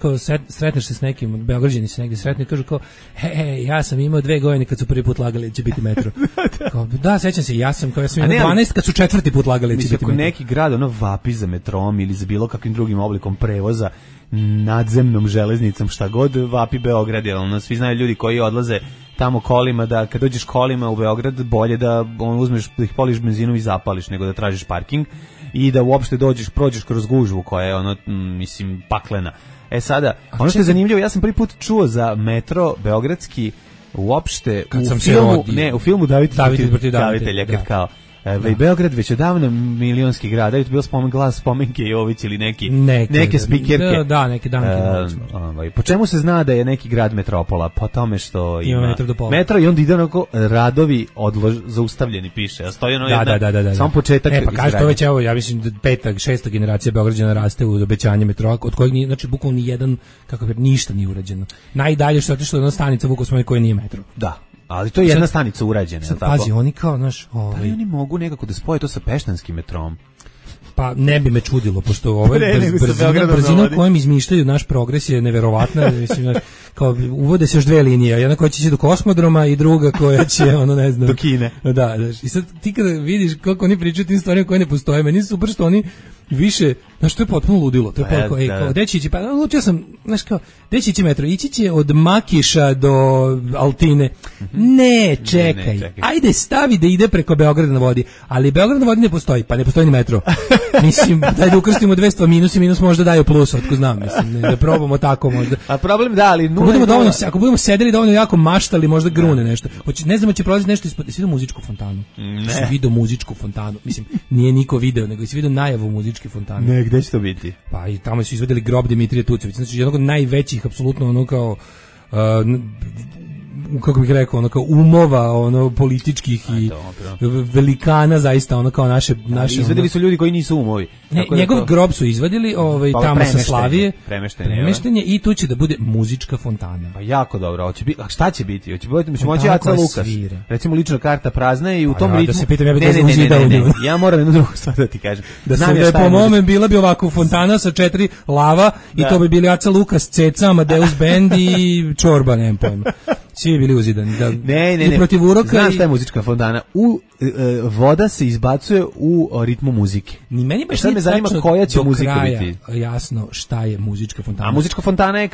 kao sretneš se s nekim, Beograđani se negdje sretni i kažu kao, ja sam imao 2 godine kad su prvi put lagali da će biti metro. Da, sećam se, ja sam imao 12 kad su 4. put lagali da će biti metro. Neki grad vapi za metrom ili za bilo kakvim drugim oblikom prevoza, nadzemnom železnicom, šta god vapi Beograd, jer svi znaju ljudi koji odlaze tamo kolima, da kad dođeš kolima u Beograd bolje da uzmeš, da ih poliš benzinom i zapališ nego da tražiš parking i da uopšte prođeš kroz gužvu koja je paklena. Sada, ono što je zanimljivo, ja sam prvi put čuo za metro beogradski uopšte u filmu David protiv Davitelja, kad kao Beograd već odavno milionski grad, da je to bio spomenke Jović ili neke spikerke. Da, neke danke. Po čemu se zna da je neki grad metropola? Po tome što ima metro do pola. Metro i onda ide onako radovi zaustavljeni piše. A stoji samo početak. Pa kaže to već, evo, ja mislim da 5., 6. generacija Beograđana raste u obećanje metroa, od kojeg nije, znači bukvalno ni jedan, ništa nije urađeno. Najdalje što je otišlo jedna stanica Vukosmani koja nije metro. Da. Ali to je jedna stanica urađena, sad, tako? Pazi, oni kao, znaš... Da li oni mogu nekako da spoje to sa peštanskim metrom? Pa ne bi me čudilo, pošto brzina kojom izmišljaju naš progres je neverovatna. Mislim, kao, uvode se još 2 linije, jedna koja će ići do kosmodroma i druga koja će, ne znam... do Kine. Da, i sad ti kada vidiš kako oni pričaju tim stvarima koje ne postoje, meni su super što oni više, znaš, to je potpuno ludilo. To je kao, gde će ići, pa odlučio sam, znaš kao, gde će ići metro? Ići će od Makiša do Altine. Ne, čekaj. Ajde, stavi da ide preko Beograda na vodi. Ali Beograd na vodi ne postoji, pa ne postoji ni metro. Mislim, daj da ukrstimo 200 minus i minus možda daju plus, otko znam, mislim, da probamo tako možda. A problem da, ali... Ako budemo sedeli dovoljno jako maštali, možda grune nešto. Ne znamo će prolaziti nešto ispod... Jesi vidio muzičku fontanu? Ne. Jesi vidio muzičku fontanu? Mislim, nije niko video, nego jesi vidio najavu muzičke fontane. Ne, gde će to biti? Pa i tamo su izvedeli grob Dimitrija Tucovića, znači jednog od najvećih, apsolutno kao... kako bih rekao, kao umova, političkih i velikana, zaista, kao naše... Izvedili su ljudi koji nisu umovi. Njegov grob su izvadili tamo sa Slavije, premeštenje i tu će da bude muzička fontana. Pa jako dobro, a šta će biti? Hoće moći Aca Lukas, recimo lična karta prazna i u tom ritmu... Da se pitam, ja bih ja moram jednu drugu stvar da ti kažem. Da se po mome bila bi ovako fontana sa 4 lava i to bi bili Aca Lukas, Ceca, Amadeus Band i Čorba, nemam pojma. Svi bili uzidani. Da, ne. I protiv uroka. Znaš šta je muzička fontana? Voda se izbacuje u ritmu muzike. Ni meni baš sad me zanima koja će muzika biti. Jasno šta je muzička fontana. A muzička fontana je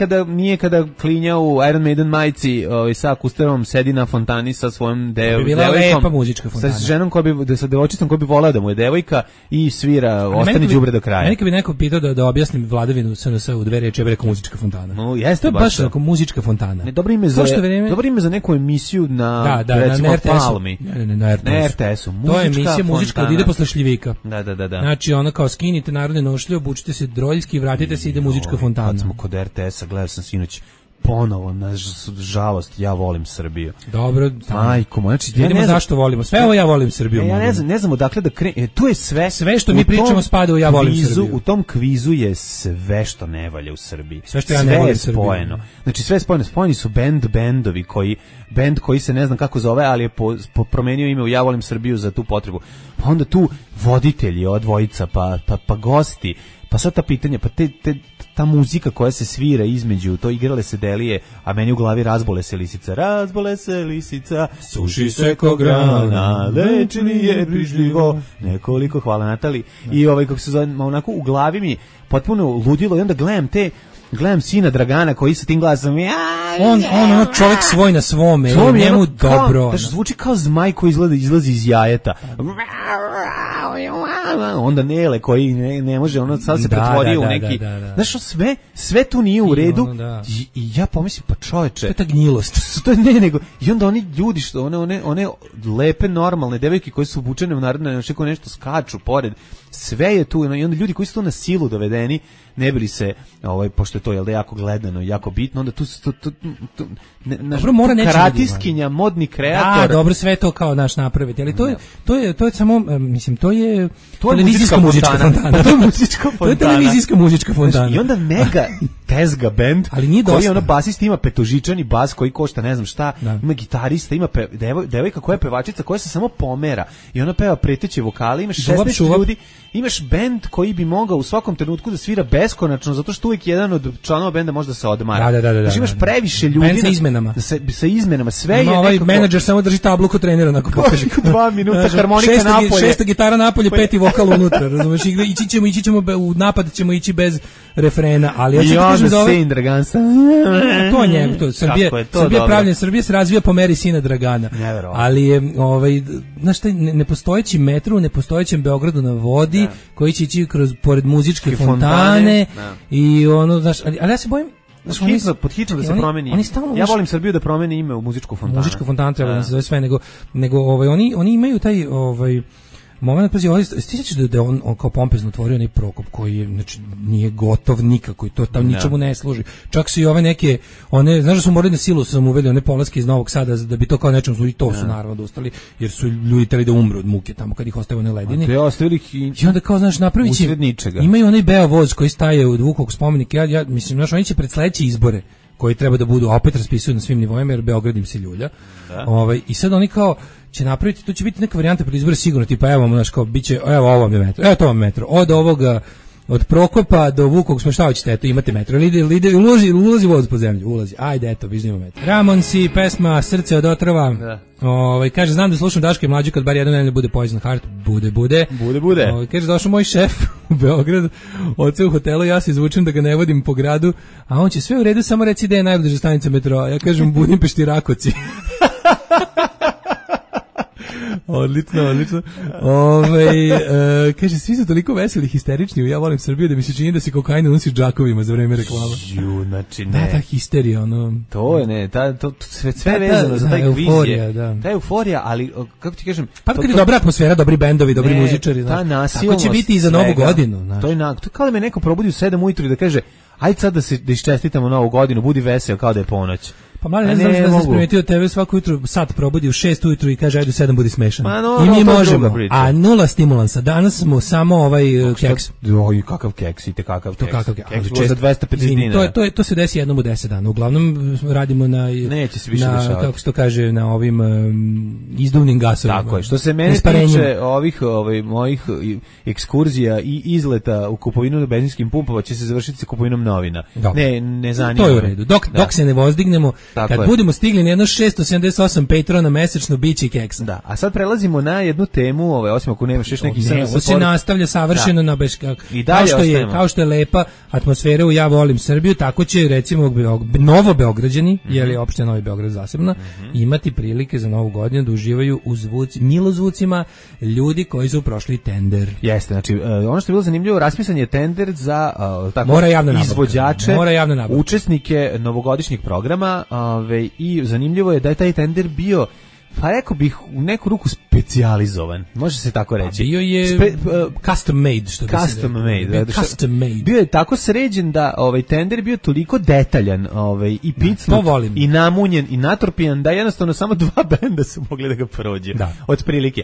kada klinja u Iron Maiden majici sa akusterom sedi na fontani sa svojom devojkom. Bila lepa muzička fontana. Sa ženom sa devojčicom koja bi volela da mu je devojka i svira Ostani đubre do kraja. Meni kad bi neko pitao da objasnim vladavinu SNS u dve reči, ja bih rekao muzička fontana. No, jeste to je baš tako muzička fontana. Ne, dobro ime za neku emisiju na recimo Palmi. Na RTS-u. To je emisija muzička da ide posle šljivika. Da. Znači ono kao skinite narodne nošlje, obučite se droljski, vratite se, ide muzička fontana. Kad smo kod RTS-a, gledao sam sinoć ponovo, na žalost, ja volim Srbiju. Dobro, majko, znači vidimo zašto volimo. Sve ovo ja volim Srbiju. Ja ne znam odakle da krenem. Tu je sve što mi pričamo spada u ja volim Srbiju. U tom kvizu je sve što ne valja u Srbiji. Sve što ja ne volim Srbiju. Spojeno. Znači sve je spojeno. Spojeni su bendovi bend koji se ne znam kako zove, ali je promenio ime u Ja volim Srbiju za tu potrebu. Pa onda tu voditelji, dvojica, pa gosti, pa sad ta pitanja, pa ta muzika koja se svira između, to igrale se delije, a meni u glavi razbole se lisica, suši se ko grana, lečili je brižljivo, nekoliko, hvala Natali, i kako se zove, onako u glavi mi potpuno ludilo i onda gledam sina Dragana koji sa tim glasom on čovjek svoj na svome, njemu dobro. Znači zvuči kao zmaj koji izlazi iz jajeta. Onda Nele koji ne može, ono sad se pretvorio u neki. Znaš, sve tu nije u redu. I ja pomislim, pa čoveče, to je ta gnjilost. To je nego. I onda oni ljudi što one lepe normalne devojke koje su obučene u narodne nošnje, nešto skaču pored. Sve je tu i onda ljudi koji su tu na silu dovedeni, ne bili se, pošto je to je jako gledano i jako bitno, onda tu karatiskinja, modni kreator. Da, dobro, sve to kao naš napraviti, ali to je samo, mislim, to je televizijska muzička fontana. To je muzička fontana. To je televizijska muzička fontana. I onda mega tezga band, koji je basist, ima petožičani bas koji košta ne znam šta, ima gitarista, ima devojka koja je pevačica koja se samo pomera i ona peva preteće vokale, imaš 16 ljudi, imaš bend koji bi mogao u svakom trenutku da svira beskonačno, zato što uvijek jedan od članova benda može da se odmara. Da. Imaš previše ljudi sa izmenama. Sa izmenama, sve je ovaj menadžer samo drži tablu kod trenera onako pokaže. 2 minuta harmonika napolje. Šesta gitara napolje, peti vokal unutra, razumeš? Ići ćemo u napad, ćemo ići bez refrena, ali ja ću kažem da ovaj Dragansa. To je njemu, to Srbija pravljen, Srbija se razvija po meri sina Dragana. Ali je znaš taj nepostojeći metro u nepostojećem Beogradu na vodi, koji će ići pored muzičke fontane i ono, znaš, ali ja se bojim pod hitno da se promeni. Ja volim Srbiju da promeni ime u muzičku fontanu. Muzička fontana treba da se zove sve, nego oni imaju taj moment, pazi, stićeš da on kao pompezno otvorio onaj Prokop koji je, znači, nije gotov nikako i to tam ničemu ne služi. Čak su i ove neke, znaš da su morali na silu sam uveli one polaske iz Novog Sada da bi to kao nečem služi, to su naravno dostali, jer su ljudi teli da umru od muke tamo kad ih ostave na ledini. I onda kao, znaš, napravit će, imaju onaj beo voz koji staje od Vukovog spomenika, ja mislim, znaš, oni će pred sledeće izbore koji treba da budu, a opet raspisuju na svim nivoima jer Beograd im se ljulja. I sad oni kao će napraviti, to će biti neka varijanta pred izbore sigurno, tipa evo, znaš, kao biće, evo ovo vam je metro, evo to vam je metro, od ovoga, od Prokopa do Vukovog, šta hoćete, eto, imate metro, ulazi voz po zemlju, ulazi, ajde, eto, vižnimo metro. Ramonsi, pesma Srce od otrova, kaže, znam da slušam Daška i Mlađu kad bar jedno ne bude Poison Heart, bude. Kaže, došao moj šef u Beograd, oce u hotelu, ja se izvučem da ga ne vodim po gradu, a on će sve u redu, samo reci da je najbliža stanica metroa, ja kažem Budimpešti Rakoci. Odlično. Kaže, svi su toliko veseli, histerični, ja volim Srbiju da mi se čini da se kokain unosi džakovima za vreme reklama. Znači ne. Ta histerija, to je ne, sve vezano za taj kvizije. Ta euforija, ali kako ti kažem, pa kad je dobra atmosfera, dobri bendovi, dobri muzičari, tako će biti i za Novu godinu. To je kao da me neko probudi u 7 ujutru i da kaže, ajde sad da iščestitamo Novu godinu, budi veseo kao da je ponoć. Pa mali, ne znam da se primetio tebe svako jutro, sad probudi u 6 ujutru i kaže ajde u 7 budi smešan. I mi možemo, a nula stimulansa. Danas smo samo keks. Oj, kakav keks, ite kakav keks. Keks za 250 dinara. To se desi jednom u 10 dana. Uglavnom radimo na, kako se to kaže, na ovim izduvnim gasovima. Tako je. Što se mene tiče ovih mojih ekskurzija i izleta u kupovinu na benzinskim pumpama će se završiti sa kupovinom novina. Ne zanima. To je u redu. Dok se ne vozdignemo, Kad budemo stigli na jedno 678 patrona mesečno, biće i keksa. Da, a sad prelazimo na jednu temu, osim ako nemaš još neki ovo se nastavlja savršeno na i dalje kao što je lepa atmosfera u Ja volim Srbiju, tako će recimo Novo Beograđani, jer je opština Novi Beograd zasebna, imati prilike za Novu godinu da uživaju u milozvucima ljudi koji su prošli tender. Jeste, znači ono što je bilo zanimljivo, raspisan je tender za izvođače, učesnike novogodišnjeg programa, i zanimljivo je da je taj tender bio, pa rekao bih, u neku ruku specijalizovan, može se tako reći. Bio je custom made, što bi se made. Bio je tako sređen da tender bio toliko detaljan i picnut, i namunjen, i natrpijan, da jednostavno samo 2 benda su mogli da ga prođe. Otprilike.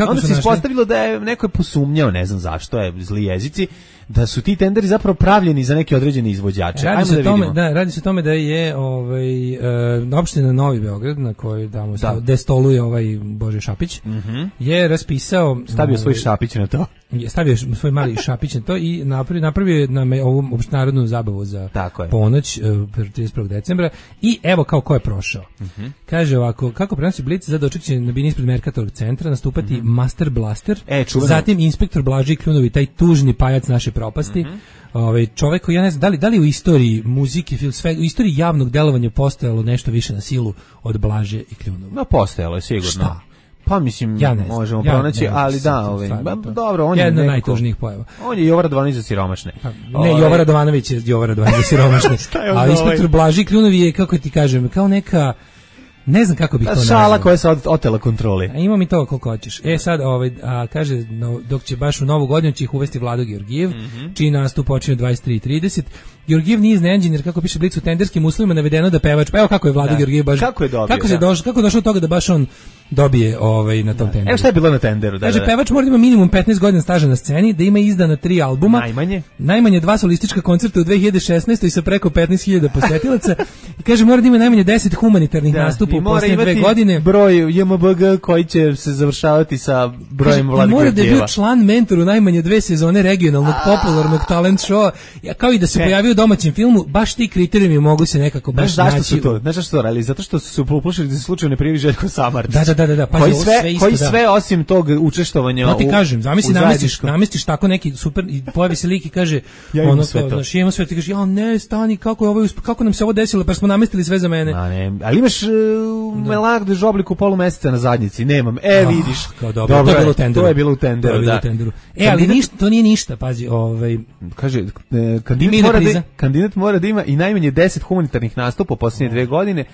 Onda se ispostavilo da je neko posumnjao, ne znam zašto, zli jezici, da su ti tenderi zapravo pravljeni za neke određene izvođače. Radi se o tome da je opština Novi Beograd, na kojoj gde stoluje Bože Šapić, je raspisao... Stavio svoj šapić na to. Stavio svoj mali šapić na to i napravio je nam ovu opštinarodnu zabavu za ponoć 31. decembra i evo kao ko je prošao. Kaže ovako, kako prenosi Blic, za doček će na bini ispred Merkatorog centra nastupati Master Blaster, zatim Inspektor Blaži Kljunovi, taj tužni pajac naše propasti. Čovjek koji, ja ne znam, da li u istoriji muzike, u istoriji javnog delovanja postojalo nešto više na silu od Blaže i Kljunova? No, postojalo je sigurno. Šta? Pa mislim, možemo pronaći, ali dobro, on je jedna od najtužnijih pojava. On je Jovan Radovanović za siromašne. Ne, Jovan Radovanović je Jovan Radovanović za siromašne. A Inspektor Blaži Kljunovi je, kako ti kažem, kao neka... Ne znam kako bih to nazvao. Šala koja se otela kontroli. Ima mi to koliko hoćeš. Sad, kaže, dok će baš u Novu godinu će ih uvesti Vlado Georgijev, čiji nastup počinje 23:30. Georgijev nije iznenađen jer kako piše Blic u tenderskim uslovima navedeno da pevač, pa evo kako je Vlado Georgijev baš. Kako je dobio? Kako je došlo do toga da baš on dobije na tom tenderu. Evo šta je bilo na tenderu. Kaže, pevač mora da ima minimum 15 godina staža na sceni, da ima izdana 3 albuma, najmanje 2 solistička koncerta u 2016. i sa preko 15.000 posetilaca. I kaže, mora da ima najmanje 10 humanitarnih nastupa u posljednje 2 godine. Broj JMBG koji će se završavati sa brojem Vlade Georgijeva. Mora da je bio član mentor u najmanje 2 sezone regionalnog popularnog talent showa, kao i da se pojavio u domaćem filmu. Baš ti kriterijumi mogu se nekako baš naći. Znaš zašto su to radili? Zato što su se uplušili da se slučajno ne prijavi Željko Samardžić. Da. Koji sve osim tog učestvovanja ti kažem, namestiš tako neki super i pojavi se lik i kaže ja imam sve to. Imam sve, ti kaže, ja ne, stani, kako nam se ovo desilo, pa smo namestili sve za mene. Ali imaš Melarde Žobliku polumeseca na zadnjici, nemam. Vidiš. Dobro, to je bilo u tenderu. Ali ništa, to nije ništa, pazi, kaže, kandidat mora da ima i najmanje 10 humanitarnih nastupa u posljednje 2 godine.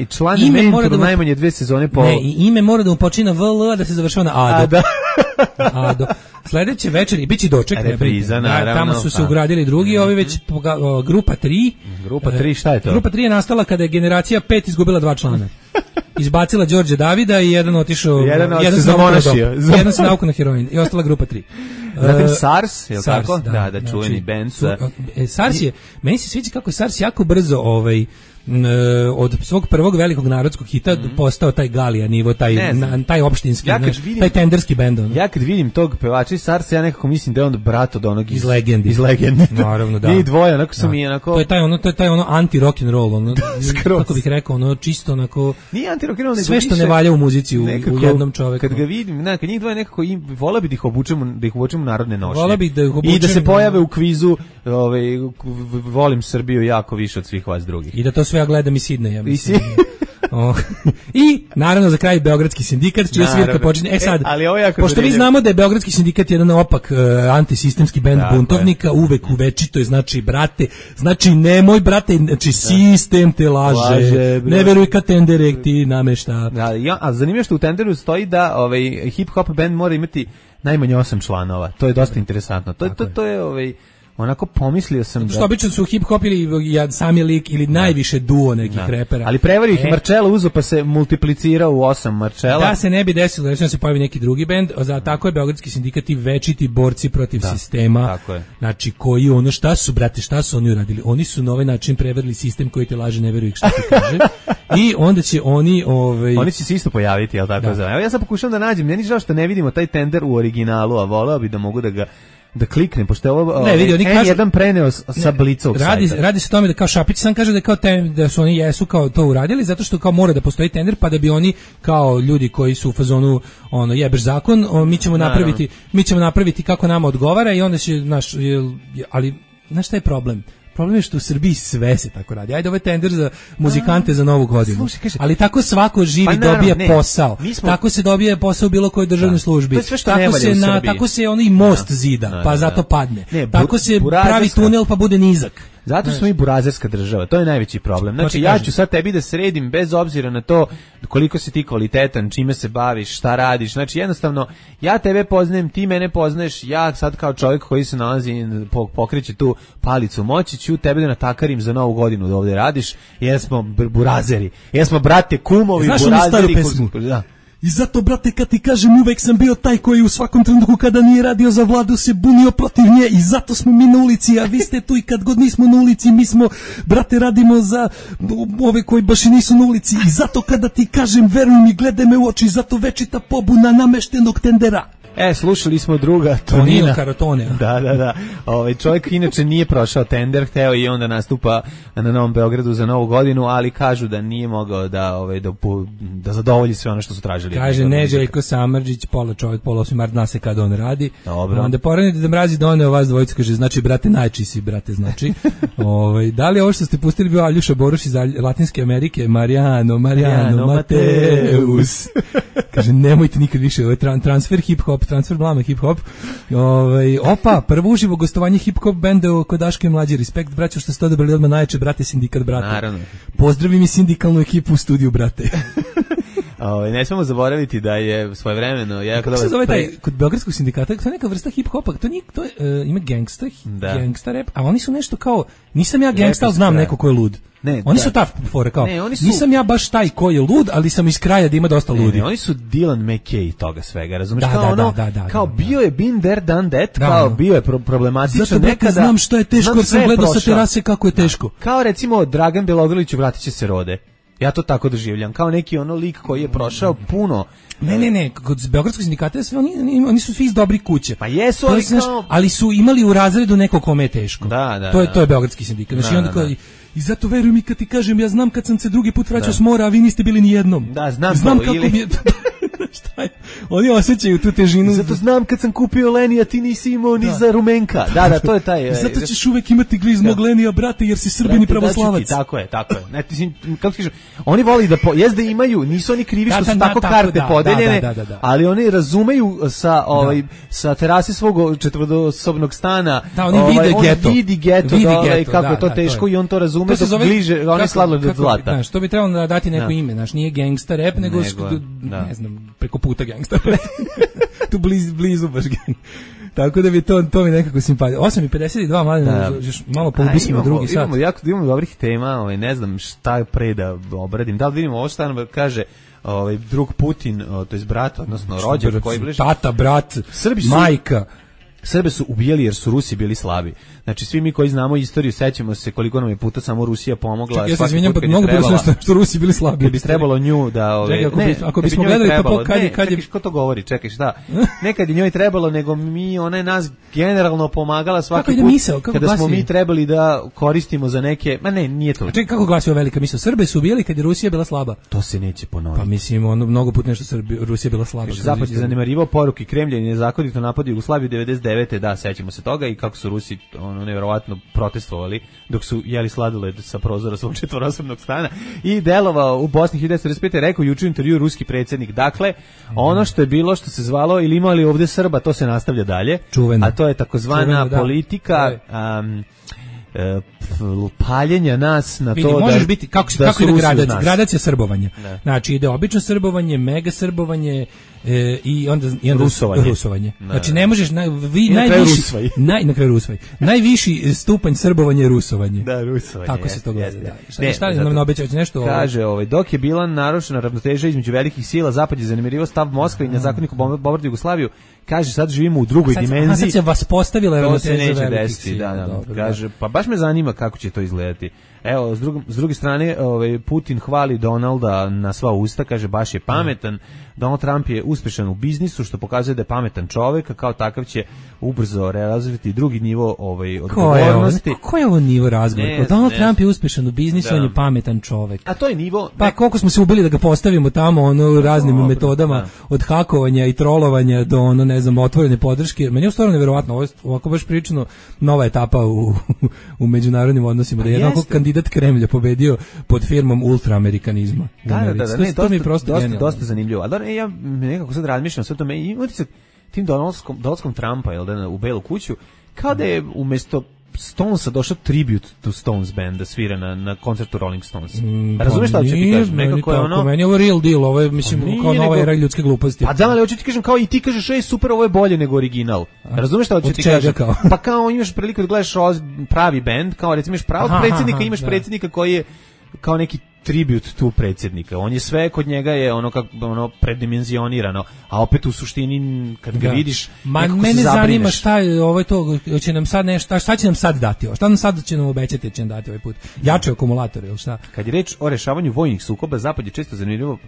I član mentor najmanje 2 sezone po... Ne, i ime mora da mu počina VL, da se završava na Ado. Ado. Sledeće večer i biće doček. Repriza, naravno. Tamo su se ugradili drugi, ovi već grupa 3. Grupa 3, šta je to? Grupa 3 je nastala kada je generacija 5 izgubila 2 člana. Izbacila Đorđe Davida i jedan otišao... Jedan se zamonašio. Jedan se nauku na heroin. I ostala grupa 3. Zatim SARS, je li tako? Da, čuveni band. SARS je, meni se sviđa kako je SARS jako brzo od svog prvog velikog narodskog hita postao taj Galija nivo, taj opštinski, taj tenderski bend. Ja kad vidim tog pevača iz SARS, ja nekako mislim da je on brat od onog iz Legendi. Naravno, da. I dvoje, onako su mi onako... To je taj anti-rock and roll, kako bih rekao, čisto onako... Nije anti-rock and roll, sve što ne valja u muzici u jednom čoveku. Kad ga vidim, kad njih dvoje nekako, vola bi da ih obučemo narodne nošnje. Vola bi da ih obučemo... I da se pojave u kvizu, volim Srbiju jako više od svih vas drugih. I da to sve ja gledam i Sidneja, mislim. I naravno za kraj Beogradski sindikat, čija svirka počinje. Sad, pošto vi znamo da je Beogradski sindikat jedan opak antisistemski bend buntovnika, uvek uvečito je, znači brate, znači nemoj brate, znači sistem te laže, ne veruj kad tendere ti namešta. A zanimljivo što u tenderu stoji da hip hop bend mora imati najmanje 8 članova. To je dosta interesantno. To je onako pomislio sam što obično su hip-hop ili sami lik ili najviše duo nekih repera. Ali prevario ih Marčela uzo pa se multiplicirao u 8 Marčela. Da se ne bi desilo da se pojavi neki drugi bend, za tako je Beogradski sindikat i večiti borci protiv sistema. Tako je. Znači koji šta su oni uradili? Oni su na ovaj način prevarili sistem koji te laže, ne veruj šta ti kaže. I onda će oni oni će se isto pojaviti, jel tako? Evo ja sad pokušavam da nađem, meni žao što ne vidimo taj tender u originalu, a voleo bi da mogu da ga da kliknem, pošto je ovo ne, vidi, oni kažu, jedan preneo sa Blicovog sajta. Radi se o tome da kao Šapić sam kaže da kao da su oni jesu kao to uradili zato što kao mora da postoji tender pa da bi oni kao ljudi koji su u fazonu ono jebeš zakon, mi ćemo napraviti kako nama odgovara i onda će ali znaš šta je problem? Problem je što u Srbiji sve se tako radi. Ajde, ovo je tender za muzikante za Novu godinu. Slušaj, kaže, ali tako svako živi dobije posao. Tako se dobije posao u bilo kojoj državnoj službi. Tako se onaj most zida, pa zato padne. Tako se pravi tunel pa bude nizak. Zato smo mi burazerska država, to je najveći problem. Znači ja ću sad tebi da sredim bez obzira na to koliko si ti kvalitetan, čime se baviš, šta radiš. Znači jednostavno ja tebe poznajem, ti mene poznaješ, ja sad kao čovjek koji se nalazi pokreće tu palicu moći ću tebe da natakarim za Novu godinu da ovdje radiš, jer smo burazeri, jer smo brate kumovi, burazeri. I zato, brate, kad ti kažem, uvek sam bio taj koji u svakom trenutku kada nije radio za vladu se bunio protiv nje i zato smo mi na ulici, a vi ste tu i kad god nismo na ulici, mi smo, brate, radimo za ove koji baš i nisu na ulici i zato kada ti kažem, veruj mi, gledaj me u oči, zato večita pobuna nameštenog tendera. Slušali smo druga Tonina Karotone. Da. Čovjek inače nije prošao tender, hteo i onda nastupa na Novom Beogradu za Novu godinu, ali kažu da nije mogao da zadovolji sve ono što su tražili. Kaže Neželjko Samardžić, pola čovjek, pola osmimar, zna se kada on radi. Dobro. Onda poranite da mrazi doneo vas dvojicu, kaže, znači, brate, najči si, brate, znači. Da li ovo što ste pustili bio Aljuša Boruš iz Latinske Amerike? Mariano Mateus. Kaže, nemojte nikad više, ovo je transfer hip-hop, transfer blama hip-hop. Opa, prvo uživo gostovanje hip-hop benda kod Daške Mlađe. Respekt, braćo, što ste odabrali odmah najjače, brate, sindikat, brate. Naravno. Pozdravi mi sindikalnu ekipu u studiju, brate. Ne smemo zaboraviti da je svojevremeno kako se zove taj kod beogradskog sindikata, to je neka vrsta hip-hopa, to nije, to je, ima gangsta rap, a oni su nešto kao, nisam ja gangsta, ali znam neko ko je lud. Oni su ta fora kao, nisam ja baš taj ko je lud, ali sam iz kraja da ima dosta ludi. Oni su Dylan McKay toga svega, razumiješ? Kao bio je been there, done that, kao bio je problematično zato nekada. Znam što je teško, jer sam gledao sa terase kako je teško. Kao recimo Dragan Bjelogrlić, vratit će se Rode. Ja to tako doživljam, kao neki ono lik koji je prošao puno. Ne, kod beogradskog sindikata sve oni su svi iz dobrih kuće. Pa jesu, ali su imali u razredu neko kome je teško. To je beogradski sindikat. Znači onda kao i zato veruj mi kad ti kažem, ja znam kad sam se drugi put vraćao s mora, a vi niste bili ni jednom. Da, znam kako mi je. Šta je? Oni osjećaju tu težinu. Zato znam kad sam kupio Lenija, ti nisi imao ni za Rumenka. Da, to je taj. Zato ćeš uvek imati gliz mog Lenija, brate, jer si Srbin i pravoslavac. Tako je. Ne, kako kažem, oni voli da jezda imaju, nisu oni krivi što su tako karte podeljene, ali oni razumeju sa terase svog četvorosobnog stana. Da, oni vidi geto, kako je to teško i on to razume dok bliže, oni sladoled od zlata. Što bi trebalo dati neko ime, znaš, nije gangsta rap, nego ne znam, preko puta gangsta. Tu blizu baš gang. Tako da bi to mi nekako simpatija. 8:52, mladine, još malo poubisimo drugi sat. Imamo dobrih tema, ne znam šta je pre da obradim. Da li vidimo ovo šta nam kaže drug Putin, to je brat, odnosno rođak koji bliže. Tata, brat, majka. Srbe su ubijali jer su Rusi bili slabi. Znači svi mi koji znamo istoriju sećamo se koliko nam je puta samo Rusija pomogla. Ja se izvinjam, mnogo bilo što Rusi bili slabi. Kad bi trebalo nju da ako bismo gledali to kad je ko to govori, čekaj šta. Nekad je njoj trebalo, nego ona je nas generalno pomagala svaki put. Kada smo mi trebali da koristimo za neke, nije to. Čekaj, kako glasi ova velika misao? Srbe su ubijali kad je Rusija bila slaba. To se neće ponoviti. Pa mislim, mnogo puta nešto Rusija bila slaba. Zapad je zanemarivao poruke Kremlja i nezakonito napada Jugoslaviju 99. Da, sećamo se toga i kako su Rusi nevjerovatno protestovali dok su jeli sladoled sa prozora svog četvorosobnog stana i delovao u Bosni 1945. Rekao juče u intervju ruski predsjednik. Dakle, ono što je bilo, što se zvalo ili imali ovdje Srba, to se nastavlja dalje. Čuveno. A to je takozvana politika paljenja nas na to možeš biti kako ide gradacija srbovanja. Znači ide obično srbovanje, mega srbovanje i onda rusovanje. Znači ne možeš na kraju rusvaj. Najviši stupanj srbovanja je rusovanje. Da, rusovanje. Tako se to gleda. Šta nam obećavate nešto? Kaže, dok je bila narušena ravnoteža između velikih sila, zapad je zanemarivao stav Moskve i nezakonito bombardovao Jugoslaviju. Kaže, sad živimo u drugoj dimenziji. Sad se vas postavila ravnoteža velikih sila. Kaže, pa baš me zanima kako će to izgledati. Evo, s druge strane, Putin hvali Donalda na sva usta, kaže baš je pametan. Donald Trump je uspešan u biznisu, što pokazuje da je pametan čovek, a kao takav će ubrzo realizovati drugi nivo odgovornosti. Ko je ovo nivo razgovora? Donald Trump je uspešan u biznisu, on je pametan čovek. A to je nivo... Pa koliko smo se ubili da ga postavimo tamo raznim metodama, od hakovanja i trolovanja do ne znam, otvorene podrške. Meni je stvarno neverovatno, ovako baš pričano nova etapa u međunarodnim odnosima, da je jednako kandidat Kremlja pobedio pod firmom ultraamerikanizma. Da, to mi je prosto dosta zanimljivo. Ali ja nekako sad razmišljam sve to, i utisak tim dolaskom Trumpa u Belu kuću, kao da je umesto Stonesa došao tribute to Stones band da svira na koncertu Rolling Stones. Razumeš šta hoću ti kažem? Nekako je ono... Meni je ovo real deal, ovo je, mislim, kao nova era ljudske gluposti. Pa da, ali hoću ti kažem, kao i ti kažeš, super, ovo je bolje nego original. Razumeš šta hoću ti kažem? Pa kao imaš priliku da gledaš pravi band, kao recimo imaš pravog predsjednika, imaš predsjednika koji je kao neki tribut tu predsjednika. On je sve kod njega je ono predimenzionirano, a opet u suštini kad ga vidiš nekako se zabrineš. Mene zanima šta je to, će nam sad nešto, šta će nam sad dati ovo? Šta nam sad će nam obećati, će nam dati ovaj put? Jače akumulator ili šta? Kad je reč o rešavanju vojnih sukoba, Zapad je često zanimljivo.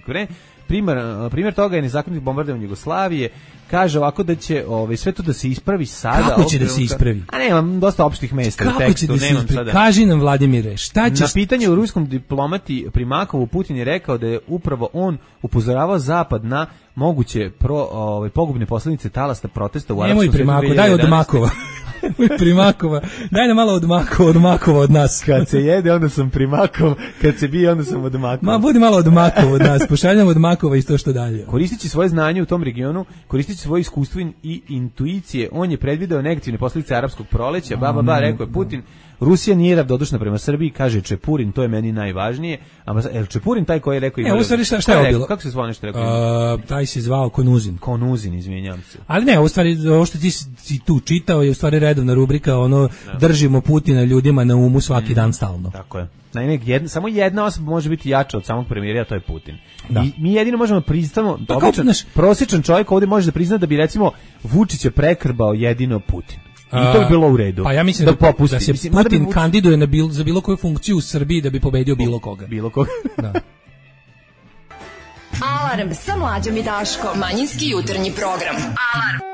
Primjer toga je nezakonito bombardovanje Jugoslavije. Kaže ovako da će sve to da se ispravi sada. Kako će da se ispravi? A nemam dosta opštih mesta u tekstu. Kako će da se ispravi? Kaži nam, Vladimire, šta ćeš... Na pitanje u ruskom diplomati Primakovu, Putin je rekao da je upravo on upozoravao Zapad na moguće pogubne posljedice talasta protesta u arapskom svijetu. Nemoj Primakova, daj od Makova. Primakova, daj nam malo od Makova od nas. Kad se jede, onda sam Primakov, kad se bije, onda sam od Makova. Ma, budi malo od Makova od nas, pošaljamo od Makova i to što dalje. Koristeći svoje znanje u tom regionu, koristeći svoje iskustvo i intuicije, on je predvideo negativne posljedice arapskog proleća, rekao je Putin. Rusija nije ravnodušna prema Srbiji, kaže Čepurin, to je meni najvažnije. A Čepurin taj koji je rekao... Šta je bilo? Kako se zvao nešto rekao? Taj se zvao Konuzin. Konuzin, izvinjam se. Ali ne, u stvari, ovo što ti si tu čitao je u stvari redovna rubrika, držimo Putina ljudima na umu svaki dan stalno. Tako je. Samo jedna osoba može biti jača od samog premijera, a to je Putin. I mi jedino možemo priznamo, prosječan čovjek ovdje može da prizna da bi recimo Vučića prekrbao jedino Putin. I to bi bilo u redu. Pa ja mislim da se Putin kandiduje za bilo koju funkciju u Srbiji da bi pobedio bilo koga. Bilo koga. Da. Alarm sa Mlađom i Daškom. Manjinski jutarnji program. Alarm.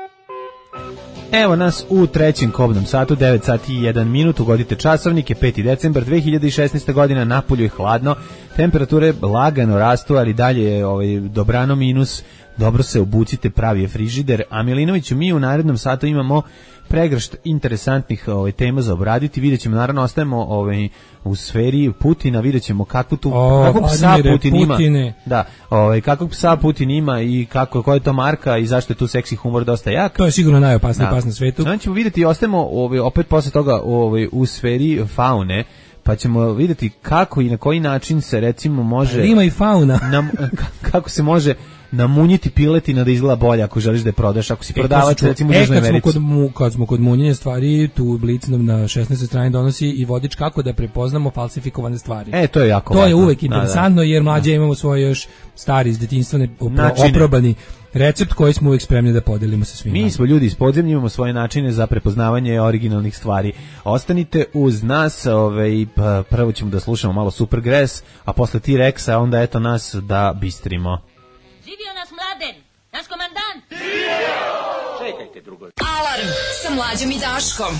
Evo nas u trećem kobnom satu, 9 sati i 1 minut, ugodite časovnike, 5. decembar 2016. godina, napolju je hladno, temperature lagano rastu, ali dalje je dobrano minus, dobro se obucite, pravi je frižider, a Milinoviću mi u narednom satu imamo pregršt interesantnih tema za obraditi. Vidjet ćemo, naravno, ostajemo u sferi Putina, vidjet ćemo kakvog psa Putin ima. Da, kakvog psa Putin ima i koja je to marka i zašto je tu seksi humor dosta jak. To je sigurno najopasniji pas na svetu. Znači ćemo vidjeti, ostajemo opet posle toga u sferi faune, pa ćemo vidjeti kako i na koji način se recimo može... Ima i fauna. Kako se može namunjiti piletina da izgleda bolje ako želiš da je prodaš, ako si prodavac recimo u Južnoj Americi. Kad smo kod munjenja stvari, tu Blic nam na 16. strani donosi i vodič kako da prepoznamo falsifikovane stvari. To je jako važno. To je uvek interesantno jer mlađe imamo svoj još stari iz detinjstva oprobani recept koji smo uvijek spremni da podelimo sa svima. Mi smo ljudi iz podzemlja, imamo svoje načine za prepoznavanje originalnih stvari. Ostanite uz nas, prvo ćemo da slušamo malo Supergrass, a posle T-Rexa onda eto nas da bistrimo. Živio nas Mladen, naš komandant! Čekajte drugo. Alarm sa Mlađom i Daškom.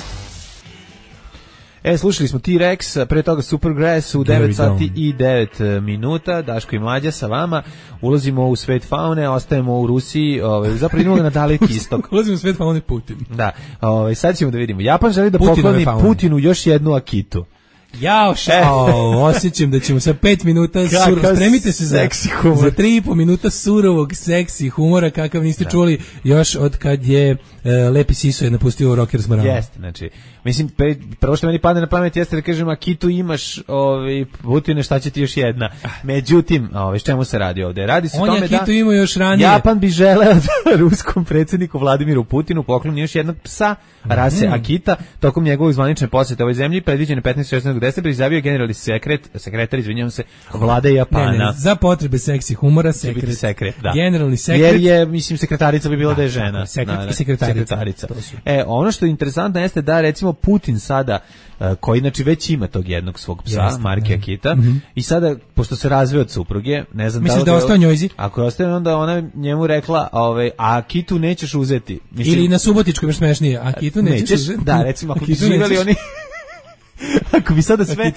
Slušali smo T-Rex, pre toga Supergrass u 9 sati i 9 minuta, Daško i Mlađa sa vama, ulazimo u svet faune, ostajemo u Rusiji, zapravo idemo na daleki istok. Ulazimo u svet faune Putin. Da, sad ćemo da vidimo. Japan želi da pokloni Putinu još jednu Akitu. Osjećam da ćemo sa 5 minuta spremite se za 3,5 minuta surovog seksi humora kakav niste čuli još od kad je Lepi Siso je napustio Rocker s Morama. Jeste, znači, mislim, prvo što meni padne na pamet jeste da kažem, Akitu imaš, Putine, šta će ti još jedna? Međutim, s čemu se radi ovde? Radi se o tome da Akitu ima još ranije. Japan bi želeo da ruskom predsjedniku Vladimiru Putinu pokloni još jednog psa rase Akita tokom njegovog zvanične posjete ovoj zemlji, predviđene 15. 16. gde se izjavio generalni sekretar, izvinjavam se, vlade Japana. Ne, za potrebe seksi humora, sekret, da. Generalni sekret. Jer je, mislim, sekretarica bi bila da je žena. Sekret i sekretarica. Ono što je interesantno jeste da, recimo, Putin sada, koji, znači, već ima tog jednog svog psa, marke Akita, i sada, pošto se razveo od supruge, ne znam misliš da je ostao njojzi? Ako je ostao, onda ona njemu rekla, a Akitu nećeš uzeti. Mislim, ili na Subotičkom još smešnije, Akitu nećeš uzeti. Da, recimo, ako bi živjeli oni... Ako bi sada sve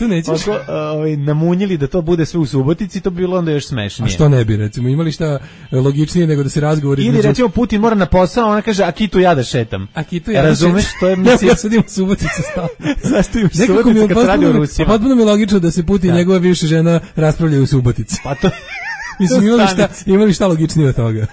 namunjili da to bude sve u Subotici, to bi bilo onda još smešnije. A što ne bi, recimo, imali šta logičnije nego da se razgovori ili recimo Putin mora na posao, ona kaže Akitu ja da šetam. Akitu ja razumeš, to je mislim ja sad imam Suboticu stalno. Zašto im Subotica kad se radi o Rusiji? Potpuno mi je logično da se Putin i njegova bivša žena raspravljaju u Subotici. Pa to mislim, imali šta logičnije od toga.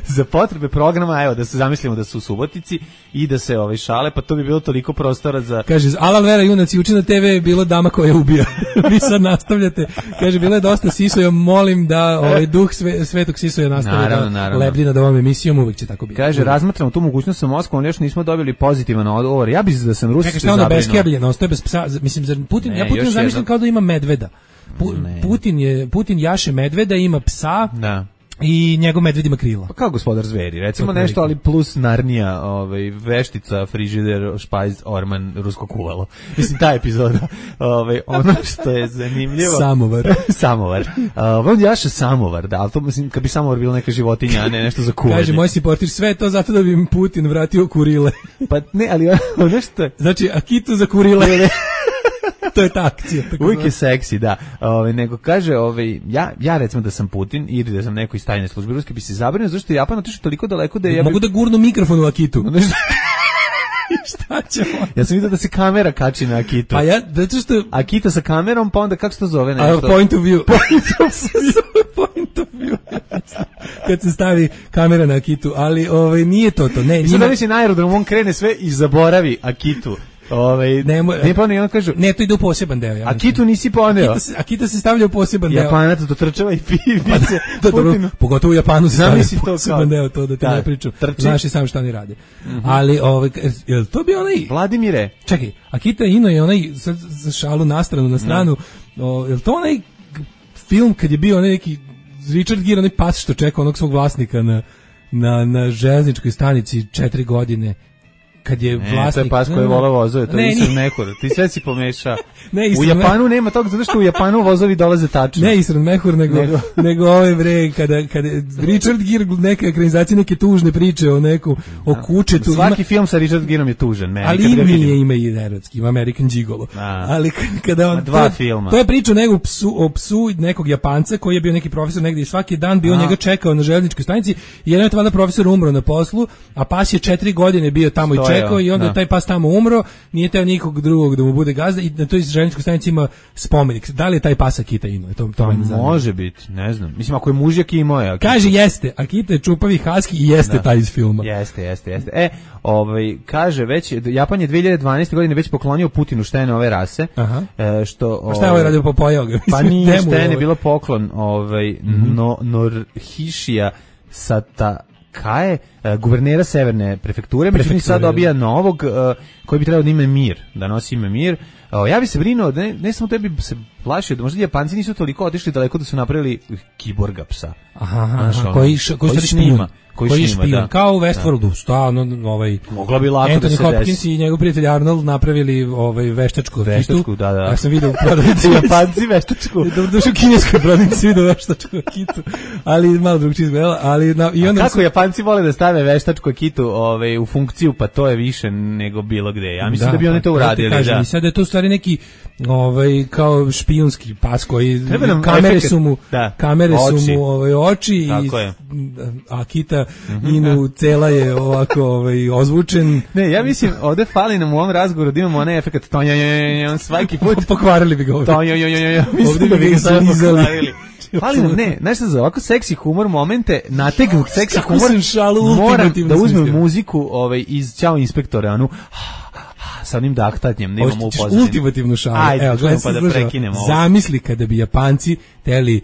Za potrebe programa, evo, da se zamislimo da su u Subotici i da se šale, pa to bi bilo toliko prostora za... Kaže, Alal Vera junaci uči na TV je bilo dama koja ubija. Vi sad nastavljate. Kaže, bilo je dosta Sisoja, molim da duh Svetog Sisoja nastavi da lebdi nad ovom emisijom, uvijek će tako biti. Kaže, razmatramo tu mogućnost sa Moskvom, ali još nismo dobili pozitivan odgovor. Ja bih da sam Rusi se zabrinuo. Čekaj, šta onda beskebljeno, ostaje bez psa. Mislim, ja Putin zamišljam kao da ima medveda. Putin jaše medveda, ima psa. Da. I njegov medved ima krila. Pa kao gospodar zveri, recimo nešto, ali plus Narnija, veštica, frižider, špajz, orman, rusko kuvalo. Mislim, ta epizoda. Ono što je zanimljivo. Samovar. On jaše samovar, da, ali to mislim, kad bi samovar bilo neka životinja, a ne nešto za kuvanje. Kaže, moj si portir sve to zato da bi im Putin vratio kurile. Pa ne, ali ono što je... Znači, Akitu za kurile. To je ta akcija. Uvijek je seksi, da. Nego kaže, ja recimo da sam Putin ili da sam neko iz tajne službe ruske bi se zabrinuo, zašto je Japan otišao toliko daleko da je... Mogu da gurnu mikrofon u Akitu. Šta ćemo? Ja sam vidio da se kamera kači na Akitu. Pa ja, zato što... Akita sa kamerom, pa onda kako se to zove? Nešto? Point of view. Point of view. Kad se stavi kamera na Akitu, ali nije to. Ne, sad da mislim na aerodromu, on krene sve i zaboravi Akitu. Ne, to ide u poseban deo. Ja Akitu nisi poneo. Akita se stavlja u poseban deo. Japanac dotrčava i pivice. Pogotovo u Japanu se stavlja u poseban deo, to da ti ne pričam. Znaš i sam šta oni rade. Ali, je to bi onaj... Vladimire. Čekaj, Akita Ino je onaj, za šalu na stranu, je to onaj film kad je bio onaj neki Richard Gere, onaj pas što čeka onog svog vlasnika na železničkoj stanici 4 godine. Kad je vlasnik... to je pas koji vole vozove, to je Isran Mehur. Ti sve si pomeša. U Japanu nema toga, zato što u Japanu vozovi dolaze tačno. Ne Isran Mehur, nego ove bre, kada Richard Gere, neka ekranizacija, neke tužne priče o kučetu. Svaki film sa Richard Gerom je tužan. Ali ima i erotski, ima American Gigolo. Ali kada on... Dva filma. To je priča o psu nekog Japanca koji je bio neki profesor negdje i svaki dan bio njega čekao na željezničkoj stanici i jedan je profesor umro na poslu, a pas je 4 godine bio tamo i čekao i onda je taj pas tamo umro, nije teo nikog drugog da mu bude gazda i na toj željezničkoj stanici ima spomenik. Da li je taj pas Akita Ino? To može biti, ne znam. Mislim, ako je mužjak imao je Akita. Kaže, jeste. Akita je čupavi husky i jeste taj iz filma. Jeste. Kaže, već, Japan je 2012. godine već poklonio Putinu štene ove rase. Što, šta je ovo radio, popojao ga? Pa nije štene, bilo poklon Norhishija Sata Kaje, guvernera severne prefekture, međutim sad dobija novog koji bi trebao da ime Mir, da nosi ime Mir. Ja bi se brinuo, ne samo tebi se plašio, da možda Japanci nisu toliko otišli daleko da su napravili kiborga psa. Koji snima. Koji špijun, kao u Westworldu, mogla bi lako da se desi. Anthony Hopkins i njegov prijatelj Arnold napravili veštačku kitu. Da. Ja sam vidio u prodavnici Japanci veštačku. Došao u kineskoj prodavnici vidio veštačku kitu, ali malo drugčije izgledala. Kako Japanci vole da stave veštačku kitu u funkciju, pa to je više nego bilo gde. Ja mislim da bi oni to uradili. I sad je to u stvari neki kao špijunski pas koji kamere su mu oči i Akita Inu cela je ovako ozvučen. Ne, ja mislim ovde fali nam u ovom razgovoru da imamo onaj efekt on svaki put pokvarili bi ga ovde. Mislim da bi ga sad pokvarili. Fali nam, znaš šta za ovako seksi humor momente, nategnut seksi humor, moram da uzmem muziku iz Ćao inspektore, sa onim dahtanjem, nemamo u pozadini. Ultimativnu šalu. Ajde, pa da prekinemo ovo. Zamisli kada bi Japanci teli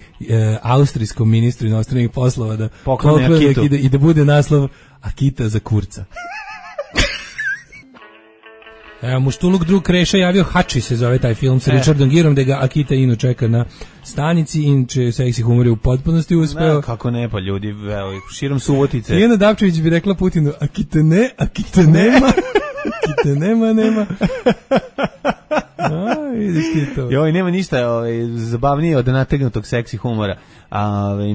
austrijskom ministru inostranih poslova da poklone Akitu i da bude naslov Akita za kurca. Muštuluk drug Kreša javio, Hači se zove taj film sa Richardom Gerom, gde ga Akita Ino čeka na stanici, inače seksi humor je u potpunosti uspeo. Kako ne, pa ljudi, evo, širom Subotice. Lijena Dapčević bi rekla Putinu, Akita nema, nema. Vidiš ti to. Joj, nema ništa zabavnije od nategnutog seksi humora.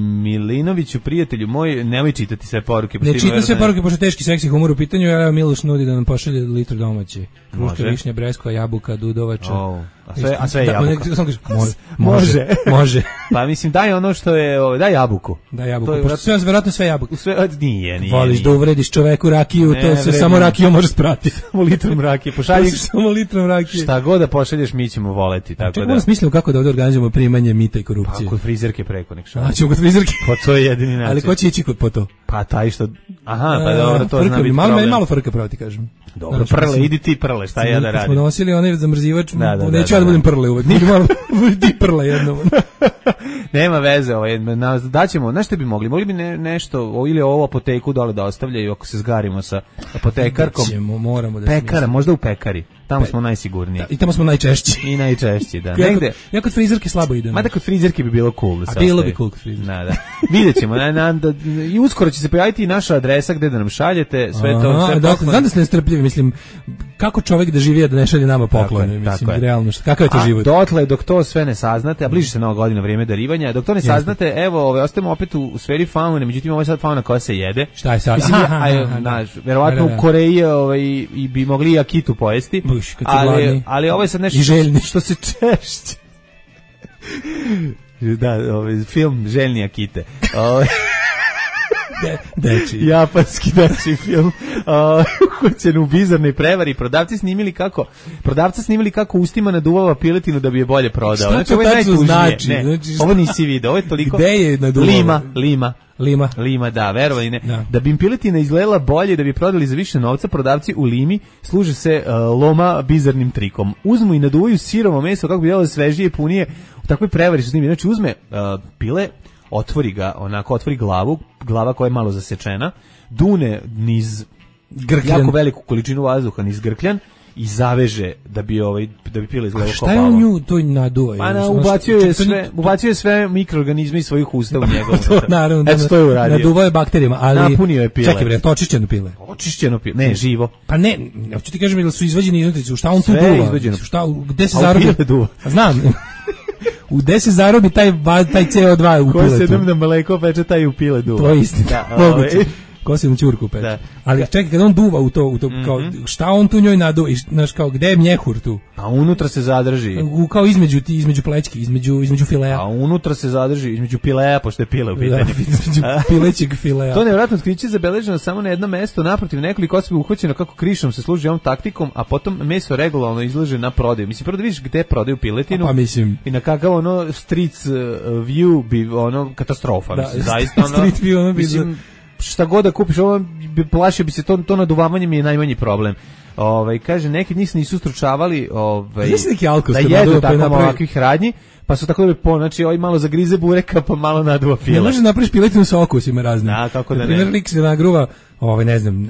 Milinoviću, prijatelju moj, nemoj čitati sve poruke. Ne čitam sve poruke, pošto teški seksi humor u pitanju, ja Miloš nudi da nam pošalje litru domaće. Kruška, višnja, breskva, jabuka, dudovača. A sve je jabuka. Može. Pa mislim, daj ono što je, daj jabuku. Daj jabuku, pošto vjerojatno sve jabuke. Nije. Voliš da uvrediš čoveku rakiju, to se samo rakijom može sprati. Samo litrom rakije. Pošalji samo litrom rakije. Šta god da pošalješ, mi ćemo voleti. Čekaj, da smislimo kako da ovdje organizujemo primanje mita i korupcije. Pa kod frizerke preko nek šalje. Ćemo kod frizerke. Pa to je jedini način. Ali ko će ići po to? Pa taj što... Aha, pa dobro, to zna biti problem. Malo frka pravo ti kažem. Dobro, prle, idi ti prle, šta ja da radim? Smo nosili onaj zamrzivač, neću ja da budem prle uvek. Ti prle jednom. Nema veze, daćemo, znaš što bi mogli? Mogli bi nešto, ili ovo apoteku dole da ostavljaju ako se zgarimo sa apotekarkom. Moramo da pekara, možda u pekari. Tamo smo najsigurniji. I tamo smo najčešći. I najčešći, da. Ja kod frizerke slabo idem. Mada kod frizerke bi bilo cool. A bilo bi cool kod frizerke. Da. Vidjet ćemo. I uskoro će se pojaviti i naša adresa gde da nam šaljete. Sve to. Znam da ste nestrpljivi, mislim, kako čovjek da živi da ne šalje nama poklone, mislim, realno. Kakav je to život? Dotle, dok to sve ne saznate, a bliži se Nova godina, vrijeme darivanja, dok to ne saznate, evo, ostajemo opet u sferi faune, međutim, ovo je sad fauna koja se jede. Šta je sad? Verovatno u Koreji i bi mogli i akitu pojesti. Ali ovo je sad nešto što se češće. Da, film Željni Akite. Japanski dečiji film. Uhoćen u bizarnoj prevari. Prodavca snimili kako ustima naduvava piletinu da bi je bolje prodao. Šta to tačno znači? Ovo nisi video, ovo je toliko... Gde je naduvava? Lima, da, verovali ne. Da bi im piletina izgledala bolje, da bi prodali za više novca, prodavci u Limi služe se loma bizarnim trikom. Uzmu i naduvaju sirovo meso kako bi delo svežije i punije. U takvoj prevari su snimili. Znači uzme pile, otvori glava koja je malo zasečena, dune niz grkljan, jako veliku količinu vazduha niz grkljan i zaveže da bi pile izgledalo kao balon. Šta je on nju to naduva? Ubacio je sve mikroorganizme iz svojih usta u njegov. Naravno, eto to je uradio. Naduvao je bakterijama, ali napunio je pile. Čekaj bre, to očišćeno pile. Ne, živo. Pa ne, hoću ti kažem da su izvađeni iznutrice, šta on tu duva? Šta, gde se zarobi? Znam. U gde se zarobi taj CO2 u piletu? Ko se jednom na mleko peče, taj u pile duva. To je istina. Moguće. Ko se na ćurku peče. Da. Ali čekaj, kada on duva u to kao, šta on tu njoj naduva? Znaš, kao, gde je mjehur tu? A unutra se zadrži. Kao između plećki, između filea. A unutra se zadrži, između pileja, pošto je pile u pitanju. Između pilećeg filea. To nevjerojatno otkriće zabeleženo samo na jedno mesto, naprotiv nekoliko osoba uhvaćeno kako krišom se služi ovom taktikom, a potom meso regularno izlaže na prodaju. Mislim, prvo da vidiš gde prodaju piletinu. Pa mislim. I na kakav streets view bi katastrofa. Da, mislim, zaista street view ono bi... Mislim, šta god da kupiš, ovo plašio bi se, to naduvavanje mi je najmanji problem. Kaže, neki njih se nisu stručavali da jedu tako ovakvih radnji, pa su tako da znači malo zagrize bureka, pa malo naduva file. Ne može napraviš piletinu sa okusima raznim. Da, kako da ne. Primjer, lik se nagruva, ne znam,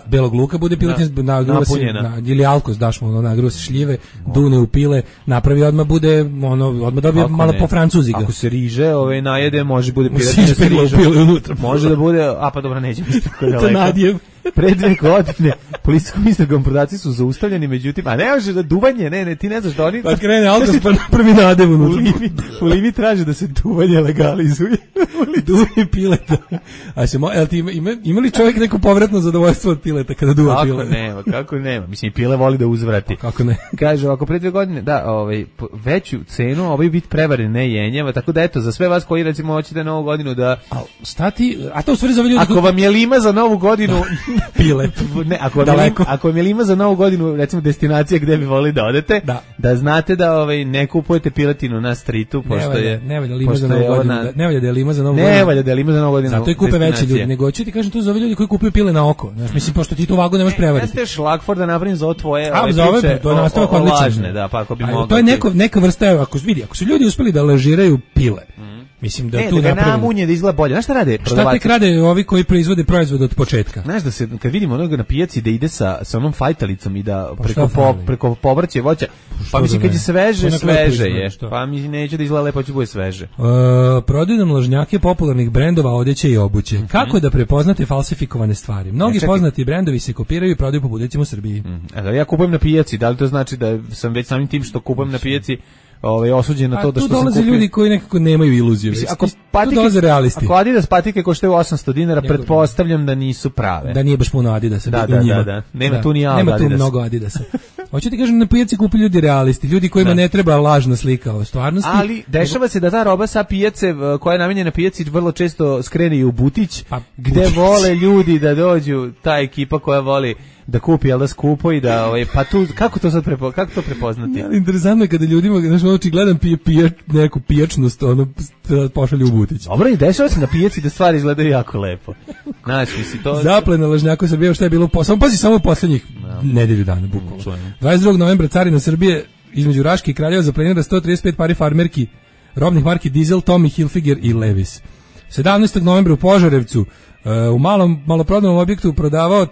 belog luka bude piletina, nagruva se, ili alkos daš mu, nagruva se šljive, dune u pile, napravi odmah bude, odmah dobije malo po francuzi ga. Ako se riže, najede, može bude piletina sa rižom. Može da bude, a pa dobro, neće biti tako daleko. To nadijev. Pre 2 godine policijskom istragom prodavci su zaustavljeni, međutim, a ne može da duvanje, ne, ti ne znaš da oni... Pa krene alkos, pa napravi nadev unutra. U Limi traže da se duvanje legalizuje. Duvanje pileta. Ima li čovjek neko povratno zadovoljstvo od pileta kada duva pile? Kako nema. Mislim, pile voli da uzvrati. Kako ne? Kaže, ako pre 2 godine, veću cenu, ovaj vid prevare ne jenjava, tako da eto, za sve vas koji recimo hoćete Novu godinu da... A to u stvari za ljudi... Ako vam je Lima za Novu godinu... Pilet. Ne, ako vam je Lima za Novu godinu, recimo destinacija gde bi volili da odete, da znate da ne kupujete piletinu na streetu, pošto je... Ne valja Lima za Novu godinu. Ne valja da je Lima za Novu godinu. Ne valja da je Lima za Novu godinu. Zato i kupe veći ljudi. Nego ću ti kažem to za ove ljudi koji kupuju pile na oko. Znaš, mislim, pošto ti tu vagu nemaš prevariti. Jeste šlagford da napravim za ovo tvoje priče. To je nastavak odličan. Da, pa ako bi mogao. To je neka vrsta, ako su ljudi uspeli da lažiraju pile, Mislim da ne, tu da ga napravim. namunje da izgleda bolje. Znaš šta rade? Šta tek rade ovi koji proizvode proizvod od početka? Znaš da se, kad vidimo onoga na pijaci da ide sa onom fajtalicom i da Pa preko povrće voća, pa mislim kad je sveže, sveže je. Pa mi neće da izgleda lepo, će bude sveže. Prodaju nam lažnjake popularnih brendova odeće i obuće. Kako da prepoznate falsifikovane stvari? Mnogi poznati brendovi se kopiraju i prodaju po budecima u Srbiji. Ja kupujem na pijaci, da li to znači da sam već samim tim što kupujem na pijaci osuđen na to da što sam kupio. Tu dolaze ljudi koji nekako nemaju iluziju. Mislim, tu dolaze realisti. Ako Adidas patike koštaju 800 dinara, pretpostavljam da nisu prave. Da nije baš puno Adidasa. Da. Nema tu ni Nema Adidasa. tu mnogo Adidasa. Hoću ti kažem, na pijaci kupi ljudi realisti, ljudi kojima ne treba lažna slika o stvarnosti. Ali dešava se da ta roba sa pijace koja je namenjena pijaci vrlo često skrene i u butić, gde vole ljudi da dođu, ta ekipa koja voli da kupi, ali da skupo i da pa tu kako to sad kako to prepoznati? Ja, interesantno je kada ljudima, znači očigledan neku pijačnost, ono pošalju u butić. Dobro, i dešava se na pijaci da stvari izgledaju jako lepo. Znači, misli to zaplena lažnjaka Srbije, šta je bilo samo u poslednjih nedelju dana bukvalno. 22. novembra carina Srbije između Raške i Kraljeva zaplenila 135 pari farmerki robnih marki Diesel, Tommy Hilfiger i Levi's. 17. novembra u Požarevcu u maloprodajnom objektu prodavao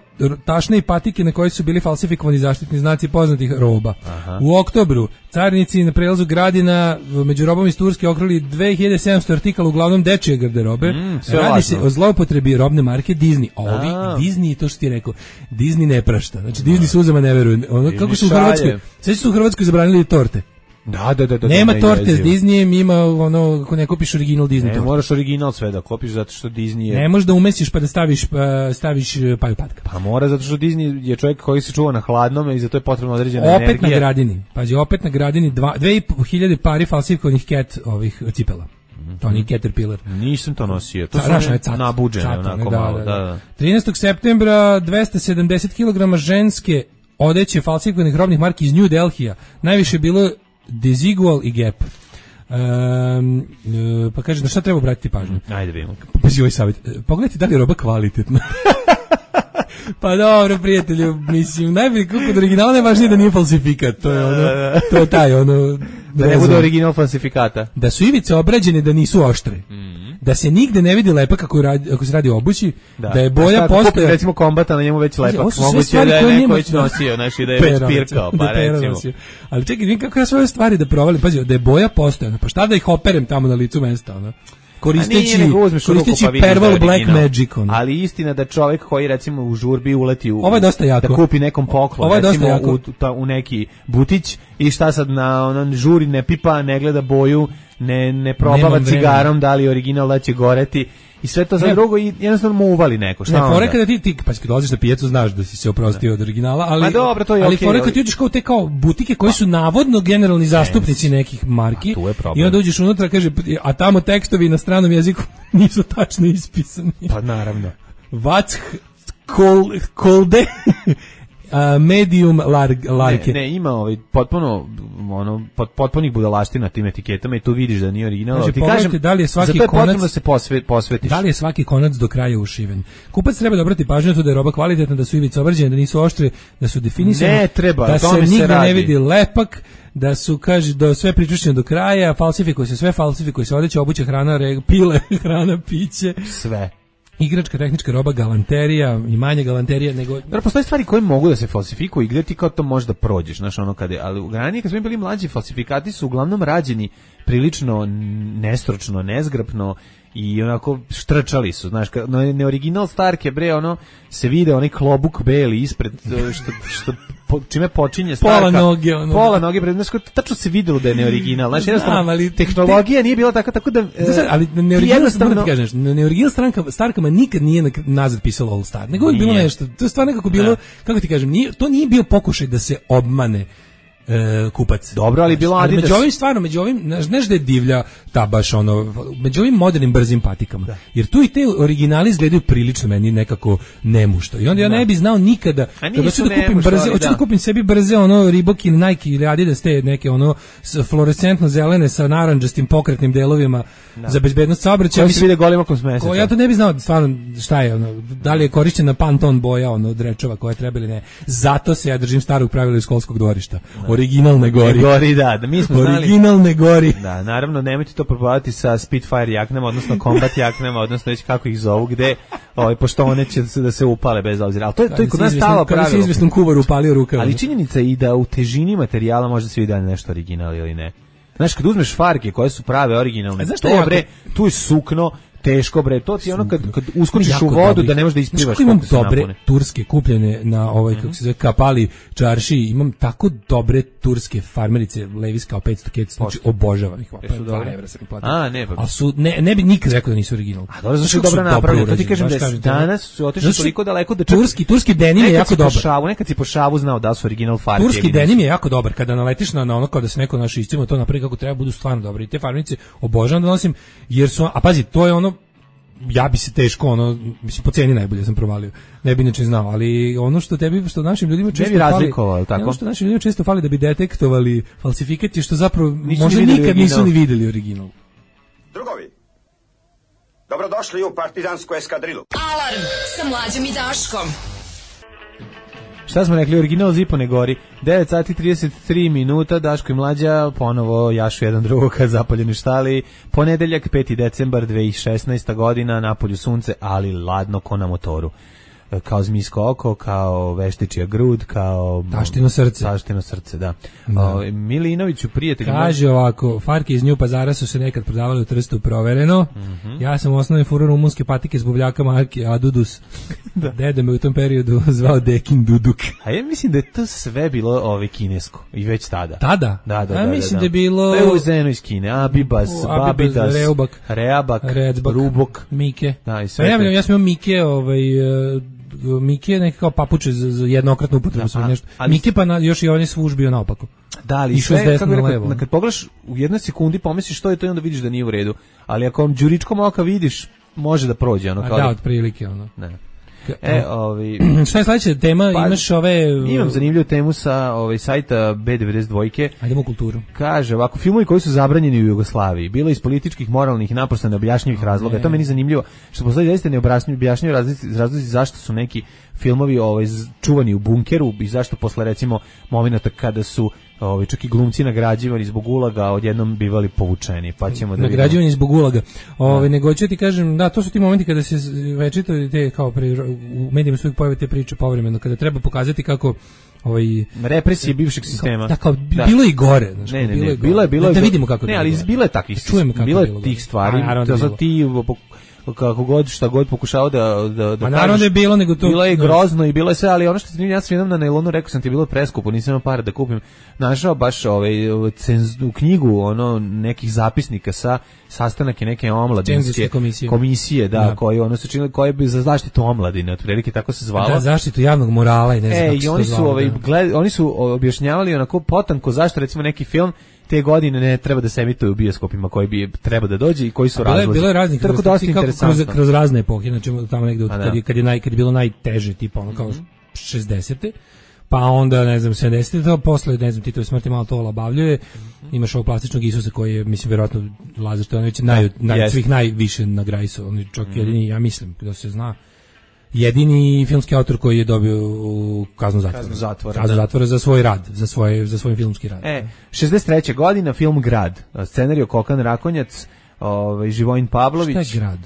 tašne i patike na koje su bili falsifikovani zaštitni znaci poznatih roba. Aha. U oktobru carinici na prelazu Gradina među robom iz Turske okrali 2700 artikala, uglavnom dečije garderobe. Radi se o zloupotrebi robne marke Disney. Disney, to što ti je rekao, Disney ne prašta. Znači Disney suzama ne veruju. Kako su u Hrvatskoj? Sve su u Hrvatskoj zabranili torte. Da. Nema torte s Disneyem, ima ako ne kupiš original Disney torte. Ne moraš original sve da kupiš zato što Disney je... Ne možeš da umesiš pa da staviš paju patka. Pa mora zato što Disney je čovjek koji se čuva na hladnome i zato je potrebno određena energija. Opet na Gradini. Pazi, opet na Gradini 2500 pari falsifikovanih cat ovih cipela. To nije Caterpillar. Nisam to nosio. To su nabuđene onako malo. Da. 13. septembra 270 kg ženske odeće falsifikovanih robnih marki iz New Delhija. Najviše je bilo Desigual i Gap. Pa kaže, na šta treba obratiti pažnju? Ajde vidimo. Pazi ovaj savjet. Pogledajte da li je roba kvalitetna. Pa dobro, prijatelju, mislim, najbolje kako od originala najvažnije da nije falsifikat. To je ono, to je taj ono... Da ne bude original falsifikata. Da su ivice obrađene, da nisu oštre. Da se nigde ne vidi lepak ako se radi o obući, da je boja postoja... Recimo kombata, na njemu već lepak. Moguće je da je neko već nosio, znači da je već pirkao, pa recimo. Ali čekaj, vidim kako ja svoje stvari da provalim. Pazi, da je boja postojana, pa šta da ih operem tamo na licu mesta, ono? Koristeći Perval Black Magic. Ali istina da čovjek koji recimo u žurbi uleti ovo je dosta jako. Da kupi nekom poklon, recimo u neki butić i šta sad na onom žuri ne pipa, ne gleda boju, ne probava cigarom da li original da će goreti i sve to za drugo i jednostavno mu uvali neko. Šta onda? Fore kada ti pa kad dolaziš na pijacu znaš da si se oprostio od originala, ali dobro, to je ali fore kad ti uđeš kao te kao butike koji su navodno generalni zastupnici nekih marki i onda uđeš unutra, kaže, a tamo tekstovi na stranom jeziku nisu tačno ispisani. Pa naravno. What's kolde medium large. Ne, ima potpunih budalaština na tim etiketama i tu vidiš da nije original. Znači, ti kažem, da li je svaki konac da se posvetiš. Da li je svaki konac do kraja ušiven? Kupac treba da obrati pažnju na to da je roba kvalitetna, da su ivice obrađene, da nisu oštre, da su definisane. Ne treba, da se nigde ne vidi lepak, da su, kaže, da sve pričušćeno do kraja, falsifikuje se odeća, obuća, hrana, pile, hrana, piće. Sve. Igračka, tehnička roba, galanterija i manje galanterija nego... Dobro, postoje stvari koje mogu da se falsifikuju i gde ti kao to možeš da prođeš, znaš, ono ali u ranije kad smo bili mlađi, falsifikati su uglavnom rađeni prilično nestručno, nezgrapno i onako štrčali su, znaš, neoriginal Starke, bre, ono, se vide onaj klobuk beli ispred, što čime počinje Starka. Pola noge, bre, znaš, tačno se videlo da je neoriginal, znaš, jednostavno, tehnologija nije bila tako da... ali neoriginal Starkama nikad nije nazad pisalo All Star, nego je bilo nešto, to je stvar nekako bilo, kako ti kažem, to nije bio pokušaj da se obmane kupac. Dobro, ali bilo Adidas. Među ovim, znaš da je divlja ta baš ono, među ovim modernim brzim patikama. Da. Jer tu i te originali izgledaju prilično meni nekako nemušto. I onda ja ne bi znao nikada kada hoću da kupim brze, hoću da kupim sebi brze ono Reebok ili Nike ili Adidas te neke ono fluorescentno zelene sa narandžastim pokretnim delovima za bezbednost saobraćaja. Koji se vide golim okom s meseca. Ja to ne bi znao stvarno šta je ono, da li je korišćena Pantone boja ono od rečova koje treba ili ne. Zato se ja držim starog pravila iz školskog dvorišta. Original ne gori. Gori, da mi smo znali. Original ne gori. Da, naravno, nemojte to probavati sa Spitfire jaknama, odnosno Combat jaknama, odnosno već kako ih zovu, gde, pošto one će da se upale bez obzira. Ali to je kod nas stalo pravilo. Kada si izvesnom kuvaru upalio rukama. Ali činjenica je i da u težini materijala može se vidi nešto original ili ne. Znaš, kad uzmeš farke koje su prave, originalne, tu je sukno, teško bre, to ti je ono kad uskočiš u vodu da ne možeš da isplivaš. Imam dobre turske kupljene na kako se zove Kapali čarši, imam tako dobre turske farmerice Levi's kao 500 kec, znači obožavam ih. Ne bi nikad rekao da nisu original. A dobro, zašto je dobro napravljeno? To ti kažem da danas su otišli toliko daleko da turski denim je jako dobar. Nekad si po šavu znao da su original farke. Turski denim je jako dobar kada naletiš na ono kao da se neko naš iscimo to napravi kako treba, budu stvarno dobri. I te farmerice obožavam da nosim jer su, a pazi, to je ono, ja bi se teško mislim po ceni najbolje sam provalio. Ne bi inače znao, ali ono što našim ljudima često fali, ono što našim ljudima često fali da bi detektovali falsifikat je što zapravo možda nikad nisu ni videli original. Drugovi, dobrodošli u partizansku eskadrilu. Alarm sa Mlađom i Daškom. Šta smo rekli, original Zipo ne gori. 9 sati 33 minuta, Daško i Mlađa ponovo jašu jedan drugog kad zapaljeni štali. Ponedeljak, 5. decembar 2016. godina, napolju sunce, ali ladno ko na motoru. Kao zmijsko oko, kao veštičija grud, kao taštino srce. Taštino srce, da. Milinoviću, prijatelj. Kaže ovako, farke iz Nju Pazara su se nekad prodavale u Trstu provereno. Ja sam u osnovnoj furu rumunske patike s buvljaka marke Adudus. Deda me u tom periodu zvao Dekin Duduk. A ja mislim da je to sve bilo kinesko i već tada. Tada? Da. Mislim da je bilo Euzeno iz Kine, Abibas, Babidas, Reabak, Rubok, Mike. Da, i sve. Ja sam imao Mike, Mike je neki kao papuče za jednokratnu upotrebu sve nešto. Mike pa još i on je svuž bio naopako. Da, ali sve, kako rekao, kad pogledaš u jednoj sekundi pomisliš što je to i onda vidiš da nije u redu. Ali ako đuričkom oka vidiš, može da prođe. Da, otprilike ono. Ne. Šta je sledeća tema? Imaš imam zanimljivu temu sa sajta B92. Ajdemo u kulturu. Kaže ovako, filmovi koji su zabranjeni u Jugoslaviji, bilo iz političkih, moralnih i naprosto neobjašnjivih razloga. To meni zanimljivo, što postoji zaista neobjašnjivi razlozi zašto su neki filmovi čuvani u bunkeru i zašto posle recimo momenata kada su čak i glumci nagrađivani zbog ulaga odjednom bivali povučeni, pa ćemo da nagrađivani zbog ulaga. Nego ću ti kažem, da, to su ti momenti kada se večito te kao u medijima su uvijek pojave te priče povremeno, kada treba pokazati kako represije bivšeg sistema. Da, kao bilo i gore, znači bilo je da vidimo kako. Ne, ali bilo je takvih, bilo je tih stvari. To za ti kako god šta god pokušao da pa naravno da je bilo, nego to bilo je grozno i bilo je sve, ali ono što sam ja sam jednom na nailonu rekao sam ti bilo preskupo, nisam imao para da kupim, našao baš u knjigu nekih zapisnika sa sastanaka neke omladinske komisije da koje su činili, koje bi za zaštitu omladine, otprilike tako se zvalo. Da, zaštitu javnog morala i ne znam kako se to zvalo. Oni su objašnjavali onako potanko zašto recimo neki film te godine ne treba da se emituje u bioskopima koji bi treba da dođe i koji su razlozi. Bilo je raznih kroz razne epohe, znači tamo negde kad je bilo najteže, tipa kao 60-te, pa onda ne znam 70-te, to posle ne znam Titove smrti malo to olabavljuje. Imaš ovog plastičnog Isusa koji je, mislim, verovatno Lazar Stojanović svih najviše nagrajsao, on je čak jedini, ja mislim, da se zna, jedini filmski autor koji je dobio kaznu zatvora za svoj rad, za svoj filmski rad. 63. godina, film Grad, scenarijo Kokan Rakonjac, Živojin Pavlović. Šta je Grad?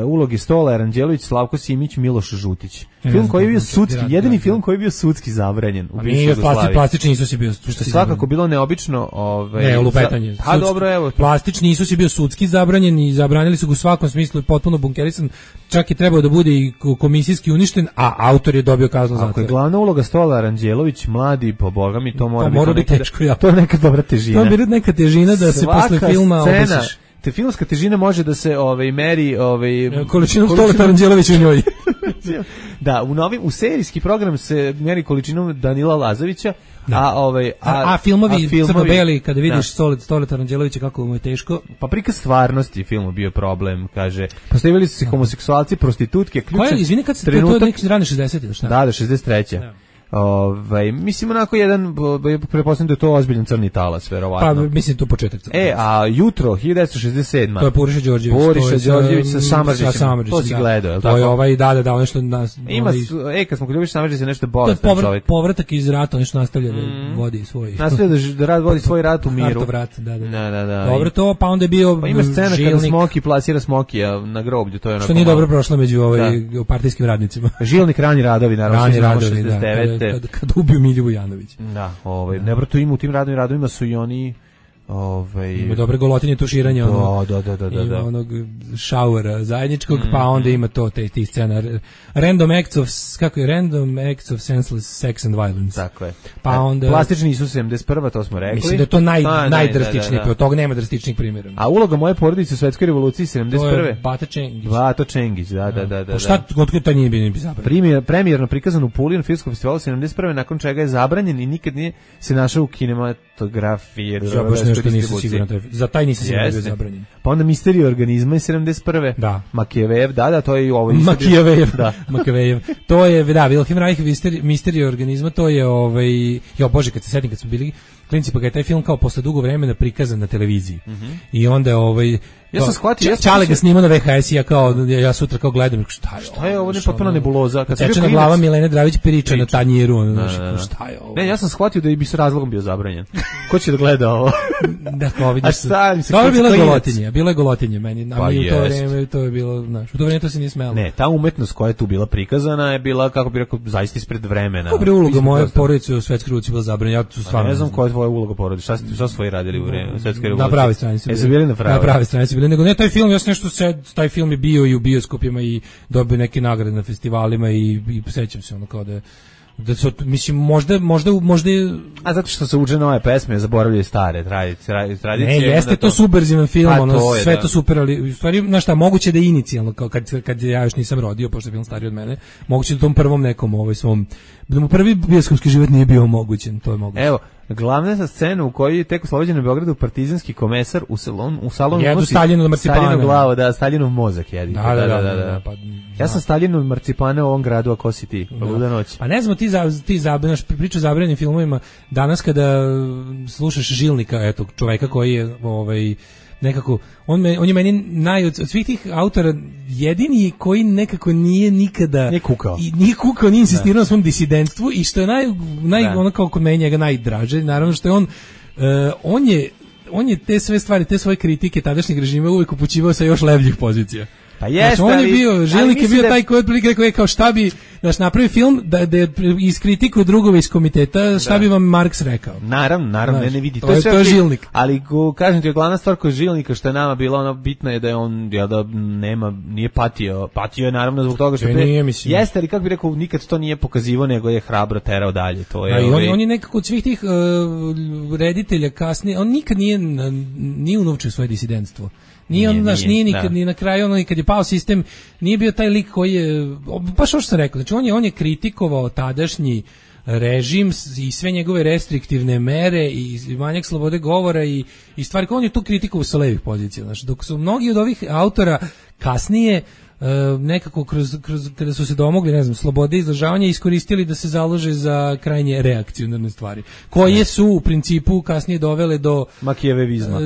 Uloge Stola Aranđelović, Slavko Simić, Miloš Žutić. Film koji je bio sudski, jedini film koji je bio sudski zabranjen u bivšoj Jugoslaviji. Plastični Isus je bio sudski. Što je svakako bilo neobično, ne, lupetanje. A dobro, evo. Plastični Isus je bio sudski zabranjen i zabranili su ga u svakom smislu, potpuno bunkerisan. Čak je trebao da bude i komisijski uništen, a autor je dobio kaznu zatvora. Ako je glavna uloga Stola Aranđelović, mladi, po Boga mi, to mora biti teško. To je neka dobra težina. To je neka težina da se posle filma obesiš. Te filmska težina može da se meri količinom Stola Aranđelovića u njoj. Da, u serijski program se meri količinom Danila Lazovića, a filmovi crno-beli kada vidiš Stola Aranđelovića kako mu je teško. Pa prikaz stvarnosti filmu bio problem, kaže. Postavili su se homoseksualci, prostitutke, ključan. Izvini, kad se to neki rane 60-te, šta? Da, 63. Mislim onako jedan, pretpostavljam da je to ozbiljan crni talas, verovatno. Pa mislim tu početak. A jutro 1967. To je Puriša Đorđević. Puriša Đorđević sa Samardžićem. To si gledao, je li tako? To je da nešto nas. Ima kad smo Ljubić Samardžić je nešto bolestan čovjek. Povratak iz rata, nešto nastavlja da vodi svoj. Nastavlja da vodi svoj rat u miru. Rat, da. Da. Dobro to, pa onda je bio pa ima scena kada Smoki plasira Smokija na groblju, to je onako. Što nije dobro prošlo među partijskim radnicima. Žilnik Rani Radovi, naravno 69. Kad ubiju Milju Vujanović. Da, ne tu ima u tim radovima su i oni ima dobre golotinje tuširanja, da. Ima onog šauera zajedničkog, pa onda ima to ti scena random acts of senseless sex and violence. Tako je. Pa onda plastični Isus 71, to smo rekli. Mislim da je to najdrastičniji, od toga nema drastičnih primjera. A uloga moje porodice u svetskoj revoluciji 71. To je Bato Čengić. Da. Pa šta, otkud taj nije bio zabranjen? Premijerno prikazan u Puli na filmskom festivalu 71. nakon čega je zabranjen i nikad nije se našao u kinematografiji. Ja baš nešto nisam siguran. Za taj nisam siguran da je zabranjen. Pa onda Misterija organizma je 71. Da. Makijevejev, da, to je i ovo. Makijevejev. To je, da, Wilhelm Reich, Misterija organizma, to je, jo Bože, kad se setim, kad smo bili klinci, pa ga je taj film kao posle dugo vremena prikazan na televiziji. I onda, ja sam shvatio, Čale ga snima na VHS i ja sutra kao gledam, šta je ovo, ne potpuno nebuloza. Sečena glava Milene Dravić priča na tanjiru, šta je ovo? Ne, ja sam shvatio da bi s razlogom bio zabranjen. Ko će da gleda ovo? Da, kao vidiš. Ovo je bilo je golotinje meni, a mi u to vreme to je bilo, znaš, u to vreme to se nije smelo. Ne, ta umetnost koja je tu bila prikazana je bila, kako bi rekao, zaista ispred vremena. Kako bi uloga moje porodice u svetskoj revoluciji bila zabranjena? Ja tu stvarno ne znam koja je tvoja uloga porodice. Šta su tvoji radili u vreme svetske revolucije? Na pravoj strani su bili. Na pravoj strani su bili, nego ne taj film, taj film je bio i u bioskopima i dobio neke nagrade na festivalima i sećam se ono kao da su, mislim, možda a zato što se uče nove pesme, zaboravljaju stare tradicije. Ne, jeste to subverzivan film, sve to super, ali u stvari, znaš šta, moguće da je inicijalno, kao kad ja još nisam rodio, pošto je film stariji od mene, moguće da tom prvom nekom svom, da mu prvi bioskopski život nije bio omogućen, to je moguće. Evo, glavna scena u kojoj je tek oslobođen u Beogradu partizanski komesar u salonu jedu Staljinu marcipana. Staljinu glavu, da, Staljinov mozak jedi. Da. Ja sam Staljinu marcipane u ovom gradu, a ko si ti? Luda noć. Pa ne znam, ti zabranješ priču o zabranjenim filmovima. Danas kada slušaš Žilnika, eto, čoveka koji je nekako, on je meni od svih tih autora jedini koji nekako nije nikada nije kukao, nije insistirao na svom disidentstvu i što je ono kao kod meni njega najdraže, naravno što je on je te sve stvari, te svoje kritike tadašnjeg režima uvijek upućivao sa još levljih pozicija. Pa jeste, on je bio, Žilnik je bio taj koji je otprilike rekao je kao šta bi, napravi film da iskritikuju drugove iz komiteta, šta bi vam Marks rekao. Naravno, ne vidi. To je Žilnik. Ali kažem ti, glavna stvar kod Žilnika što je nama bila ona bitna je da je on, nije patio. Patio je naravno zbog toga što jeste, ali kako bi rekao, nikad to nije pokazivao, nego je hrabro terao dalje. To je. On je nekako od svih tih reditelja kasnije, on nikad nije unovčio svoje disidentstvo. Nije on, nije nikad, ni na kraju, kad je pao sistem, nije bio taj lik koji je, baš ovo što sam rekao, znači on je kritikovao tadašnji režim i sve njegove restriktivne mere i manjak slobode govora i stvari, on je tu kritikovao sa levih pozicija, znači, dok su mnogi od ovih autora kasnije nekako kada su se domogli, ne znam, slobode izražavanja, iskoristili da se založe za krajnje reakcionarne stvari, koje su u principu kasnije dovele do makijevevizma.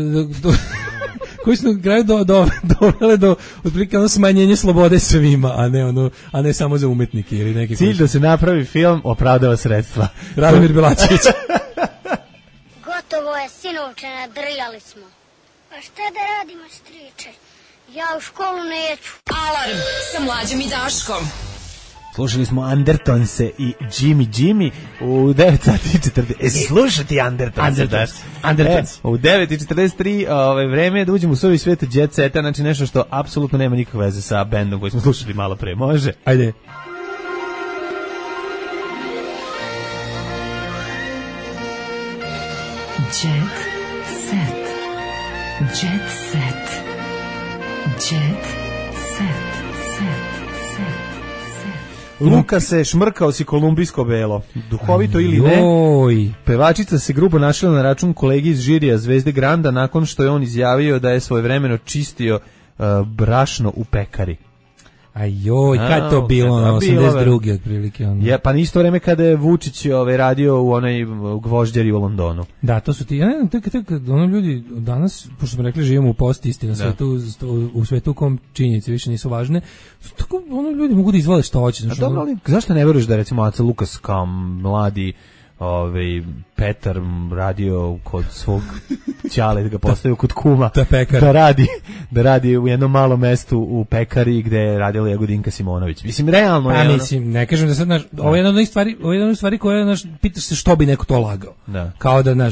Koji su na kraju dovele do otprilike smanjenje slobode svima, a ne samo za umetnike ili neki. Cilj da se napravi film opravdava sredstva. Radomir Bilačević. Gotovo je, sinovče, nadrljali smo. Pa šta da radimo, striče? Ja u školu neću. Alarm sa Mlađom i Daškom. Slušali smo Andertonse i Jimmy u 9 sati i 40. Slušati Andertonse. U 9:43 vreme je da uđemo u suvi svijet Jet Seta, znači nešto što apsolutno nema nikakve veze sa bendom koji smo slušali malo pre. Može? Ajde. Jet Set. Jet Set. Jet Set. Luka se šmrkao si kolumbijsko belo. Duhovito ili ne, pevačica se grubo našla na račun kolegi iz žirija Zvezde Granda nakon što je on izjavio da je svojevremeno čistio brašno u pekari. Ajoj, kad to bilo, 82. otprilike. Ja, pa isto vreme kada je Vučić radio u onoj Gvožđeri u Londonu. Da, to su ti, ja ne znam, tek, ono ljudi, danas, pošto smo rekli, živimo u post-isti na svetu, u svetu u kom činjenice više nisu važne, tako, ono ljudi mogu da izvole što hoće. A dobro, ali zašto ne veruješ da, recimo, Aca Lukas kao mladi Petar radio kod svog ćale, da ga postavio kod kuma da radi u jednom malom mestu u pekari gde je radila Jagodinka Simonović. Mislim, realno je mislim, ne kažem da sad, ovo je jedna od stvari koja, pitaš se što bi neko to lagao. Da. Kao da,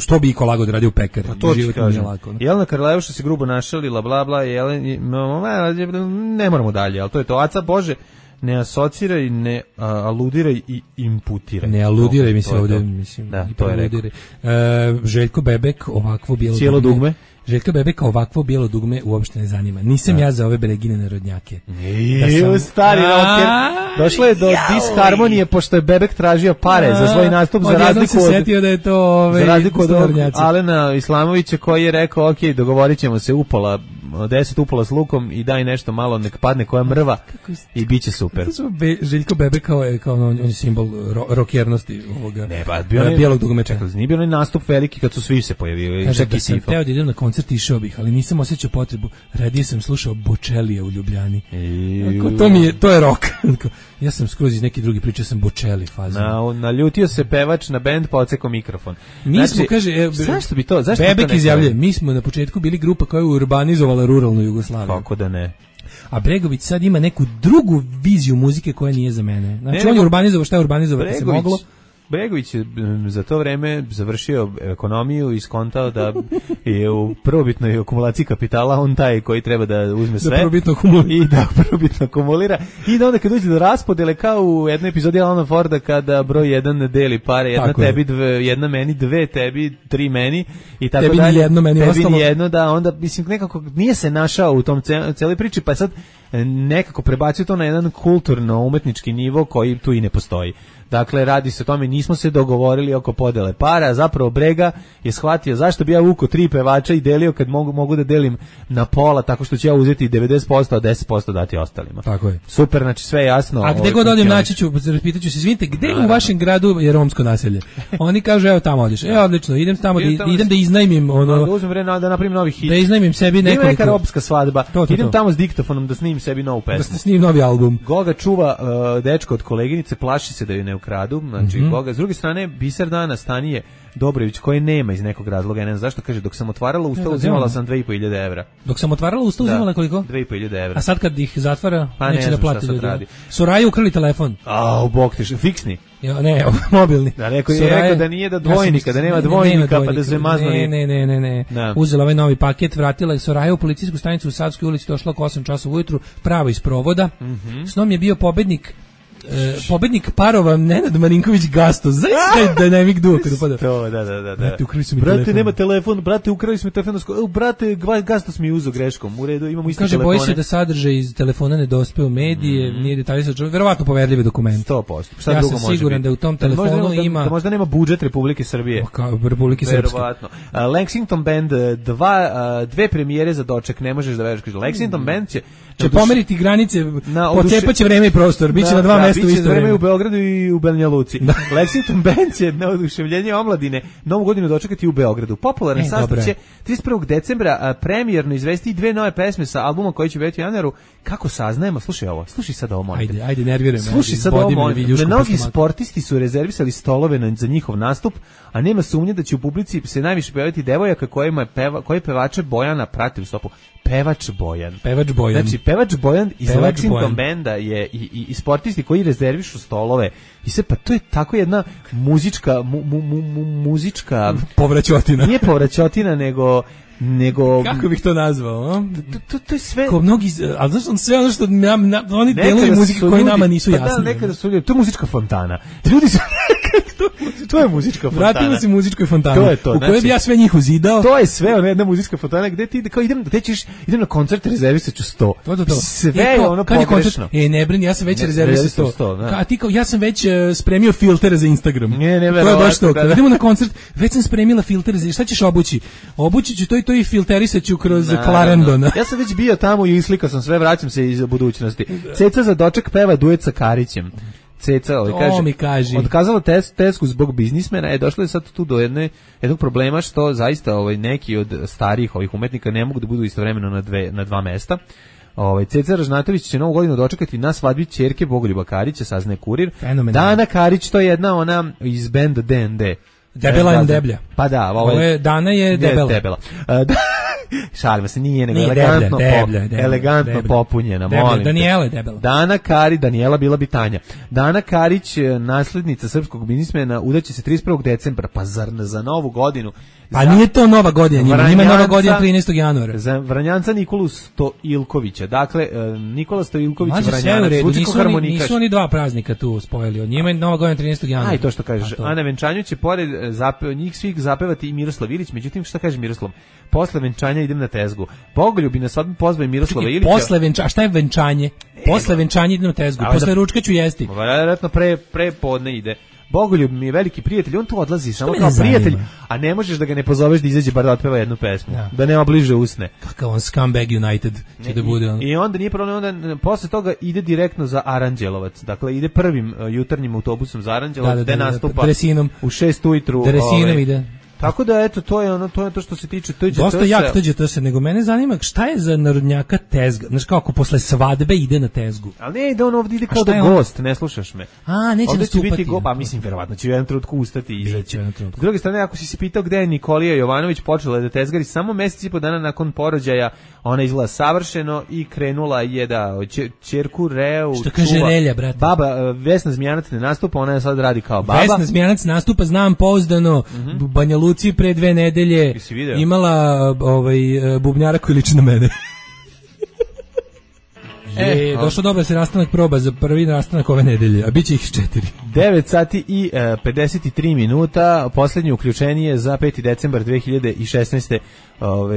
što bi iko lagao da radi u pekari. Pa to ti kažem. Jelena Karleuša se grubo našalila, bla, bla, ne moramo dalje, ali to je to. Aca Bože, ne asociraj, ne aludiraj i imputiraj. Ne aludiraj mi se ovdje, mislim. Da, to je rekao. Željko Bebek, ovakvo bijelo cijelo dugme. Željka Bebeka ovakvo bijelo dugme uopšte ne zanima. Nisam ja za ove Beregine narodnjake. Stari rocker. Došlo je do disharmonije pošto je Bebek tražio pare za svoj nastup za razliku od... setio da je to za razliku od Alena Islamovića koji je rekao, ok, dogovorit ćemo se upola 10 upola s lukom i daj nešto malo, nek padne koja mrva i bit će super. Željko Bebek kao on je simbol rokjernosti ovoga. Ne, pa bijelog dugmeta. Čekaj, nije bio onaj nastup veliki kad su svi se pojavili. Kaže da sam teo da idem na koncert, išao bih, ali nisam osjećao potrebu. Radije sam slušao Bočelija u Ljubljani. To je rock. Ja sam skroz iz neki drugi priča, sam Bočeli fazu. Naljutio se pevač na bend, pa odsekao mikrofon. Mi smo, kaže, zašto bi to? Bebek izjavljuje, mi smo na početku bili grupa koja je urbanizovala ruralnu Jugoslaviju. Kako da ne? A Bregović sad ima neku drugu viziju muzike koja nije za mene. Znači on je urbanizovao šta je urbanizovati se moglo. Bregović je za to vreme završio ekonomiju i skontao da je u prvobitnoj akumulaciji kapitala on taj koji treba da uzme sve i da prvobitno akumulira i da onda kad dođe do raspodele kao u jednoj epizodi Alana Forda kada broj 1 deli pare, jedna tako tebi, jedna meni, dve tebi, tri meni i tako tebi dalje. Jedno, meni tebi ostalo. Jedno, da onda mislim nekako nije se našao u tom celoj priči, pa sad nekako prebacio to na jedan kulturno-umetnički nivo koji tu i ne postoji. Dakle, radi se o tome, nismo se dogovorili oko podele para, zapravo Brega je shvatio zašto bi ja vukao 3 pevača i delio kad mogu da delim na pola, tako što ću ja uzeti 90%, a 10% dati ostalima. Tako je. Super, znači sve je jasno. A gde god odem naći ću, pitaću se, izvinite, gde u vašem gradu je romsko naselje? Oni kažu, evo tamo odeš. Odlično, idem tamo, idem da iznajmim ono... Da uzmem vreme da napravim novi hit. Da iznajmim sebi nekoliko... Ima neka romska svadba. Idem tamo s diktofonom da snimim sebi novu pesmu. Da snimim novi album. Goga čuva dečko od koleginice, plaši se da ju ne ukradu. Znači, Goga. S druge strane, biser dana Stanije Dobrović, koji nema iz nekog razloga, ne znam zašto, kaže, dok sam otvarala usta, uzimala sam 2.500 evra. Dok sam otvarala usta, uzimala koliko? 2.500 evra. A sad kad ih zatvara, pa neće ne da plati ljudi. Soraju ukrali telefon. U bok ti, fiksni. Ne, mobilni. Da, rekao da nije da dvojnika, da nema dvojnika, pa da se maznuli. Ne. Uzela ovaj novi paket, vratila je Soraju u policijsku stanicu u Savskoj ulici, došla oko 8 časova ujutru, pravo iz provoda. S njom je bio pobednik parova Nenad Marinković Gasto. Zaista dynamic duo kada pada. Da. Brate, ukrali su mi telefon. Brate, nema telefon. Brate, ukrali su mi telefon. Brate, Gastos mi je uzeo greškom. U redu, imamo isti telefone. Kaže, boji se da sadržaj iz telefona ne dospe u medije, nije detaljisan, verovatno poverljivi dokument. 100%. Ja sam siguran da u tom telefonu ima... Da možda nema budžet Republike Srbije. Republike Srpske. Verovatno. Lexington Band, dve premijere za doček, ne možeš da veruješ. Lexington Band će pomeriti granice, pocepaće vreme i prostor, biće na dva mesta u isto vreme. U Beogradu i u Banja Luci. Lexington Band će na oduševljenje omladine Novu godinu dočekati u Beogradu. Popularan sastav će 31. decembra premijerno izvesti 2 nove pesme sa albuma koji će biti u januaru. Kako saznajemo? Slušaj ovo. Slušaj sad ovo, molim. Ajde, nerviram. Slušaj sad ovo, molim. Mnogi sportisti su rezervisali stolove za njihov nastup, a nema sumnje da će u publici se najviše pevati devojaka koji pevače Bojana prati u stopu. Pevač Bojan. Znači, pevač Bojan iz Lexington Banda je i sportisti koji rezervišu stolove. I sve, pa to je tako jedna muzička povraćotina. Nije povraćotina, nego kako bih to nazvao? To je sve. Ko mnogi, al znaš, sve ono što oni deluju muzike koji nama nisu jasni. Da, nekada su ljudi, to je muzička fontana. Ljudi su To je muzička fontana. Vratimo se muzičkoj fontani. To je to. U kojoj bi ja sve njih uzidao. To je sve, ona jedna muzička fontana gde ti kao idem na koncert, rezervisaću 100. To. Sve je ono pogrešno. Ne brini, ja sam već rezervisao 100. A ti kao ja sam već spremio filtere za Instagram. Ne, to je baš to. Kad idemo na koncert, već sam spremila filtere za šta ćeš obući? Obući ću to i filterisaću kroz Clarendon. Ja sam već bio tamo i islikao sam sve, vraćam se iz budućnosti. Ceca za doček peva duet sa Karićem. Ceca, kaže, otkazala Tesku zbog biznismena, došlo je sad tu do jednog problema što zaista neki od starijih ovih umetnika ne mogu da budu istovremeno na dva mesta. Ceca Ražnatović će novu godinu dočekati na svadbi ćerke Bogoljuba Karića, saznaje Kurir. Dana Karić, to je jedna ona iz benda DND. Debela je deblja. Pa da, Dana je debela. Šalimo se, nije nego elegantno popunjena, molim. Daniela je debela. Daniela bila bi Tanja. Dana Karić, naslednica srpskog biznismena, udaće se 31. decembra, pa zar za novu godinu? Pa nije to nova godina, njima je nova godina 13. januara. Za Vranjanca Nikolu Stoilkovića. Dakle, Nikola Stoilković Vranjanac, zvučiko harmonikaš. Nisu oni dva praznika tu spojili, od njima je nova godina 13. januara. Aj, to što kažeš. A na venčanju će pored njih svih zapevati i Miroslav Ilić, međutim, šta kaže Miroslav? Posle venčanja idem na tezgu. Bogoljubi na svadbu pozvao Miroslava Ilića. Posle venčanja, šta je venčanje? Posle venčanja idem na tezgu, posle ručka ću jesti. Vjerojatno pre podne ide. Bogoljub mi je veliki prijatelj, on tu odlazi samo kao prijatelj, a ne možeš da ga ne pozoveš da izađe bar da otpeva jednu pesmu, da ne obliže usne. Kakav on Scumbag United će da bude on. I onda nije problem, onda posle toga ide direktno za Aranđelovac, dakle ide prvim jutarnjim autobusom za Aranđelovac, gde nastupa dresinom. U 6 ujutru. Dresinom ide. Tako da eto to je to što se tiče TGT. Dosta jak TGT, nego mene zanima šta je za narodnjaka tezga. Znaš kako posle svadbe ide na tezgu. Ali ne ide on ovdje ide kao da gost, ne slušaš me. Neće nastupati. Pa mislim verovatno će u jednom trenutku ustati i izaći. S druge strane, ako si se pitao gde je Nikolija Jovanović počela da tezgari, samo mesec i po dana nakon porođaja ona izgleda savršeno i krenula je da ćerku Reu što kaže Relja, brate. Baba Vesna Zmijanac ne nastupa, ona sad radi kao baba. Vesna Zmijanac nastupa, znam pouzdano. Banja Luci pre 2 nedelje imala bubnjara koji liči na mene. Došlo dobro se nastanak proba za prvi nastanak ove nedelje, a bit će ih 4. 9 sati i 53 minuta, posljednje uključenje za 5. decembar 2016.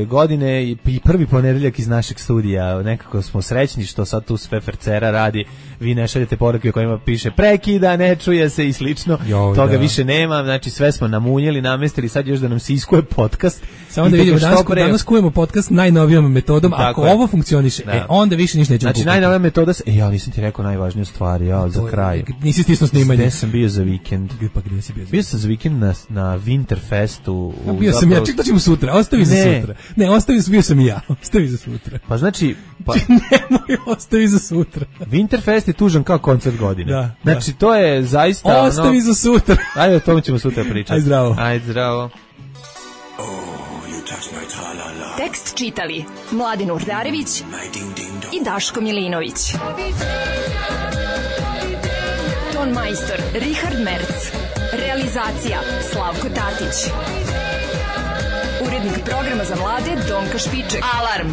godine i prvi ponedeljak iz našeg studija. Nekako smo srećni što sad tu sve Fercera radi, vi ne šaljete poruke u kojima piše prekida, ne čuje se i slično, toga više nema, znači sve smo namunjeli, namestili, sad još da nam se iskuje podcast. Samo da vidimo, danas kujemo podcast najnovijom metodom, ako ovo funkcioniše, onda više ništa nećemo kupiti. Najnovija metoda se, ja nisam ti rekao najvažniju stvar, za kraj. Nisi stisno snimanje. Gde sam bio za vikend? Pa gde si bio? Bio sam za vikend na Winterfestu. Bio sam ja, ček da ćemo sutra, ostavi za sutra. Ne, bio sam i ja, ostavi za sutra. Pa znači... Nemoj, ostavi za sutra. Winterfest je tužan kao koncert godine. Znači to je zaista... Ostavi za sutra. Ajde, o tome ćemo sutra pričati. Ajde zdravo. Ajde zdravo. Tekst čitali Mladin Urdarević i Daško Milinović. Ton majstor Richard Merc. Realizacija Slavko Tatić. Urednik programa za mlade Donka Špiček. Alarm!